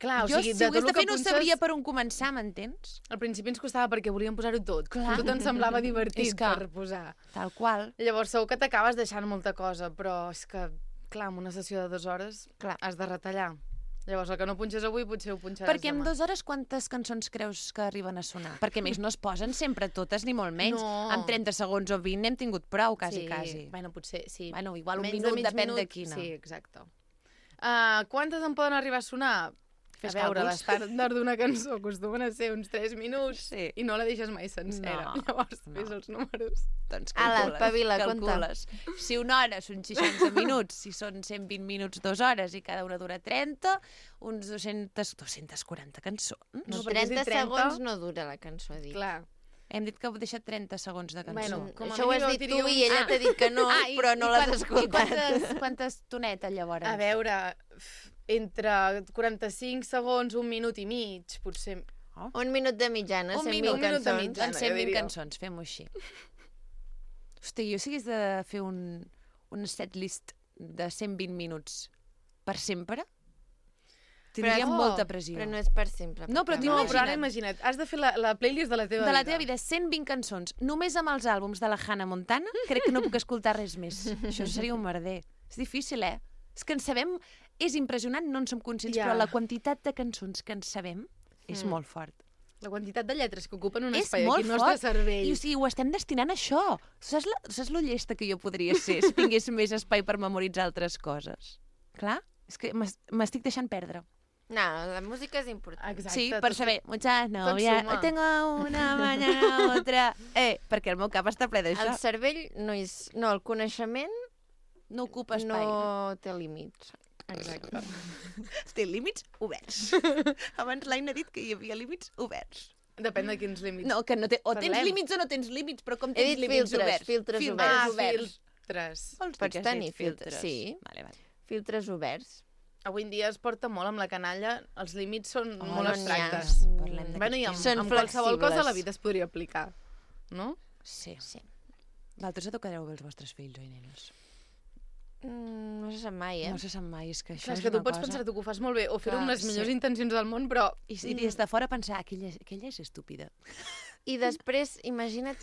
S11: Clar, o
S1: jo,
S11: sigui,
S1: si
S11: de
S1: ho hagués
S11: tot
S1: de
S11: el que
S1: fer, no
S11: punxes-
S1: sabria per on començar, m'entens?
S11: Al principi ens costava perquè volíem posar-ho tot.
S1: Clar.
S11: Tot ens semblava divertit
S1: És que-
S11: per posar.
S1: Tal qual.
S11: Llavors segur que t'acabes deixant molta cosa, però és que, clar, en una sessió de dues hores
S1: Clar.
S11: has de retallar. Llavors, el que no punxes avui potser ho punxaràs
S1: Perquè en
S11: demà.
S1: dues hores quantes cançons creus que arriben a sonar? Perquè a més no es posen sempre totes, ni molt menys.
S11: No.
S1: Amb trenta segons o vint n'hem tingut prou, quasi,
S11: sí.
S1: quasi.
S11: Bueno, potser, sí.
S1: Bueno, igual un
S11: Menys
S1: minut,
S11: mig
S1: depèn
S11: minut,
S1: de quina.
S11: Sí, exacte. Uh, quantes en poden arribar a sonar?
S1: Fes
S11: a veure,
S1: càlculs.
S11: l'estàndard d'una cançó acostumen a ser uns tres minuts
S1: Sí.
S11: i no la deixes mai sencera.
S1: No,
S11: Llavors,
S1: no.
S11: fes els números.
S1: Doncs
S2: Ala,
S1: calcules,
S2: espavila,
S1: calcules. Si una hora són seixanta minuts, si són cent vint minuts, dues hores, i cada una dura trenta, uns dos-cents, dos-cents quaranta cançons.
S11: No, perquè has
S2: trenta
S11: dit trenta.
S2: segons no dura la cançó, dic.
S11: Clar.
S1: Hem dit que heu deixat trenta segons de cançó.
S11: Bueno, com a
S2: Això ho has
S11: mínim
S2: dit
S11: diria
S2: tu
S11: un-
S2: i ella
S1: Ah.
S2: t'ha dit que no,
S1: Ah, i-
S2: però no
S1: i
S2: l'has
S1: quan-
S2: escoltat.
S1: I quantes, quantes tonetes, llavors?
S11: A veure, f- entre quaranta-cinc segons, un minut i mig, potser...
S2: Un minut de mitjana,
S1: Un
S2: cent
S1: minut,
S2: mil
S11: un minut de
S2: cançons.
S11: mitjana.
S1: Doncs cent vint
S11: jo diria.
S1: cançons, fem-ho així. Hosti, jo si hagués de fer un, un setlist de cent vint minuts per sempre, tindria
S2: Però-
S1: molta pressió.
S2: Però no és per sempre.
S1: No, però
S2: perquè-
S1: t'ho
S11: No, però ara
S1: imagina't.
S11: imagina't, has de fer la, la playlist de la teva
S1: De
S11: vida.
S1: la teva vida, cent vint cançons, només amb els àlbums de la Hannah Montana, crec que no puc escoltar res més. Això seria un merder. És difícil, eh? És que en sabem... És impressionant, no en som conscients,
S11: Ja.
S1: però la quantitat de cançons que en sabem és
S11: Mm.
S1: molt fort.
S11: La quantitat de lletres que ocupen un
S1: És
S11: espai
S1: molt
S11: aquí al
S1: fort.
S11: nostre cervell.
S1: I o sigui, ho estem destinant a això. Saps, la, saps lo llesta que jo podria ser si tingués més espai per memoritzar altres coses? Clar, és que m'es- m'estic deixant perdre.
S2: No, la música és important.
S11: Exacte.
S1: Sí, per
S11: tot-
S1: saber, muchas novias,
S11: suma.
S1: tengo una mañana otra... Eh, perquè el meu cap està ple d'això.
S2: El cervell no és... No, el coneixement
S1: No ocupa espai.
S2: no té límits.
S11: Exacte.
S1: Té límits oberts. Abans l'Aina ha dit que hi havia límits oberts.
S11: Depèn de quins límits.
S1: No, que no té... o tens
S11: Parlem.
S1: límits o no tens límits, però com
S2: He
S1: tens
S2: dit
S1: límits
S2: filtres,
S1: oberts?
S2: filtres
S1: filtres
S2: oberts.
S11: Ah,
S1: oberts.
S11: filtres.
S1: Vols dir
S2: Pots
S1: que has
S2: tenir
S1: dit
S2: filtres, sí.
S1: Vale, vale.
S2: Filtres oberts.
S11: Avui en dia es porta molt amb la canalla, els límits són
S2: Oh,
S11: molt
S2: no n'hi ha.
S11: abstractes.
S1: Parlem d'aquest
S11: Bueno, i amb,
S2: tema. Són
S11: amb qualsevol cosa
S2: flexibles.
S11: la vida es podria aplicar, no?
S1: Sí.
S2: Sí.
S1: Vosaltres educareu bé els vostres fills, oi, nenes?
S2: Mm, no se sap mai, eh?
S1: No se sap mai, és que això
S11: Clar, és
S1: és
S11: que tu
S1: una
S11: pots
S1: cosa...
S11: pensar tu que ho fas molt bé o fer-ho
S1: Clar,
S11: amb les
S1: sí.
S11: millors intencions del món, però...
S1: I, I des de fora pensar, aquella, aquella és estúpida.
S2: I després, imagina't...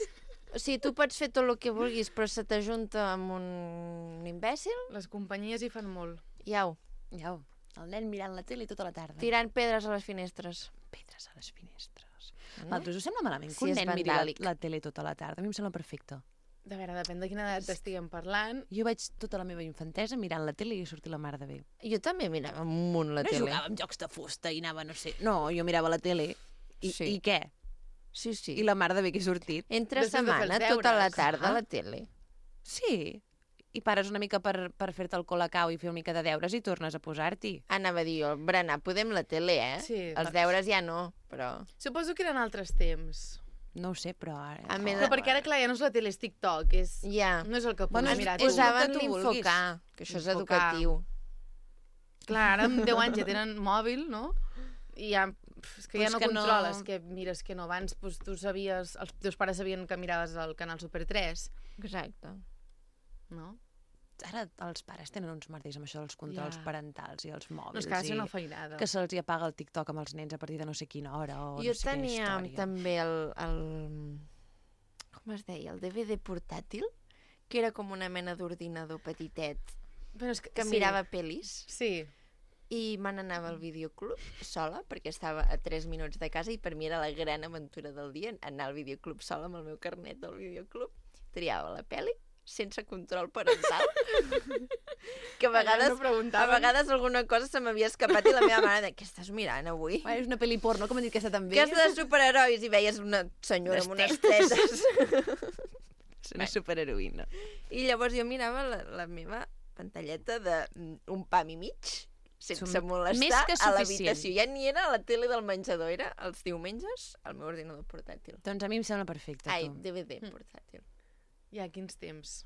S2: O sigui, tu pots fer tot el que vulguis, però se t'ajunta amb un imbècil,
S11: les companyies hi fan molt.
S2: iau,
S1: Ja, el nen mirant la tele tota la tarda.
S2: tirant pedres a les finestres.
S1: pedres a les finestres.
S2: No?
S1: No? Vosaltres us sembla malament que
S2: Sí,
S1: un
S2: és
S1: nen miri la,
S2: vandàlic.
S1: la tele tota la tarda? A mi em sembla perfecte.
S11: De veure, depèn de quina edat estiguem parlant.
S1: Jo vaig tota la meva infantesa mirant la tele i sortir la mar de bé.
S2: Jo també mirava un munt la
S1: no
S2: tele.
S1: jugava amb jocs de fusta i anava, no sé... No, jo mirava la tele i,
S2: Sí.
S1: i què?
S2: Sí, sí.
S1: I la mar de bé que he sortit.
S2: Entre
S11: Després de fer els
S2: setmana, tota la
S11: deures.
S2: tarda, a
S1: Ah.
S2: la tele.
S1: Sí. I pares una mica per, per fer-te el colacau i fer una mica de deures i tornes a posar-t'hi.
S2: Anava a dir jo, berenar podem la tele, eh?
S11: Sí,
S2: Els
S11: doncs.
S2: deures ja no, però...
S11: Suposo que eren altres temps.
S1: No ho sé, però... Ara...
S2: A més
S11: Però perquè ara, clar, ja no és la tele, és TikTok. És...
S2: Ja.
S11: No és el que puguis
S1: Bueno, és-
S11: mirar
S1: és
S11: tu.
S1: el
S2: Posaven
S1: que tu vulguis.
S2: l'infocar, que això és
S11: Infocar.
S2: educatiu.
S11: Clar, ara amb deu anys ja tenen mòbil, no? I ja, pf, és que
S1: Però
S11: ja
S1: és
S11: no
S1: que no-
S11: controles, que mires que no. Abans doncs, tu sabies, els teus pares sabien que miraves el canal Super tres,
S2: Exacte.
S11: no?
S1: Ara els pares tenen uns merders amb això dels controls
S11: Ja.
S1: parentals i els mòbils.
S11: No, és que ha de ser
S1: i
S11: una feinada.
S1: que se'ls hi apaga el TikTok amb els nens a partir de no sé quina hora o
S2: Jo
S1: no sé
S2: tenia
S1: quina història.
S2: també el, el... Com es deia? El D V D portàtil, que era com una mena d'ordinador petitet,
S11: Però és que,
S2: que
S11: sí.
S2: mirava pel·lis.
S11: Sí.
S2: I me n'anava al videoclub sola, perquè estava a tres minuts de casa i per mi era la gran aventura del dia anar al videoclub sola amb el meu carnet del videoclub. Triava la pel·li, sense control parental. Que a vegades,
S11: no
S2: a vegades alguna cosa se m'havia escapat i la meva mare de què estàs mirant avui?
S1: És una pel·li porno, com han dit que està també.
S2: Que és de superherois i veies una senyora amb unes tetes.
S1: És una superheroïna.
S2: I llavors jo mirava la, la meva pantalleta d'un pam i mig, sense
S1: Som
S2: molestar,
S1: més que
S2: a
S1: suficient.
S2: l'habitació. Ja ni era a la tele del menjador, era els diumenges al meu ordinador portàtil.
S1: Doncs a mi em sembla perfecte.
S2: Ai,
S1: tu.
S2: D V D portàtil.
S11: Ja, quins temps.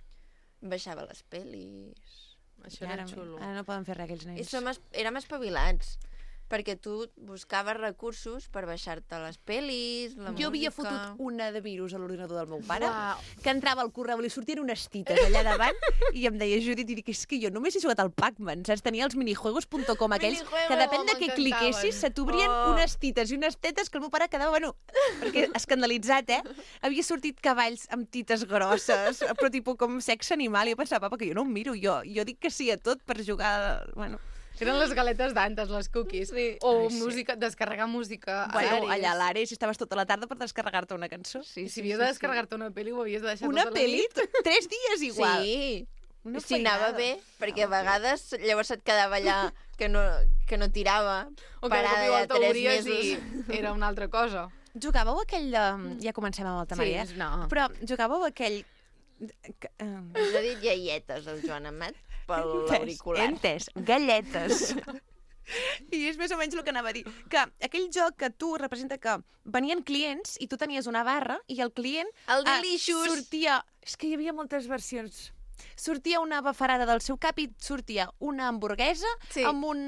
S2: Baixava les pel·lis...
S11: Això
S1: ara,
S11: era xulo.
S1: Ara no poden fer res, aquells
S2: I
S1: nens.
S2: som es, érem espavilats, perquè tu buscaves recursos per baixar-te les pel·lis, la
S1: Jo havia
S2: música...
S1: fotut una de virus a l'ordinador del meu pare,
S11: Uau.
S1: que entrava al correu, li sortien unes tites allà davant, i em deia, Judit, i dic, és que jo només he jugat al Pac-Man, saps? Tenia els minijuegos punt com aquells,
S2: Minijuegos,
S1: que depèn de què
S11: m'encantaven.
S1: cliquessis, se t'obrien
S2: Oh.
S1: unes tites i unes tetes que el meu pare quedava, bueno, perquè escandalitzat, eh? Havia sortit cavalls amb tites grosses, però tipus com sexe animal, i jo pensava, papa, que jo no em miro, jo, jo dic que sí a tot per jugar, bueno...
S11: Eren les galetes d'antes, les cookies.
S2: Sí.
S11: O
S1: Ai, sí.
S11: música, descarregar música.
S1: Bueno,
S11: Ares.
S1: allà a l'Ares estaves tota la tarda per descarregar-te una cançó.
S2: Sí,
S11: I si havies de descarregar-te una pel·li, ho havies de deixar
S1: Una
S11: tota la
S1: pel·li?
S11: nit.
S1: Tres dies igual.
S2: Sí,
S1: Una
S2: si anava
S1: feinada.
S2: bé, perquè a vegades llavors et quedava allà que no, que no tirava,
S11: O que de cop
S2: parada
S11: i
S2: de
S11: volta
S2: tres
S11: obries
S2: mesos.
S11: i era una altra cosa.
S1: Jugàveu aquell de... Ja comencem amb el temari,
S11: Sí,
S1: eh?
S11: no.
S1: Però jugàveu aquell... que, eh,
S2: Ens ha dit iaietes, el Joan Amat, per l'auricular.
S1: He entès, galletes. I és més o menys el que anava a dir. Que aquell joc que tu representa que venien clients i tu tenies una barra i el client...
S2: El
S1: ah,
S2: Delicious.
S1: sortia... És que hi havia moltes versions. Sortia una bafarada del seu cap i sortia una hamburguesa
S2: Sí.
S1: amb un...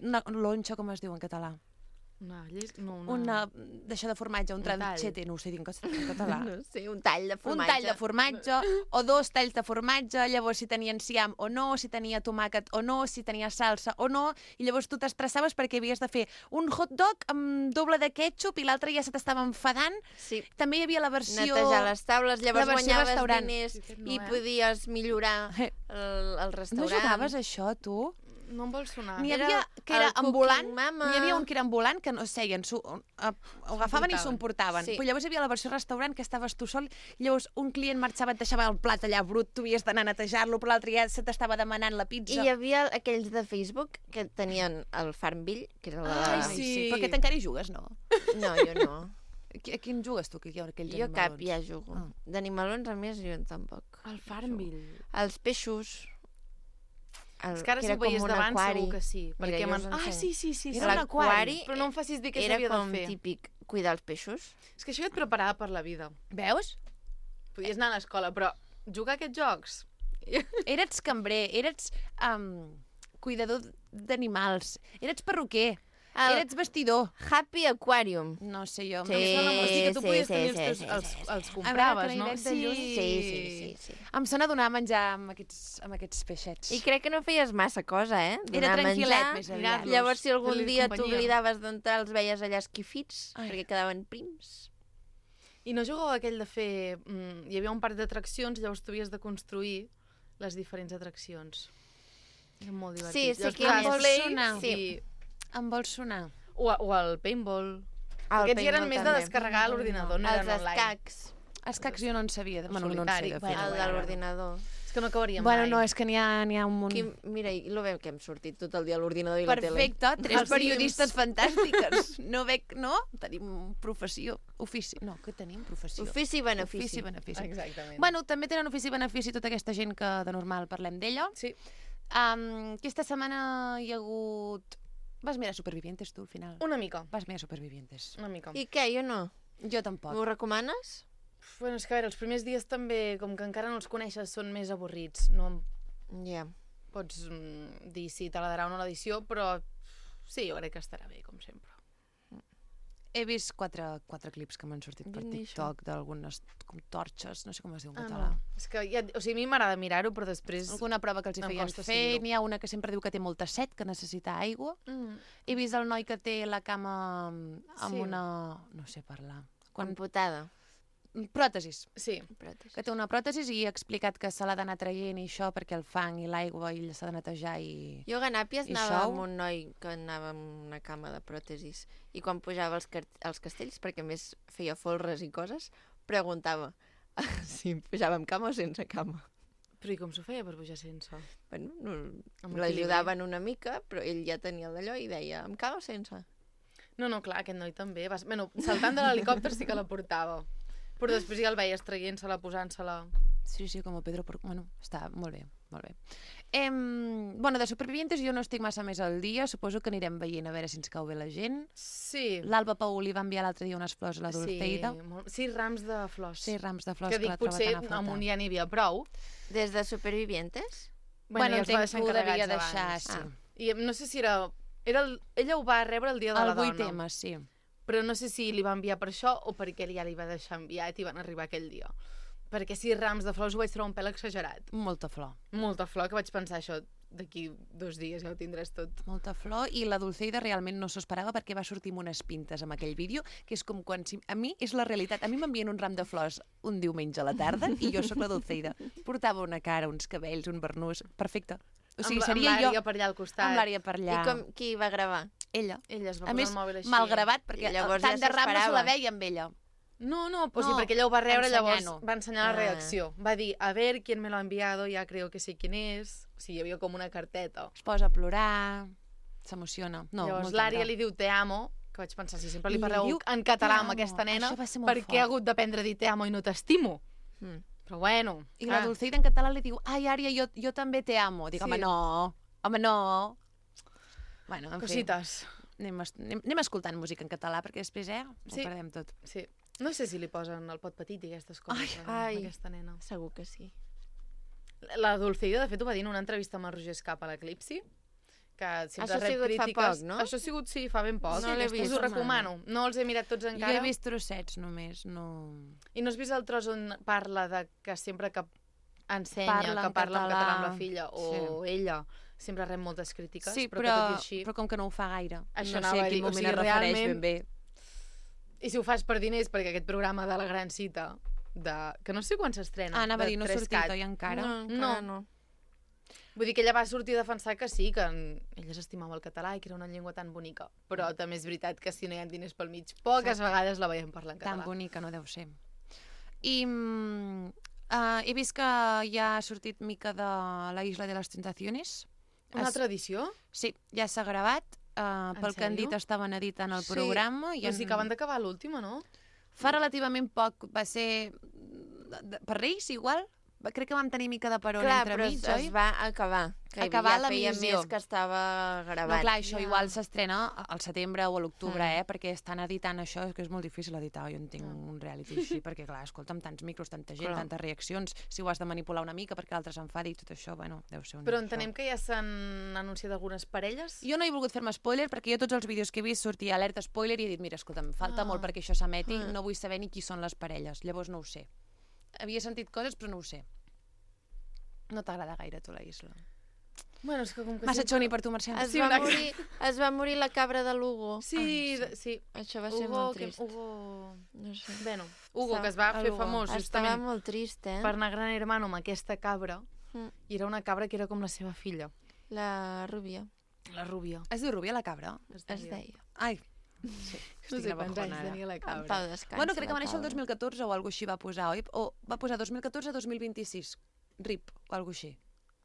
S1: una lonxa, com es diu en català?
S11: Una, lles... no, una...
S1: Una... D'això de formatge, un
S11: Un tall.
S1: tranchete, no ho sé dir en cas- en català.
S2: No sé, un tall de
S1: Un
S2: formatge.
S1: tall de formatge o dos talls de formatge, llavors si tenia enciam o no, si tenia tomàquet o no, si tenia salsa o no, i llavors tu t'estressaves perquè havies de fer un hot dog amb doble de ketchup i l'altre ja se t'estava enfadant.
S2: Sí.
S1: També hi havia la versió...
S2: Netejar les taules, llavors
S1: la versió
S2: guanyaves
S1: restaurant.
S2: diners
S11: Sí,
S2: i
S11: no, eh?
S2: podies millorar
S1: Eh.
S2: el, el
S1: No
S2: restaurant.
S1: jugaves a això, tu?
S11: No em vol sonar.
S1: N'hi
S2: Era
S1: havia que era
S2: el Cooking
S1: ambulant,
S2: Mama.
S1: n'hi havia un que era ambulant, que no seien, s'ho ho agafaven i s'ho emportaven.
S2: Sí.
S1: Però llavors hi havia la versió restaurant que estaves tu sol, i llavors un client marxava, et deixava el plat allà brut, tu havies d'anar a netejar-lo, però l'altre ja se t'estava demanant la pizza.
S2: I hi havia aquells de Facebook que tenien el Farmville, que era el de la...
S1: Ai, sí. sí. Però aquest encara hi jugues, no?
S2: No, jo no.
S1: A qui- a quin jugues tu, que hi ha aquells
S2: Jo cap
S1: animalons?
S2: ja jugo.
S1: Ah.
S2: D'animalons, a més, jo tampoc.
S11: El Farmville.
S2: Els peixos... El,
S11: És que ara
S2: que
S11: si
S2: era
S11: ho
S2: com
S11: veies
S2: un
S11: davant
S2: aquari.
S11: segur que sí.
S2: Mira,
S11: Perquè
S2: jo
S11: m'han...
S2: us
S11: Ah,
S2: ensenyo.
S11: sí, sí, sí. sí.
S2: Era l'aquari,
S11: Però no em facis dir què
S2: era
S11: s'havia
S2: com
S11: de fer.
S2: típic cuidar els peixos.
S11: És que això ja et preparava per la vida.
S1: Veus?
S11: Podies anar a l'escola, però jugar a aquests jocs...
S1: Eres cambrer, eres um, cuidador d'animals, eres perruquer,
S2: El-
S1: eres vestidor.
S2: Happy Aquarium.
S1: No sé jo.
S2: Sí,
S1: em sona molt-
S11: O sigui que tu
S2: sí,
S11: podies
S2: sí,
S11: tenir
S2: sí,
S11: els,
S2: sí,
S11: teus, els,
S2: sí, sí.
S11: els
S1: A
S11: compraves,
S1: veure, que
S11: no?
S1: l'Ivet de lluny-
S2: Sí, sí, sí, sí.
S1: Em sona donar menjar amb aquests, amb aquests peixets.
S2: I crec que no feies massa cosa, eh?
S1: Era
S2: Donar
S1: tranquil·let,
S2: menjar,
S1: més aviat.
S11: mirar-los,
S2: Llavors, si algun
S11: fer-li
S2: dia
S11: companyia.
S2: t'oblidaves d'entrar, els veies allà esquifits,
S1: Ai.
S2: perquè quedaven prims.
S11: I no jugàveu aquell de fer... Mm, hi havia un parc d'atraccions, llavors tu havies de construir les diferents atraccions. Era molt divertit.
S2: Sí, sé
S11: Llavors
S2: quin
S11: posaves
S1: és.
S11: play
S1: Sonar.
S11: i...
S1: Em vol sonar.
S11: O, o el paintball.
S2: El
S11: Aquests ja eren
S2: paintball
S11: més de
S2: també.
S11: descarregar a l'ordinador, no
S2: Els
S11: eren online.
S2: escacs,
S1: Els cacs jo no en sabia. De... Bueno, no en sé
S11: solitari.
S1: de fer.
S11: Bueno,
S2: el de
S11: bueno.
S2: l'ordinador.
S11: És que no acabaríem
S1: Bueno,
S11: mai.
S1: no, és que n'hi ha, n'hi ha un munt.
S2: Qui, mira, i lo veiem que hem sortit tot el dia a l'ordinador i la tele.
S1: Perfecte, tres
S11: Els
S1: periodistes fantàstiques. No veig, no? Tenim professió, ofici. No, que tenim professió.
S2: Ofici i benefici.
S1: Ofici i benefici.
S11: Exactament.
S1: Bueno, també tenen ofici i benefici tota aquesta gent que de normal parlem d'ella.
S11: Sí.
S1: Um, aquesta setmana hi ha hagut... Vas mirar Supervivientes, tu, al final?
S11: Una mica.
S1: Vas mirar Supervivientes.
S11: Una mica.
S2: I què, jo no?
S1: Jo tampoc.
S2: M'ho recomanes?
S11: Bueno, és que a veure, els primers dies també, com que encara no els coneixes, són més avorrits. No em
S2: Ja.
S11: pots mm, dir si t'agradarà o no l'edició, però sí, jo crec que estarà bé, com sempre.
S1: He vist quatre, quatre clips que m'han sortit per
S2: Jo ni
S1: TikTok d'algunes com torxes, no sé com es diu en
S11: Ah,
S1: català.
S11: no. És que ja, o sigui, a mi m'agrada mirar-ho, però després...
S1: Alguna prova que els hi
S11: Em
S1: feien
S11: costa
S1: fer,
S11: seguir-ho.
S1: n'hi ha una que sempre diu que té molta set, que necessita aigua.
S11: Mm.
S1: He vist el noi que té la cama amb
S11: Sí.
S1: una... no sé parlar. Quan...
S2: Amputada.
S1: Pròtesis.
S11: Sí.
S2: Pròtesis.
S1: Que té una pròtesis i ha explicat que se l'ha d'anar traient i això perquè el fang i l'aigua i s'ha de netejar i...
S2: Jo a Ganàpies
S1: I
S2: anava
S1: xou?
S2: amb un noi que anava amb una cama de pròtesis i quan pujava als, car als castells, perquè a més feia folres i coses, preguntava Sí, pujàvem cama o sense cama.
S11: Però i com s'ho feia per pujar sense?
S2: Bueno, no,
S11: Amb
S2: l'ajudaven una mica, però ell ja tenia d'allò i deia, amb cama o sense?
S11: No, no, clar, aquest noi també. Vas... Bueno, saltant de l'helicòpter sí que la portava. Però després ja el veies traient-se-la, posant-se-la...
S1: Sí, sí, com a Pedro... Por... Bueno, està molt bé, molt bé. Eh, bueno, de Supervivientes jo no estic massa més al dia. Suposo que anirem veient a veure si ens cau bé la gent.
S11: Sí.
S1: L'Alba Pau li va enviar l'altre dia unes flors a la Dulceida.
S11: Sí, molt... sí, rams de flors.
S1: Sí, rams de flors
S11: que,
S1: que,
S11: dic,
S1: la troba
S11: potser
S1: tan a faltar.
S11: amunt ja n'hi havia prou.
S2: Des de Supervivientes?
S1: Bueno,
S11: ja els va
S1: entenc
S11: deixar
S1: que ho devia
S11: encarregats
S1: deixar,
S11: abans.
S1: sí.
S11: Ah. I no sé si era... era el... Ella ho va rebre el dia de
S1: El
S11: la dona.
S1: vuit eme, sí.
S11: Però no sé si li va enviar per això o perquè ja li va deixar enviat i van arribar aquell dia. Perquè sis rams de flors ho vaig trobar un pèl exagerat.
S1: Molta flor.
S11: Molta flor, que vaig pensar això, d'aquí dos dies ja ho tindràs tot.
S1: Molta flor, i la Dulceida realment no s'ho esperava perquè va sortir amb unes pintes amb aquell vídeo, que és com quan... Si... A mi és la realitat. A mi m'envien un ram de flors un diumenge a la tarda i jo sóc la Dulceida. Portava una cara, uns cabells, un barnús... Perfecte. O sigui,
S11: amb,
S1: seria
S11: amb
S1: jo...
S11: per allà al costat.
S1: Amb l'àrea per allà.
S2: I com, qui va gravar?
S1: Ella.
S11: Ella es va
S1: a
S11: posar
S1: més,
S11: el mòbil així.
S1: mal gravat, perquè
S2: llavors
S1: tant
S2: ja
S1: de ram no se la
S2: s'esperava.
S1: veia amb ella.
S11: No, no, pues
S1: No,
S11: sí, perquè ella ho va rebre, llavors
S1: ensenyant-ho.
S11: va ensenyar la
S2: Ah.
S11: reacció. Va dir, a ver, quién me lo ha enviado, ya creo que sé quién es. O sigui, hi havia com una carteta.
S1: Es posa a plorar, s'emociona. No,
S11: llavors
S1: molt
S11: l'Ària
S1: tendra.
S11: li diu te amo, que vaig pensar, si sempre li
S1: Li
S11: parleu
S1: diu
S11: en català
S1: te
S11: amb
S1: amo.
S11: aquesta nena,
S1: Això va ser molt
S11: per què
S1: fort.
S11: ha hagut d'aprendre a dir te amo i no t'estimo?
S2: Mm.
S11: Però bueno.
S1: I la Dulceida en català li diu, ai, Ària, jo, jo també te amo. Dic,
S11: Sí.
S1: home, no, home, no. Bueno, en
S11: Cosites.
S1: fi, anem, es- anem, anem escoltant música en català, perquè després, eh,
S11: Sí.
S1: ho perdem tot.
S11: Sí. No sé si li posen el pot petit i aquestes coses
S1: Ai,
S11: a
S2: ai.
S11: aquesta nena.
S2: Segur que sí.
S11: La Dulceida, de fet, ho va dir en una entrevista amb el Roger Escapa a l'Eclipsi, que sempre
S2: Això ha
S11: rep
S2: sigut fa
S11: crítiques.
S2: poc, no?
S11: Això ha sigut, sí, fa ben poc.
S2: No l'he
S11: Us
S2: vist.
S11: ho recomano. No els he mirat tots
S1: Jo
S11: encara.
S1: he vist trossets només, no...
S11: I no has vist el tros on parla de que sempre que ensenya,
S1: Parla
S11: que
S1: en
S11: parla en
S1: català.
S11: català amb la filla, o ella, sempre rep moltes crítiques,
S1: Sí,
S11: però,
S1: però,
S11: que tot i així...
S1: però com que no ho fa gaire.
S11: Això
S1: no
S11: anava
S1: sé
S11: a
S1: a
S11: dir,
S1: quin
S11: o
S1: moment
S11: sigui,
S1: es refereix
S11: realment-
S1: ben bé.
S11: I si ho fas per diners, perquè aquest programa de la gran cita, de... que no sé quan s'estrena,
S1: Ah, anava a
S11: de
S1: dir, no ha
S11: tres
S1: sortit,
S11: cat.
S1: oi, encara?
S2: No, encara no.
S11: Vull dir que ella va sortir a defensar que sí, que en- ella s'estimava el català i que era una llengua tan bonica. Però
S1: Mm.
S11: també és veritat que si no hi ha diners pel mig, poques vegades la veiem parlar en
S1: Tan
S11: català.
S1: bonica no deu ser. I mm, uh, he vist que ja ha sortit mica de la Isla de les Tentaciones.
S11: Una
S1: Es-
S11: altra edició?
S1: Sí, ja s'ha gravat. Uh,
S11: En
S1: pel que han
S11: sèrio?
S1: dit estaven editant el
S11: Sí,
S1: programa. I
S11: Però
S1: en...
S11: sí que acaben d'acabar l'última, no?
S1: Fa relativament poc, va ser... de- de- Per Reis, igual? Va- Crec que vam tenir mica de peron
S2: Clar,
S1: entre
S2: però
S1: mig,
S2: es,
S1: oi?
S2: es va acabar. Que
S1: Acabar
S2: ja feia
S1: l'emissió.
S2: més que estava gravat.
S1: No, clar, això
S11: Ja.
S1: igual s'estrena al setembre o a l'octubre,
S2: Mm.
S1: eh? Perquè estan editant això, que és molt difícil editar, jo entenc un reality així, perquè clar, escolta, amb tants micros, tanta gent,
S2: Clar.
S1: tantes reaccions, si ho has de manipular una mica perquè l'altre s'enfadi i tot això, bueno, deu ser un...
S11: Però entenem que ja s'han anunciat algunes parelles?
S1: Jo no he volgut fer-me spoiler perquè jo tots els vídeos que he vist sortia alerta spoiler i he dit, mira, escolta, em falta
S11: Ah.
S1: molt perquè això s'emeti,
S2: Ah.
S1: no vull saber ni qui són les parelles, llavors no ho sé. Havia sentit coses, però no ho sé. No t'agrada gaire, tu, la Isla.
S11: Bueno, és que com que
S1: Massa
S11: sempre-
S1: xoni per tu, Mercè.
S2: Es,
S11: Sí,
S2: va
S11: una-
S2: morir, es va morir la cabra de l'Hugo.
S11: Sí,
S1: Ah,
S11: de- sí.
S2: Això va ser
S11: Hugo,
S2: molt
S11: que,
S2: trist.
S11: Hugo...
S2: No sé.
S11: Bueno, Hugo,
S2: Estava-
S11: que es va fer
S1: Hugo.
S11: famós
S2: Estava
S11: justament
S2: molt trist, eh?
S11: per anar a Gran Hermano amb aquesta cabra,
S2: Mm.
S11: i era una cabra que era com la seva filla,
S2: La rubia.
S11: la Rúbia.
S1: Es diu Rubia, la cabra?
S2: Es deia.
S1: Ai,
S11: No
S1: estic
S11: sé
S1: una
S11: quants
S1: bajona
S11: anys
S1: ara.
S11: tenia la
S2: En
S11: cabra.
S2: pau descansa.
S1: Bueno, crec que va
S2: la
S1: néixer el
S2: cabra.
S1: dos mil catorze o alguna així va posar, oi? O va posar dos mil catorze a dos mil vint-i-sis. R I P o alguna així.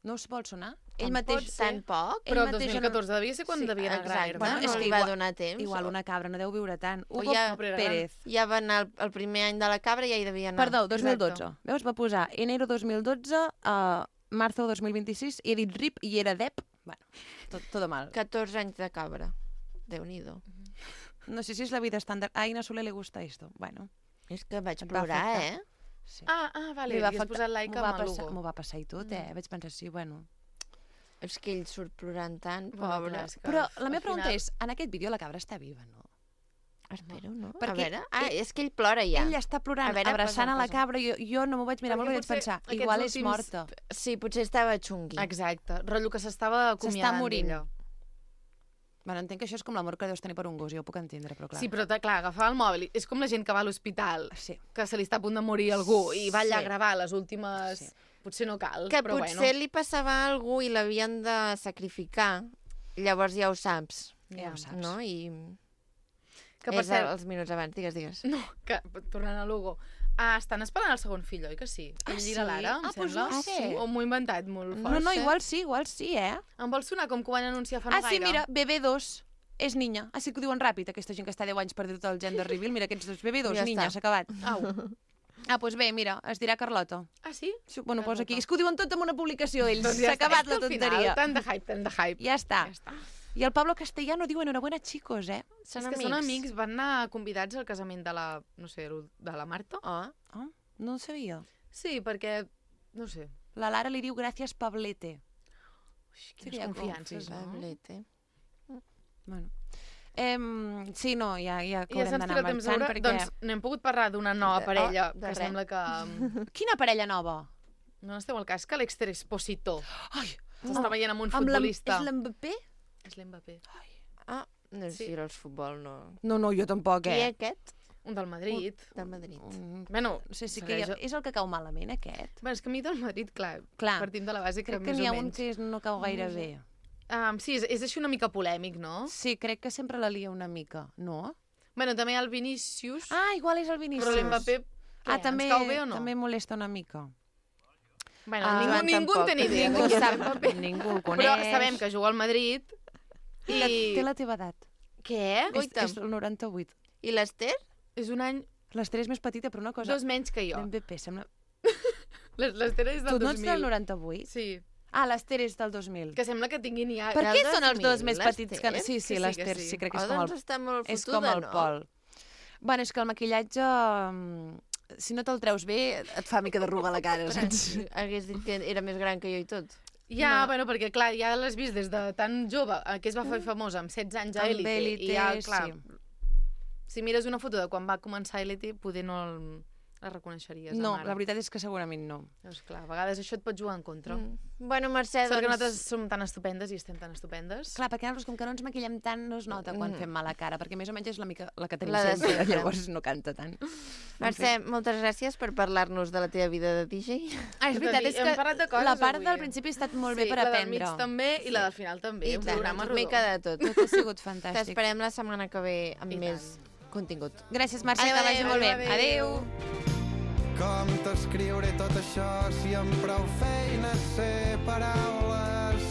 S1: No us vol sonar? Ell
S2: Em
S1: mateix...
S2: pot ser. Tan poc?
S1: ell
S11: Però el
S1: mateix
S11: dos mil catorze devia ser quan
S2: Sí,
S11: devia anar a Gran
S2: exacte.
S11: Hermano.
S2: Bueno,
S1: és
S2: no
S1: que
S2: li va
S1: igual-
S2: donar temps.
S1: Igual una cabra no deu viure tant.
S2: O
S1: Hugo
S2: ja-
S11: però era
S1: Pérez.
S2: Ja va anar el, el primer any de la cabra i ja hi devia anar.
S1: Perdó, dos mil dotze.
S11: Exacte.
S1: Veus? Va posar enero dos mil dotze a marzo dos mil vint-i-sis i he dit R I P i era D E P. Bueno, tot, todo mal.
S2: catorze anys de cabra. Déu-n'hi-do.
S1: No sé si es la vida estàndard. A Aina Soler le gusta esto. Bueno,
S2: És que vaig
S1: Et va
S2: plorar,
S1: afectar.
S2: eh?
S1: sí.
S11: Ah, ah, vale,
S1: Li
S11: li
S1: va
S11: has
S1: afectar-
S11: posat like
S1: m'ho va
S11: amb el
S1: passar-
S11: Hugo.
S1: M'ho va passar i tot, eh? Vaig pensar, sí, bueno...
S2: És que ell surt plorant tant,
S11: Bueno,
S2: pobre.
S11: clar, és que
S1: Però la
S11: al
S1: meva pregunta
S11: final-
S1: és, en aquest vídeo la cabra està viva, no?
S2: Espero, no?
S1: Perquè
S2: a veure... Ah,
S1: ell-
S2: és que ell plora ja.
S1: Ell està plorant,
S2: A veure,
S1: abraçant
S2: posa,
S1: a la
S2: posa.
S1: cabra. Jo, jo no m'ho vaig mirar
S11: Perquè
S1: molt bé i vaig
S11: potser
S1: pensar,
S11: aquests
S1: igual és
S11: últims-
S1: morta.
S2: Sí, potser estava xungui.
S11: Exacte, rotllo que s'estava acomiadant
S1: morint.
S11: d'ella.
S1: Bueno, entenc que això és com l'amor que deus tenir per un gos, jo ho puc entendre, però clar.
S11: Sí, però clar, agafar el mòbil, és com la gent que va a l'hospital,
S1: Sí.
S11: que se li està a punt de morir algú i va allà
S2: Sí.
S11: a gravar les últimes...
S1: Sí.
S11: Potser no cal,
S2: Que
S11: però
S2: potser
S11: bueno.
S2: li passava a algú i l'havien de sacrificar. Llavors ja ho saps,
S1: Ja ho saps.
S2: no? I
S11: Que per
S2: és
S11: cert,
S2: els minuts abans, digues, digues.
S11: no, que, tornant a Lugo, Ah, estan esperant el segon fill, oi que sí?
S1: Ah,
S11: Ell
S1: sí?
S11: i la Lara, em
S1: Ah, doncs
S11: sembla.
S1: no ho sé.
S11: O m'ho he inventat molt fort.
S1: No, no, igual sí, igual sí, eh?
S11: Em vol sonar com que ho van anunciar fa no
S1: Ah, sí,
S11: gaire.
S1: mira, B B dos. És niña. Ah, sí que ho diuen ràpid, aquesta gent que està deu anys per dir-te el gender reveal. Mira, aquests dos B B dos,
S2: Ja
S1: niña,
S2: està.
S1: s'ha acabat.
S11: Au.
S1: Ah, doncs bé, mira, es dirà Carlota.
S11: Ah, sí?
S1: Sí, bueno,
S11: Carlota.
S1: posa aquí. És que ho diuen tot en una publicació, ells.
S11: Doncs
S1: S'ha
S11: ja està,
S1: acabat
S11: és
S1: la
S11: que al
S1: tonteria.
S11: Final, tant de hype, tant de hype.
S1: Ja està.
S11: Ja està.
S1: I el Pablo Castellano diu enhorabuena, chicos, eh?
S2: Són
S11: és que
S2: amics.
S11: són amics, van anar convidats al casament de la, no sé, de la Marta.
S2: Ah.
S1: Ah, no ho sabia.
S11: Sí, perquè, no sé,
S1: La Lara li diu gràcies, Pablete.
S11: Ui,
S1: Sí que
S11: quines
S1: hi ha
S11: confiances,
S1: confis,
S11: no?
S2: Pablete.
S1: Bueno. Em, sí, no, ja, ja que
S11: I ja
S1: haurem
S11: se'ns
S1: d'anar
S11: tira temps a
S1: marxant
S11: veure,
S1: perquè...
S11: doncs no hem pogut parlar d'una nova
S2: De-
S11: parella,
S2: oh, de
S11: que
S2: res.
S11: sembla que...
S1: Quina parella nova?
S11: No n'esteu al cas que l'Exter Expositor
S1: Ai,
S11: s'està veient amb un
S1: amb l'M-
S11: futbolista.
S1: És l'Mbappé?
S11: És l'Mbappé.
S2: Ah, no sé
S11: Sí.
S2: si els futbol no...
S1: No, no, jo tampoc,
S2: Qui
S1: eh?
S2: aquest?
S11: Un del Madrid.
S2: Del Madrid.
S1: Mm,
S11: Bueno,
S1: no sé si que hi ha...
S11: segueix-
S1: és el que cau malament, aquest.
S11: Bueno, és que a mi del Madrid, clar,
S1: Clar.
S11: partim de la base que
S1: Crec que
S11: més
S1: n'hi ha
S11: o
S1: un
S11: menys.
S1: que és- no cau gaire bé.
S11: Um, sí, és, és així una mica polèmic, no?
S1: Sí, crec que sempre la lia una mica, no?
S11: Bueno, també hi ha el Vinícius,
S1: Ah, igual és el Vinícius.
S11: però l'Mbappé,
S1: Ah,
S11: què,
S1: també,
S11: ens cau bé o no?
S1: també molesta una mica.
S11: Bueno,
S1: Ah,
S11: ningú,
S2: Joan
S11: ningú en
S2: tampoc.
S11: té ni idea.
S1: Ningú
S11: de qui és
S1: sap,
S11: l'Mbappé.
S1: ningú el coneix.
S11: Però sabem que juga al Madrid
S1: I...
S11: i...
S1: La, té la teva edat.
S11: Què?
S1: És, és el noranta-vuit.
S2: I l'Ester?
S11: És un any,
S1: L'Ester és més petita, però una cosa...
S11: dos menys que jo.
S1: L'Mbappé sembla...
S11: Les- L'Ester és del
S1: Tu no
S11: dos
S1: ets
S11: mil.
S1: del noranta-vuit?
S11: Sí,
S1: Ah, l'Ester és del dos mil.
S11: que sembla que tinguin ja...
S1: Per
S2: del
S1: què són els
S2: dos
S1: dos
S2: mil,
S1: més petits que...
S2: l'Ester?
S1: Sí, sí,
S11: Que sí,
S1: l'Ester,
S11: que sí.
S1: sí, crec que
S2: Oh,
S1: és com el,
S2: doncs està molt
S1: és
S2: fotuda,
S1: com el
S2: no?
S1: Pol. Bueno, és que el maquillatge, mm, si no te'l treus bé, et fa mica d'arruga a la cara, saps?
S2: Hagués dit que era més gran que jo i tot.
S11: Ja,
S1: No.
S11: bueno, perquè clar, ja l'has vist des de tan jove, eh, que es va fer famosa amb setze anys a
S1: Amb
S11: Elite,
S1: Elite,
S11: i ja, clar,
S1: sí.
S11: si mires una foto de quan va començar Elite, poder no el- la reconeixeries.
S1: No,
S11: amb ara.
S1: la veritat és que segurament no.
S11: Doncs clar, a vegades això et pot jugar en contra. Mm.
S2: Mm. Bueno, Mercè,
S11: Sort que
S2: doncs...
S11: nosaltres som tan estupendes i estem tan estupendes.
S1: Clar, perquè nosaltres, com que no ens maquillem tant, no es nota quan
S2: Mm.
S1: fem mala cara, perquè més o menys és la, mica, la que tenim
S2: La de
S1: sempre,
S2: sempre.
S1: llavors no canta tant.
S2: Mercè, moltes gràcies per parlar-nos de la teva vida de D J.
S1: Ah, és veritat, és
S11: Hem
S1: que
S11: parlat de coses
S1: la part
S11: avui.
S1: del principi ha estat molt bé
S11: sí,
S1: per
S11: la del
S1: aprendre.
S11: mig també i la del final també.
S2: I
S11: un
S2: tant,
S11: programa
S2: una mica de tot.
S1: Tot ha sigut fantàstic.
S2: T'esperem la setmana que ve amb
S11: I
S2: més contingut.
S1: Gràcies, Mercè,
S2: Adéu,
S1: que vagi
S2: adéu,
S1: molt bé.
S11: adéu.
S1: Adéu.
S7: Com t'escriuré tot això si amb prou feines sé paraules?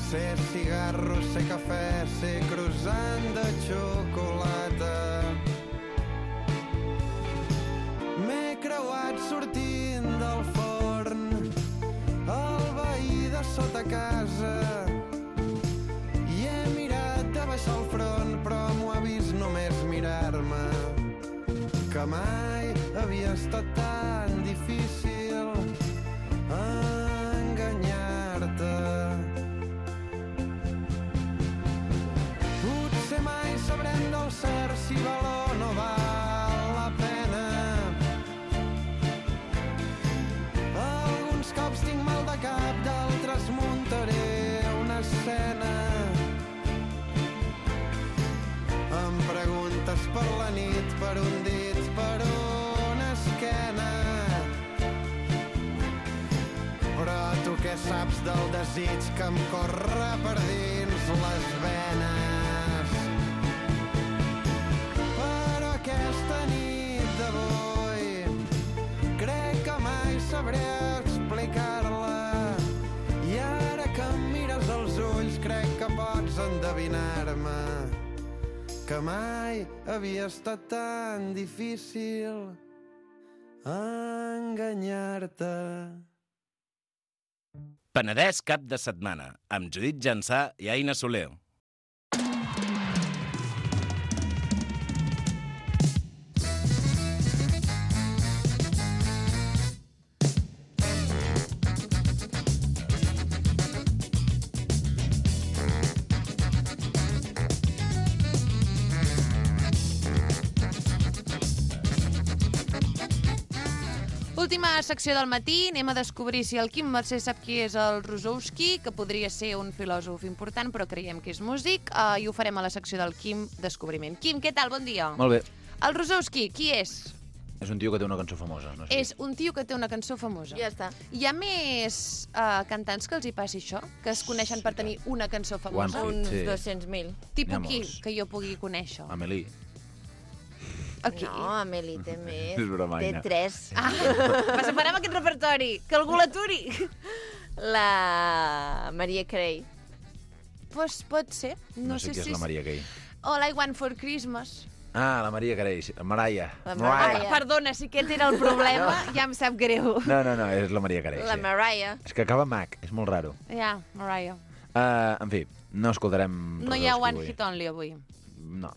S7: Sé cigarro, sé cafè, sé croissant de xocolata. M'he creuat sortint del forn, el veí de sota casa, i he mirat de baixar el front, però m'ho ha vist només mirar-me. Que mai havia estat tan difícil enganyar-te. Potser mai sabrem del cert si val o no val la pena. Alguns cops tinc mal de cap, d'altres muntaré una escena. Em preguntes per la nit, per un dit, per una esquena. Però tu què saps del desig que em corre per dins les venes? Però aquesta nit d'avui crec que mai sabré explicar-la. I ara que em mires als ulls crec que pots endevinar-me que mai havia estat tan difícil enganyar-te.
S12: Penedès cap de setmana, amb Judit Jansà i Aina Soler.
S1: Última secció del matí, anem a descobrir si el Quim Mercè sap qui és el Rosowski, que podria ser un filòsof important, però creiem que és músic, uh, i ho farem a la secció del Quim Descobriment. Quim, què tal? Bon dia.
S13: Molt bé.
S1: El Rosowski, qui és?
S13: És un tio que té una cançó famosa. No sé.
S1: És un tio que té una cançó famosa.
S2: Ja està.
S1: Hi ha més uh, cantants que els hi passi això? Que es coneixen per tenir una cançó famosa?
S13: One Hit,
S2: Uns
S13: sí.
S2: dos-cents mil.
S1: Tipus
S13: N'hi ha
S1: qui
S13: molts.
S1: que jo pugui conèixer?
S13: Amélie.
S1: Aquí.
S2: No, Amélie té més.
S13: És broma,
S2: Té
S13: Aina.
S2: tres.
S1: Ah, separem aquest repertori, que algú l'aturi.
S2: La Maria Carey.
S1: Pues pot ser. No,
S13: No sé
S1: sé
S13: qui és
S1: si...
S13: la Maria Carey.
S1: All I Want for Christmas.
S13: Ah, la Maria Carey, sí. Mariah.
S2: La
S13: Mariah.
S2: Mariah.
S1: Perdona, si aquest era el problema, ja em sap greu.
S13: No, no, no, és la Maria Carey,
S2: La
S13: sí.
S2: Mariah.
S13: És que acaba Mac, és molt raro.
S1: Ja, Mariah.
S13: Uh, en fi, no escoltarem...
S1: No hi ha
S13: Rosowski
S1: One
S13: avui.
S1: Hit Only avui.
S13: No.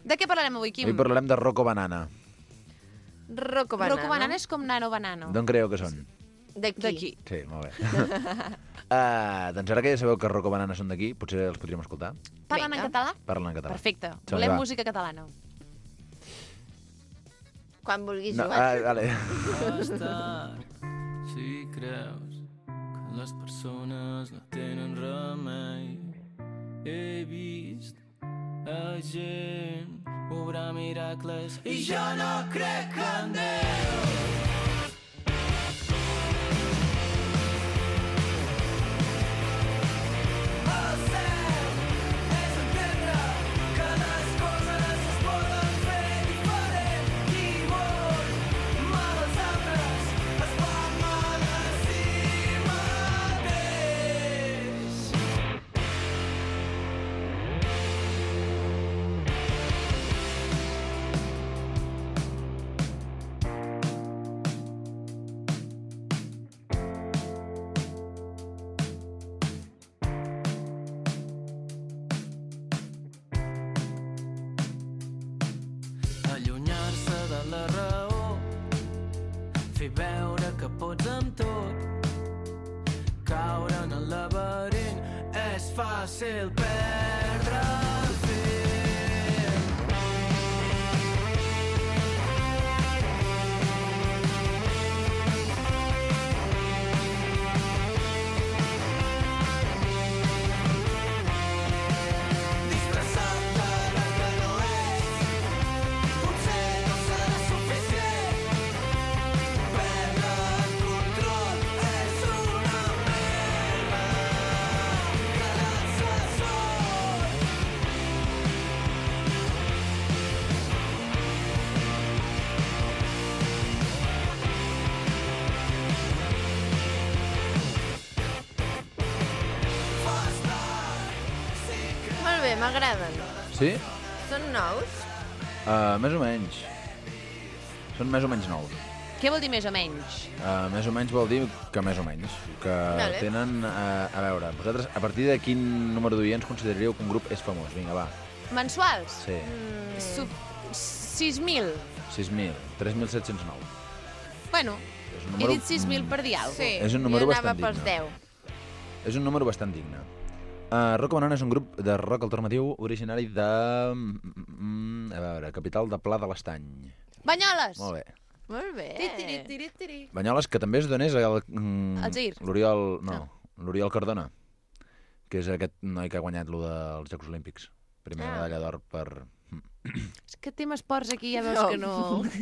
S1: De què parlarem avui, Quim?
S13: Avui parlarem de Rocco Banana.
S2: Rocco Banana.
S1: Rocco Banana és com Nano Banano.
S13: D'on creieu que són?
S2: D'aquí.
S1: D'aquí.
S13: Sí, molt bé. uh, doncs ara que ja sabeu que Rocco Banana són d'aquí, potser els podríem escoltar.
S1: Parlen en català?
S13: Parlen en català.
S1: Perfecte.
S13: Som-hi,
S1: Volem
S13: va.
S1: música catalana.
S2: Quan vulguis
S13: No,
S2: jugar.
S13: ah, vale.
S8: Bastar, si creus que les persones no tenen remei. He vist a gent obrar miracles i jo no crec en Déu. El cert és entendre que les coses es poden fer diferent. Qui vol mal als altres es fa mal a si mateix. Allunyar-se de la raó, fer veure que pots amb tot, caure en el laberint, és fàcil perdre el fil. Disfressat d'allò que no és, potser no serà suficient. Perdre el control és una merda. Quedar-se sol.
S2: Molt bé, m'agraden.
S13: Sí?
S2: Són nous?
S13: Uh, més o menys. Són més o menys nous.
S1: Què vol dir més o menys?
S13: Uh, més o menys vol dir que més o menys. Que
S1: Vale.
S13: tenen... Uh, a veure, vosaltres, a partir de quin número d'oients consideraríeu que un grup és famós? Vinga, va.
S1: Mensuals?
S13: Sí.
S1: Sub... sis mil.
S13: sis mil. tres mil set-cents nou.
S1: Bueno,
S13: És un
S1: he
S13: número-
S1: dit sis mil per dir alguna cosa.
S2: Sí,
S13: És un número
S2: jo anava
S13: bastant
S2: pels
S13: digne.
S2: deu.
S13: És un número bastant digne. Uh, Rocco Banana és un grup de rock alternatiu originari de... Mm, a veure, capital de Pla de l'Estany.
S1: Banyoles!
S13: Molt bé.
S2: Molt bé.
S1: Tiri, tiri, tiri, tiri.
S13: Banyoles, que també es donés el... Mm,
S1: El Zair.
S13: L'Oriol... No, l'Oriol Cardona, que és aquest noi que ha guanyat lo dels Jocs Olímpics. Primera
S1: Ah.
S13: medalla d'or per...
S1: És que tema esports aquí ja veus
S2: No.
S1: que no...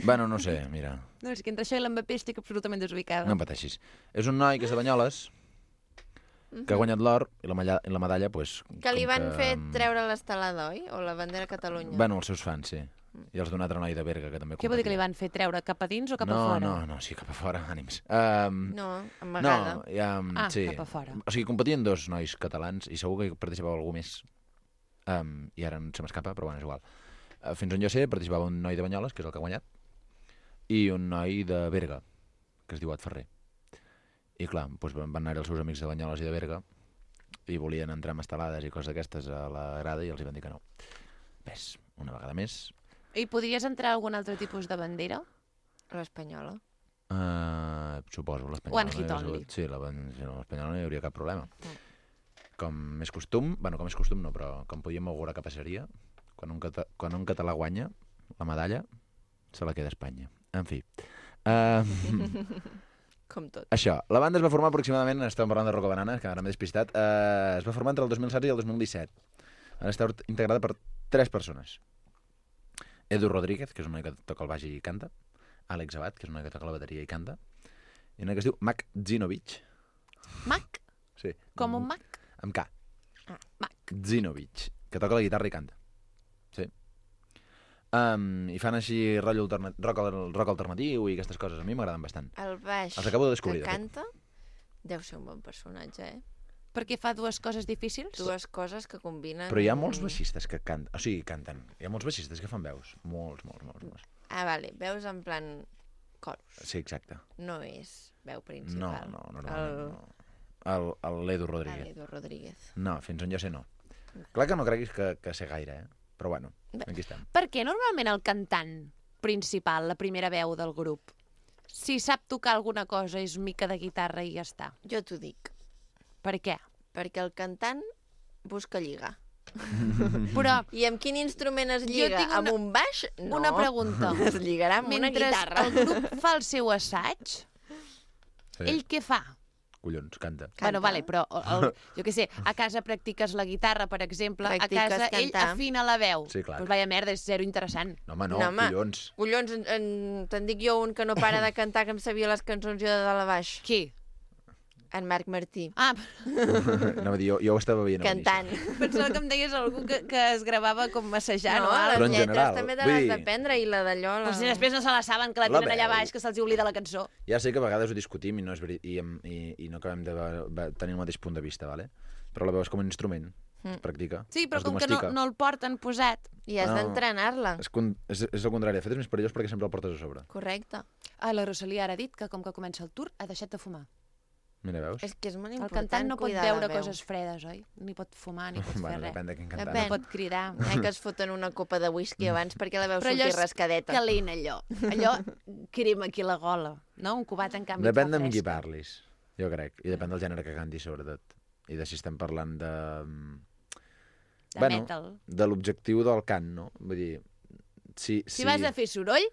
S13: Bueno, no sé, mira,
S1: No, és que entre això i l'Mbappé estic absolutament desubicada.
S13: no em pateixis. És un noi que és de Banyoles, que ha guanyat l'or i la, malla, i la medalla, pues,
S2: Que li
S13: com
S2: van fer
S13: mm,
S2: treure l'estelada, oi? O la bandera Catalunya.
S13: Bueno, els seus fans, sí. I els d'un altre noi de Berga, que també
S1: Què vol dir que li van fer treure? Cap a dins o cap
S13: no,
S1: a fora?
S13: No, no, sí, cap a fora, ànims. Um,
S2: No, amagada.
S13: No, ja,
S1: Ah,
S13: sí.
S1: cap a fora.
S13: O sigui, competien dos nois catalans i segur que hi participava algú més. Um, I ara se m'escapa, però bueno, és igual. Uh, fins on jo sé, participava un noi de Banyoles, que és el que ha guanyat, i un noi de Berga, que es diu Ad Ferrer. I clar, doncs van anar els seus amics de Banyoles i de Berga i volien entrar amb estelades i coses d'aquestes a la grada i els hi van dir que no. Ves, una vegada més...
S1: I podries entrar a algun altre tipus de bandera?
S2: L'espanyola.
S13: Uh, suposo, l'espanyola.
S1: One hit
S13: no hi
S1: only.
S13: hagués- Sí, la- sí, no, l'espanyola no hi hauria cap problema. Com més costum, bueno, com és costum no, però com podíem augurar que passaria, quan un, cata, quan un català guanya la medalla, se la queda a Espanya. En fi. Uh,
S2: Com tot.
S13: això, la banda es va formar aproximadament, estàvem parlant de Rocco Banana, que ara m'he despistat, uh, es va formar entre el dos mil setze i el dos mil disset. Ara està integrada per tres persones. Edu Rodríguez, que és un noi que toca el baix i canta, Àlex Abad, que és un noi que toca la bateria i canta, i un noi que es diu Mac Zinovic.
S1: Mac?
S13: Sí.
S1: Com un Mac?
S13: Amb K.
S1: Ah, Mac.
S13: Zinovic, que toca la guitarra i canta. Sí. Um, I fan així rotllo alterna rock, rock alternatiu i aquestes coses. A mi m'agraden bastant.
S2: El baix
S13: Els acabo de descobrir,
S2: que
S13: de fet.
S2: canta deu ser un bon personatge, eh?
S1: Perquè fa dues coses difícils?
S2: Dues coses que combinen...
S13: Però hi ha molts baixistes que canten. O sigui, canten. Hi ha molts baixistes que fan veus. Molts, molts, molts. molts.
S2: Ah, vale. Veus en plan coros.
S13: Sí, exacte.
S2: No és veu
S13: No,
S2: principal.
S13: no, normalment
S2: el...
S13: no. El, el l'Edu Rodríguez.
S2: L'Edu Rodríguez.
S13: No, fins on jo sé no. Clar que no creguis que, que sé gaire, eh? Però bueno, aquí estem.
S1: Per què normalment el cantant principal, la primera veu del grup, si sap tocar alguna cosa és mica de guitarra i ja està?
S2: Jo t'ho dic.
S1: Per què?
S2: Perquè el cantant busca lligar.
S1: Però...
S2: I amb quin instrument es
S1: Jo
S2: lliga?
S1: tinc una-
S2: Amb un baix? No.
S1: Una pregunta.
S2: Es lligarà amb una
S1: Mentre
S2: guitarra.
S1: el grup fa el seu assaig,
S13: Sí.
S1: ell què fa?
S13: Collons, canta.
S1: Bueno, vale, però el, jo què sé, a casa practiques la guitarra, per exemple,
S2: Practiques
S1: a casa ell
S2: cantar.
S1: afina la veu.
S13: Sí, clar.
S1: Pues vaya merda, és zero interessant.
S13: No, home, no,
S2: No, home.
S13: collons.
S2: Collons, en, en, te'n dic jo un que no para de cantar, que em sabia les cançons jo de dalt a baix.
S1: Qui?
S2: En Marc Martí.
S1: Ah,
S13: Anava a dir, jo, jo ho estava veient a
S2: Cantant.
S1: pensava que em deies algú que, que es gravava com massejant
S2: No,
S1: o
S2: les
S13: Però en
S1: alguna
S2: lletres
S13: general,
S2: també te
S13: vull
S2: les
S13: dir-
S2: d'aprendre i la d'allò... La...
S1: cosa. O si després no se la saben, que la
S13: La
S1: tenen allà
S13: veu.
S1: baix, que se'ls oblida la cançó.
S13: Ja sé que a vegades ho discutim i no, és veri... I, em- i, i no acabem de ve- ve- tenir el mateix punt de vista, vale? Però la veu és com un instrument,
S2: Mm.
S13: es practica,
S1: Sí, però
S13: es
S1: com que no,
S13: domestica.
S1: no el porten posat.
S2: I has
S13: No.
S2: d'entrenar-la.
S13: És, con... és, és el contrari, de fet és més perillós perquè sempre el portes a sobre.
S2: Correcte.
S1: Ah, la Rosalia ara ha dit que com que comença el tour ha deixat de fumar.
S13: Mira, veus?
S2: És que és molt
S1: El
S2: important
S1: cantant no pot
S2: cuidar
S1: veure
S2: la veu.
S1: coses fredes, oi? Ni pot fumar, ni pot
S13: Bueno,
S1: fer res.
S13: depèn de quin cantant.
S2: Depèn.
S1: No pot cridar.
S2: Eh, que es foten una copa de whisky abans perquè la veu
S1: Però allò
S2: surti
S1: és
S2: rascadeta.
S1: calent, allò. Allò crema aquí la gola. No? Un cubat, en canvi,
S13: Depèn
S1: et
S13: de
S1: fa
S13: amb qui
S1: fresca.
S13: parlis, jo crec. I depèn del gènere que cantis, sobretot. I de si estem parlant de...
S1: De
S13: bueno,
S1: metal.
S13: de l'objectiu del cant, no? Vull dir, si...
S1: Si vas a fer soroll,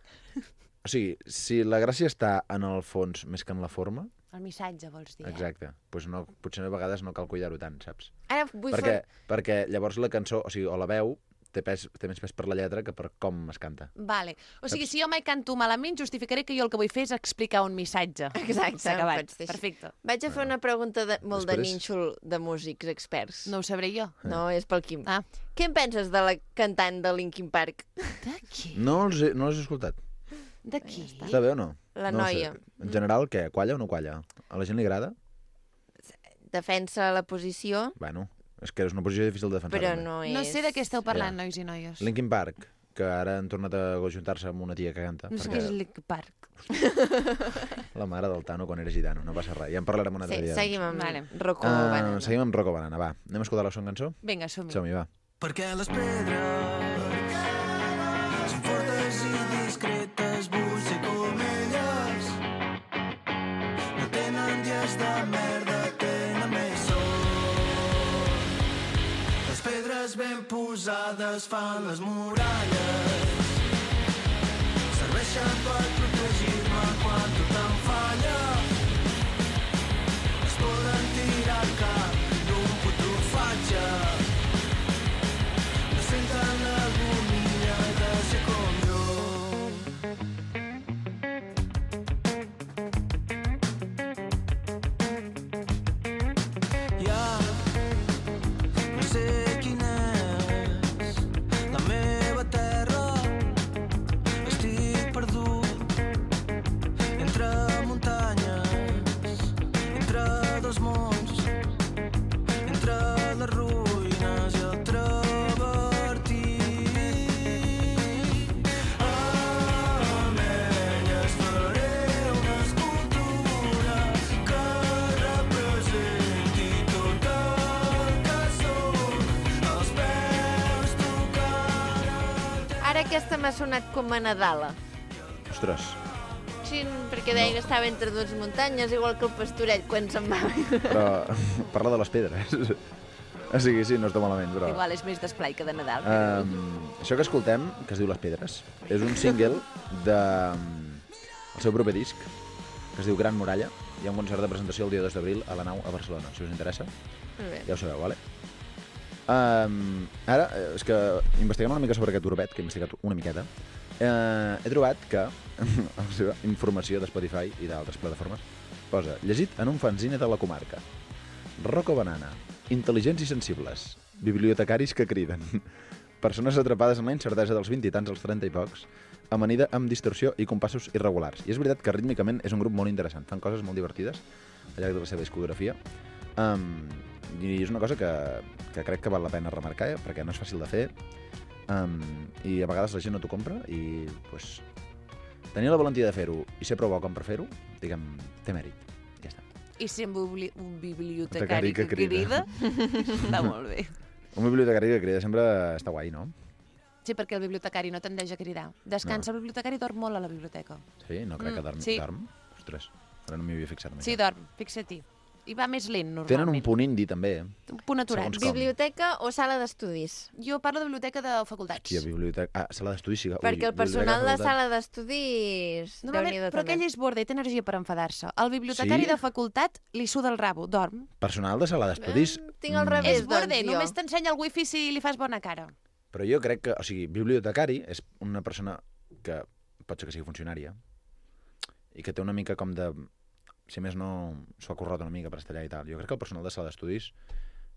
S13: O sigui, si la gràcia està en el fons més que en la forma,
S1: el missatge, vols dir, eh?
S13: exacte, doncs no, potser a vegades no cal cuidar-ho tant, saps?
S2: Ara vull
S13: Perquè,
S2: fer...
S13: perquè llavors la cançó, o sigui, o la veu, té, pes, té més pes per la lletra que per com es canta.
S1: Vale. O sigui, si jo mai canto malament, justificaré que jo el que vull fer és explicar un missatge.
S2: Exacte,
S1: S'ha acabat.
S2: pots dir així.
S1: Perfecte.
S2: Vaig a fer una pregunta de, molt de
S13: Després-
S2: nínxol de músics experts.
S1: No ho sabré jo.
S2: No, és pel Quim.
S1: Ah.
S2: Què en penses de la cantant de Linkin Park?
S1: De qui?
S13: No els he, no els he escoltat.
S1: De qui?
S13: Està bé o no?
S2: La
S13: no ho
S2: noia.
S13: Sé. En general, què? Qualla o no qualla? A la gent li agrada?
S2: Defensa la posició,
S13: Bueno, és que és una posició difícil de defensar.
S2: però
S13: també.
S2: no és...
S1: No sé de què esteu parlant,
S13: Ja.
S1: nois i noies.
S13: Linkin Park, que ara han tornat a ajuntar-se amb una tia que canta.
S1: No sé
S13: perquè
S1: què és Linkin Park.
S13: La mare del Tano quan era gitano, no passa res. Ja en parlarem un altre
S2: Sí,
S13: dia.
S2: seguim amb
S1: Vale.
S2: Rocco
S13: Ah,
S2: Banana.
S13: seguim amb Rocco Banana, va. Anem a escoltar la segona cançó?
S1: Vinga, som-hi.
S13: Som-hi, va.
S7: Perquè les pedres són fortes i discretes, vull ser com elles. No tenen dies de merda, tenen més sol. Les pedres ben posades fan les muralles. Serveixen per protegir-me quan tot em falla. Es poden tirar al cap d'un puto fatge. No senten l'agonia de ser com jo. Ja no sé quina és la meva terra. Estic perdut entre muntanyes, entre dos mons, entre les ruïnes i el travertí. Amb elles faré una escultura que representi tot el que soc, els peus tocant el teu.
S2: Ara aquesta m'ha sonat com a Nadala.
S13: Ostres.
S2: Sí, perquè deia que estava entre dues muntanyes, igual que el pastoret quan se'n va.
S13: Però parla de les pedres. O sigui, sí, no està malament, però...
S1: Igual és més d'esplai que de Nadal.
S13: Um, això que escoltem, que es diu Les Pedres, és un single de um, el seu proper disc, que es diu Gran Muralla. Hi ha un concert de presentació el dia dos d'abril a la Nau a Barcelona, si us interessa.
S2: Molt bé.
S13: Ja ho sabeu, vale? Um, ara, eh, és que investigant una mica sobre aquest urbet, que he investigat una miqueta, eh, he trobat que la seva informació de Spotify i d'altres plataformes posa llegit en un fanzine de la comarca. Rocco Banana, intel·ligents i sensibles, bibliotecaris que criden, persones atrapades en la incertesa dels vint i tants als trenta i pocs, amanida amb distorsió i compassos irregulars. I és veritat que rítmicament és un grup molt interessant. Fan coses molt divertides al llarg de la seva discografia. Um, I és una cosa que, que crec que val la pena remarcar, eh? Perquè no és fàcil de fer. Um, I a vegades la gent no t'ho compra i pues, tenir la valentia de fer-ho i ser prou bo com per fer-ho, diguem, té mèrit. Ja està.
S1: I ser un, bibli un bibliotecari que, que crida, està molt bé.
S13: Un bibliotecari que crida sempre està guai, no?
S1: Sí, perquè el bibliotecari no tendeix a cridar. Descansa, no. El bibliotecari dorm molt a la biblioteca.
S13: Sí? No crec que dorm.
S1: Sí.
S13: Dorm? Ostres, ara no m'hi havia fixat.
S1: Sí, dorm, fixa-t'hi. I va més lent, normalment.
S13: Tenen un punt indi, també.
S1: Un punt aturat.
S2: Biblioteca o sala d'estudis?
S1: Jo parlo de biblioteca de facultats.
S13: Hòstia, biblioteca... Ah, sala d'estudis sí que...
S2: Perquè el personal de sala d'estudis...
S1: Normalment, però aquell és borde, té energia per enfadar-se. El bibliotecari
S13: Sí?
S1: de facultat li suda el rabo, dorm.
S13: Personal de sala d'estudis...
S2: Eh, tinc al revés,
S1: És borde,
S2: doncs, jo.
S1: només t'ensenya el wifi si li fas bona cara.
S13: Però jo crec que... O sigui, bibliotecari és una persona que pot ser que sigui funcionària i que té una mica com de... Si més no, s'ho ha currat una mica per estar allà i tal. Jo crec que el personal de sala d'estudis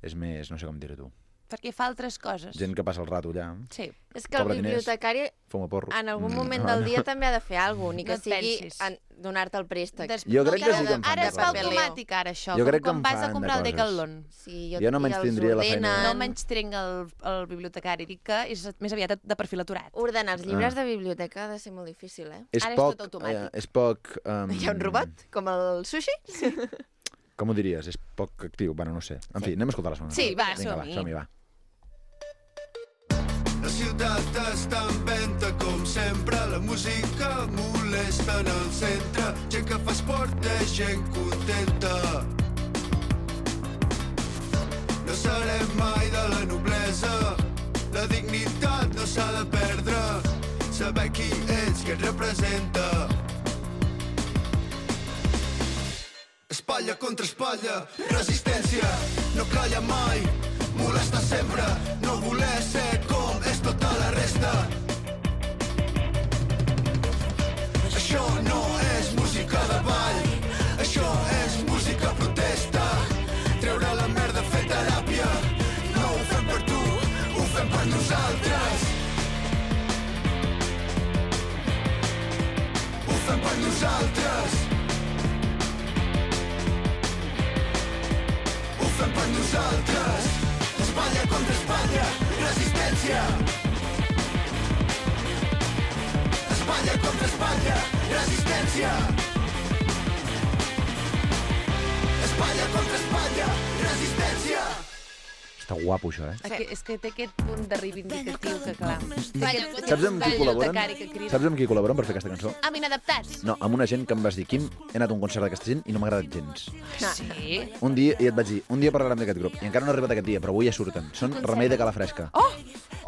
S13: és més... No sé com dir-ho tu.
S1: Perquè fa altres coses.
S13: Gent que passa el rato allà.
S1: Sí.
S2: És que el
S13: cobra diners,
S2: bibliotecari
S13: fuma porro.
S2: en algun
S13: Mm,
S2: moment
S13: no,
S2: del
S13: no.
S2: dia també ha de fer alguna cosa, ni que
S1: No et
S2: sigui
S1: pensis.
S2: en- donar-te el préstec.
S1: Des...
S13: Jo crec que sí que en fan
S1: Ara
S13: de
S1: es fa
S13: coses.
S1: automàtic, ara, això.
S13: Jo
S1: com
S13: crec que
S1: quan
S13: en
S1: vas a
S13: fan de
S1: comprar el
S13: coses.
S1: Decathlon.
S2: Sí,
S13: Jo no menystindria la feina.
S1: No menys trenc el, el bibliotecari, dic que és més aviat de, de perfil aturat.
S2: Ordenar els llibres
S13: Ah.
S2: de biblioteca ha de ser molt difícil, eh?
S13: És
S1: Ara és
S13: poc...
S1: tot automàtic.
S13: Eh, és poc... Um,
S2: Hi ha un robot, com el sushi?
S13: Com ho diries? És poc actiu? Bueno, no sé. En fi, anem a escoltar la segona.
S1: Sí, va,
S13: Vinga, va,
S1: som-hi.
S13: som-hi, va.
S7: La ciutat està en venta com sempre, la música molesta en el centre, gent que fa esport és gent contenta. No serem mai de la noblesa, la dignitat no s'ha de perdre, saber qui ets, què et representa. Espatlla contra espatlla, resistència, no calla mai, molesta sempre, no voler ser com és tota la resta. Això no és música de ball, això és música protesta. Treure la merda, fer teràpia, no ho fem per tu, ho fem per nosaltres. Ho fem per nosaltres. Ho fem per nosaltres. Espatlla contra espatlla, resistència. Espatlla contra espatlla, resistència. Espatlla contra espatlla, resistència.
S13: Està guapo, això, eh?
S1: Aquí, és que té aquest punt de reivindicatiu que, clar...
S13: Saps amb qui col·laboren? Saps amb qui col·laboren per fer aquesta cançó?
S1: Amb Inadaptats.
S13: No, amb una gent que em vas dir, Quim, he anat a un concert d'aquesta gent i no m'ha agradat gens.
S1: Sí?
S13: Un dia, i et vaig dir, un dia parlarem d'aquest grup. I encara no ha arribat aquest dia, però avui ja surten. Són Remei de Calafresca.
S1: Oh!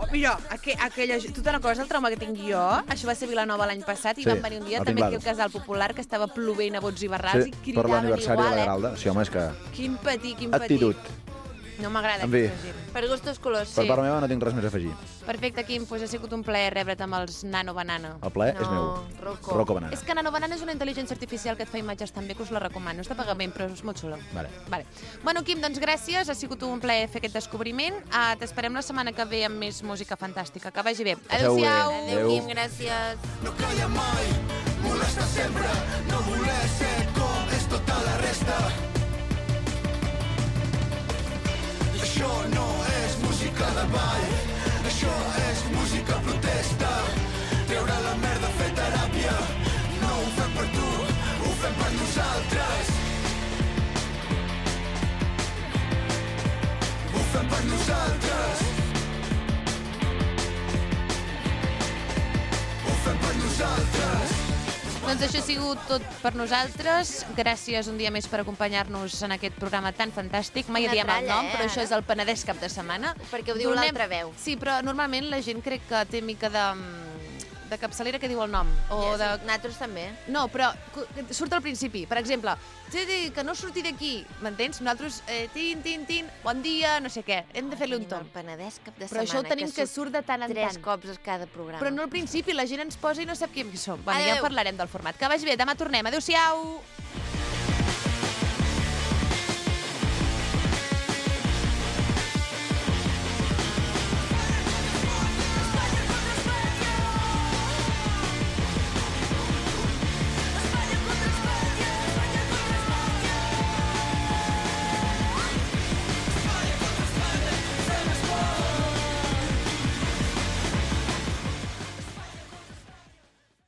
S1: oh mira, aqu aquella... Tu te'n recordes el trauma que tinc jo? Això va ser Vilanova l'any passat i
S13: Sí,
S1: vam venir un dia
S13: al
S1: també aquí
S13: Tinglado.
S1: al Casal Popular, que estava plovent a bots i barrals
S13: Sí,
S1: i
S13: per
S1: cridaven
S13: l'aniversari de
S1: igual,
S13: la
S1: eh?
S13: Garalda. Sí, home, és que...
S1: Quin patir, quin patir.
S13: Actitud.
S1: No m'agrada
S13: En fi.
S1: aquesta gent.
S2: Per gustos colors,
S13: Per part meva no tinc res més a afegir.
S1: Perfecte, Quim, doncs ha sigut un plaer rebre't amb els Nano Banana.
S13: El plaer és meu.
S2: Rocco.
S13: Rocco Banana.
S1: És que Nano Banana és una intel·ligència artificial que et fa imatges tan bé que us la recomano. És de pagament, però és molt xula.
S13: Vale.
S1: Vale. Bueno, Quim, doncs gràcies. Ha sigut un plaer fer aquest descobriment. Uh, T'esperem la setmana que ve amb més música fantàstica. Que vagi bé.
S13: Passeu bé.
S1: Adéu-siau.
S2: Adéu, Quim, gràcies.
S7: No calla mai, molesta sempre, no voler ser com és tota la resta. Això no és música de ball, això és música protesta. Treure la merda, fer teràpia, no ho fem per tu, ho fem per nosaltres. Ho fem per nosaltres. Ho fem per nosaltres.
S1: Doncs això ha sigut tot per nosaltres. Gràcies un dia més per acompanyar-nos en aquest programa tan fantàstic. Mai
S2: Una
S1: diem el
S2: tralla,
S1: nom,
S2: eh,
S1: però
S2: ara?
S1: això és el Penedès cap de setmana.
S2: Perquè ho diu
S1: Donem-
S2: l'altra veu.
S1: Sí, però normalment la gent crec que té mica de, de capçalera que diu el nom. O de...
S2: Nosaltres també.
S1: No, però cu- surt al principi. Per exemple, "Sí, sí, que no surti d'aquí, m'entens? Nosaltres, eh, tin, tin, tin, bon dia, no sé què. Hem de fer-li un tom.
S2: El Penedès cap de
S1: Però
S2: setmana.
S1: això ho tenim que surt de tant en
S2: tres
S1: tant.
S2: cops a cada programa.
S1: Però no al principi, la gent ens posa i no sap qui som. Bueno, ja
S2: Adéu.
S1: en parlarem del format. Que vagi bé, demà tornem. Adéu-siau!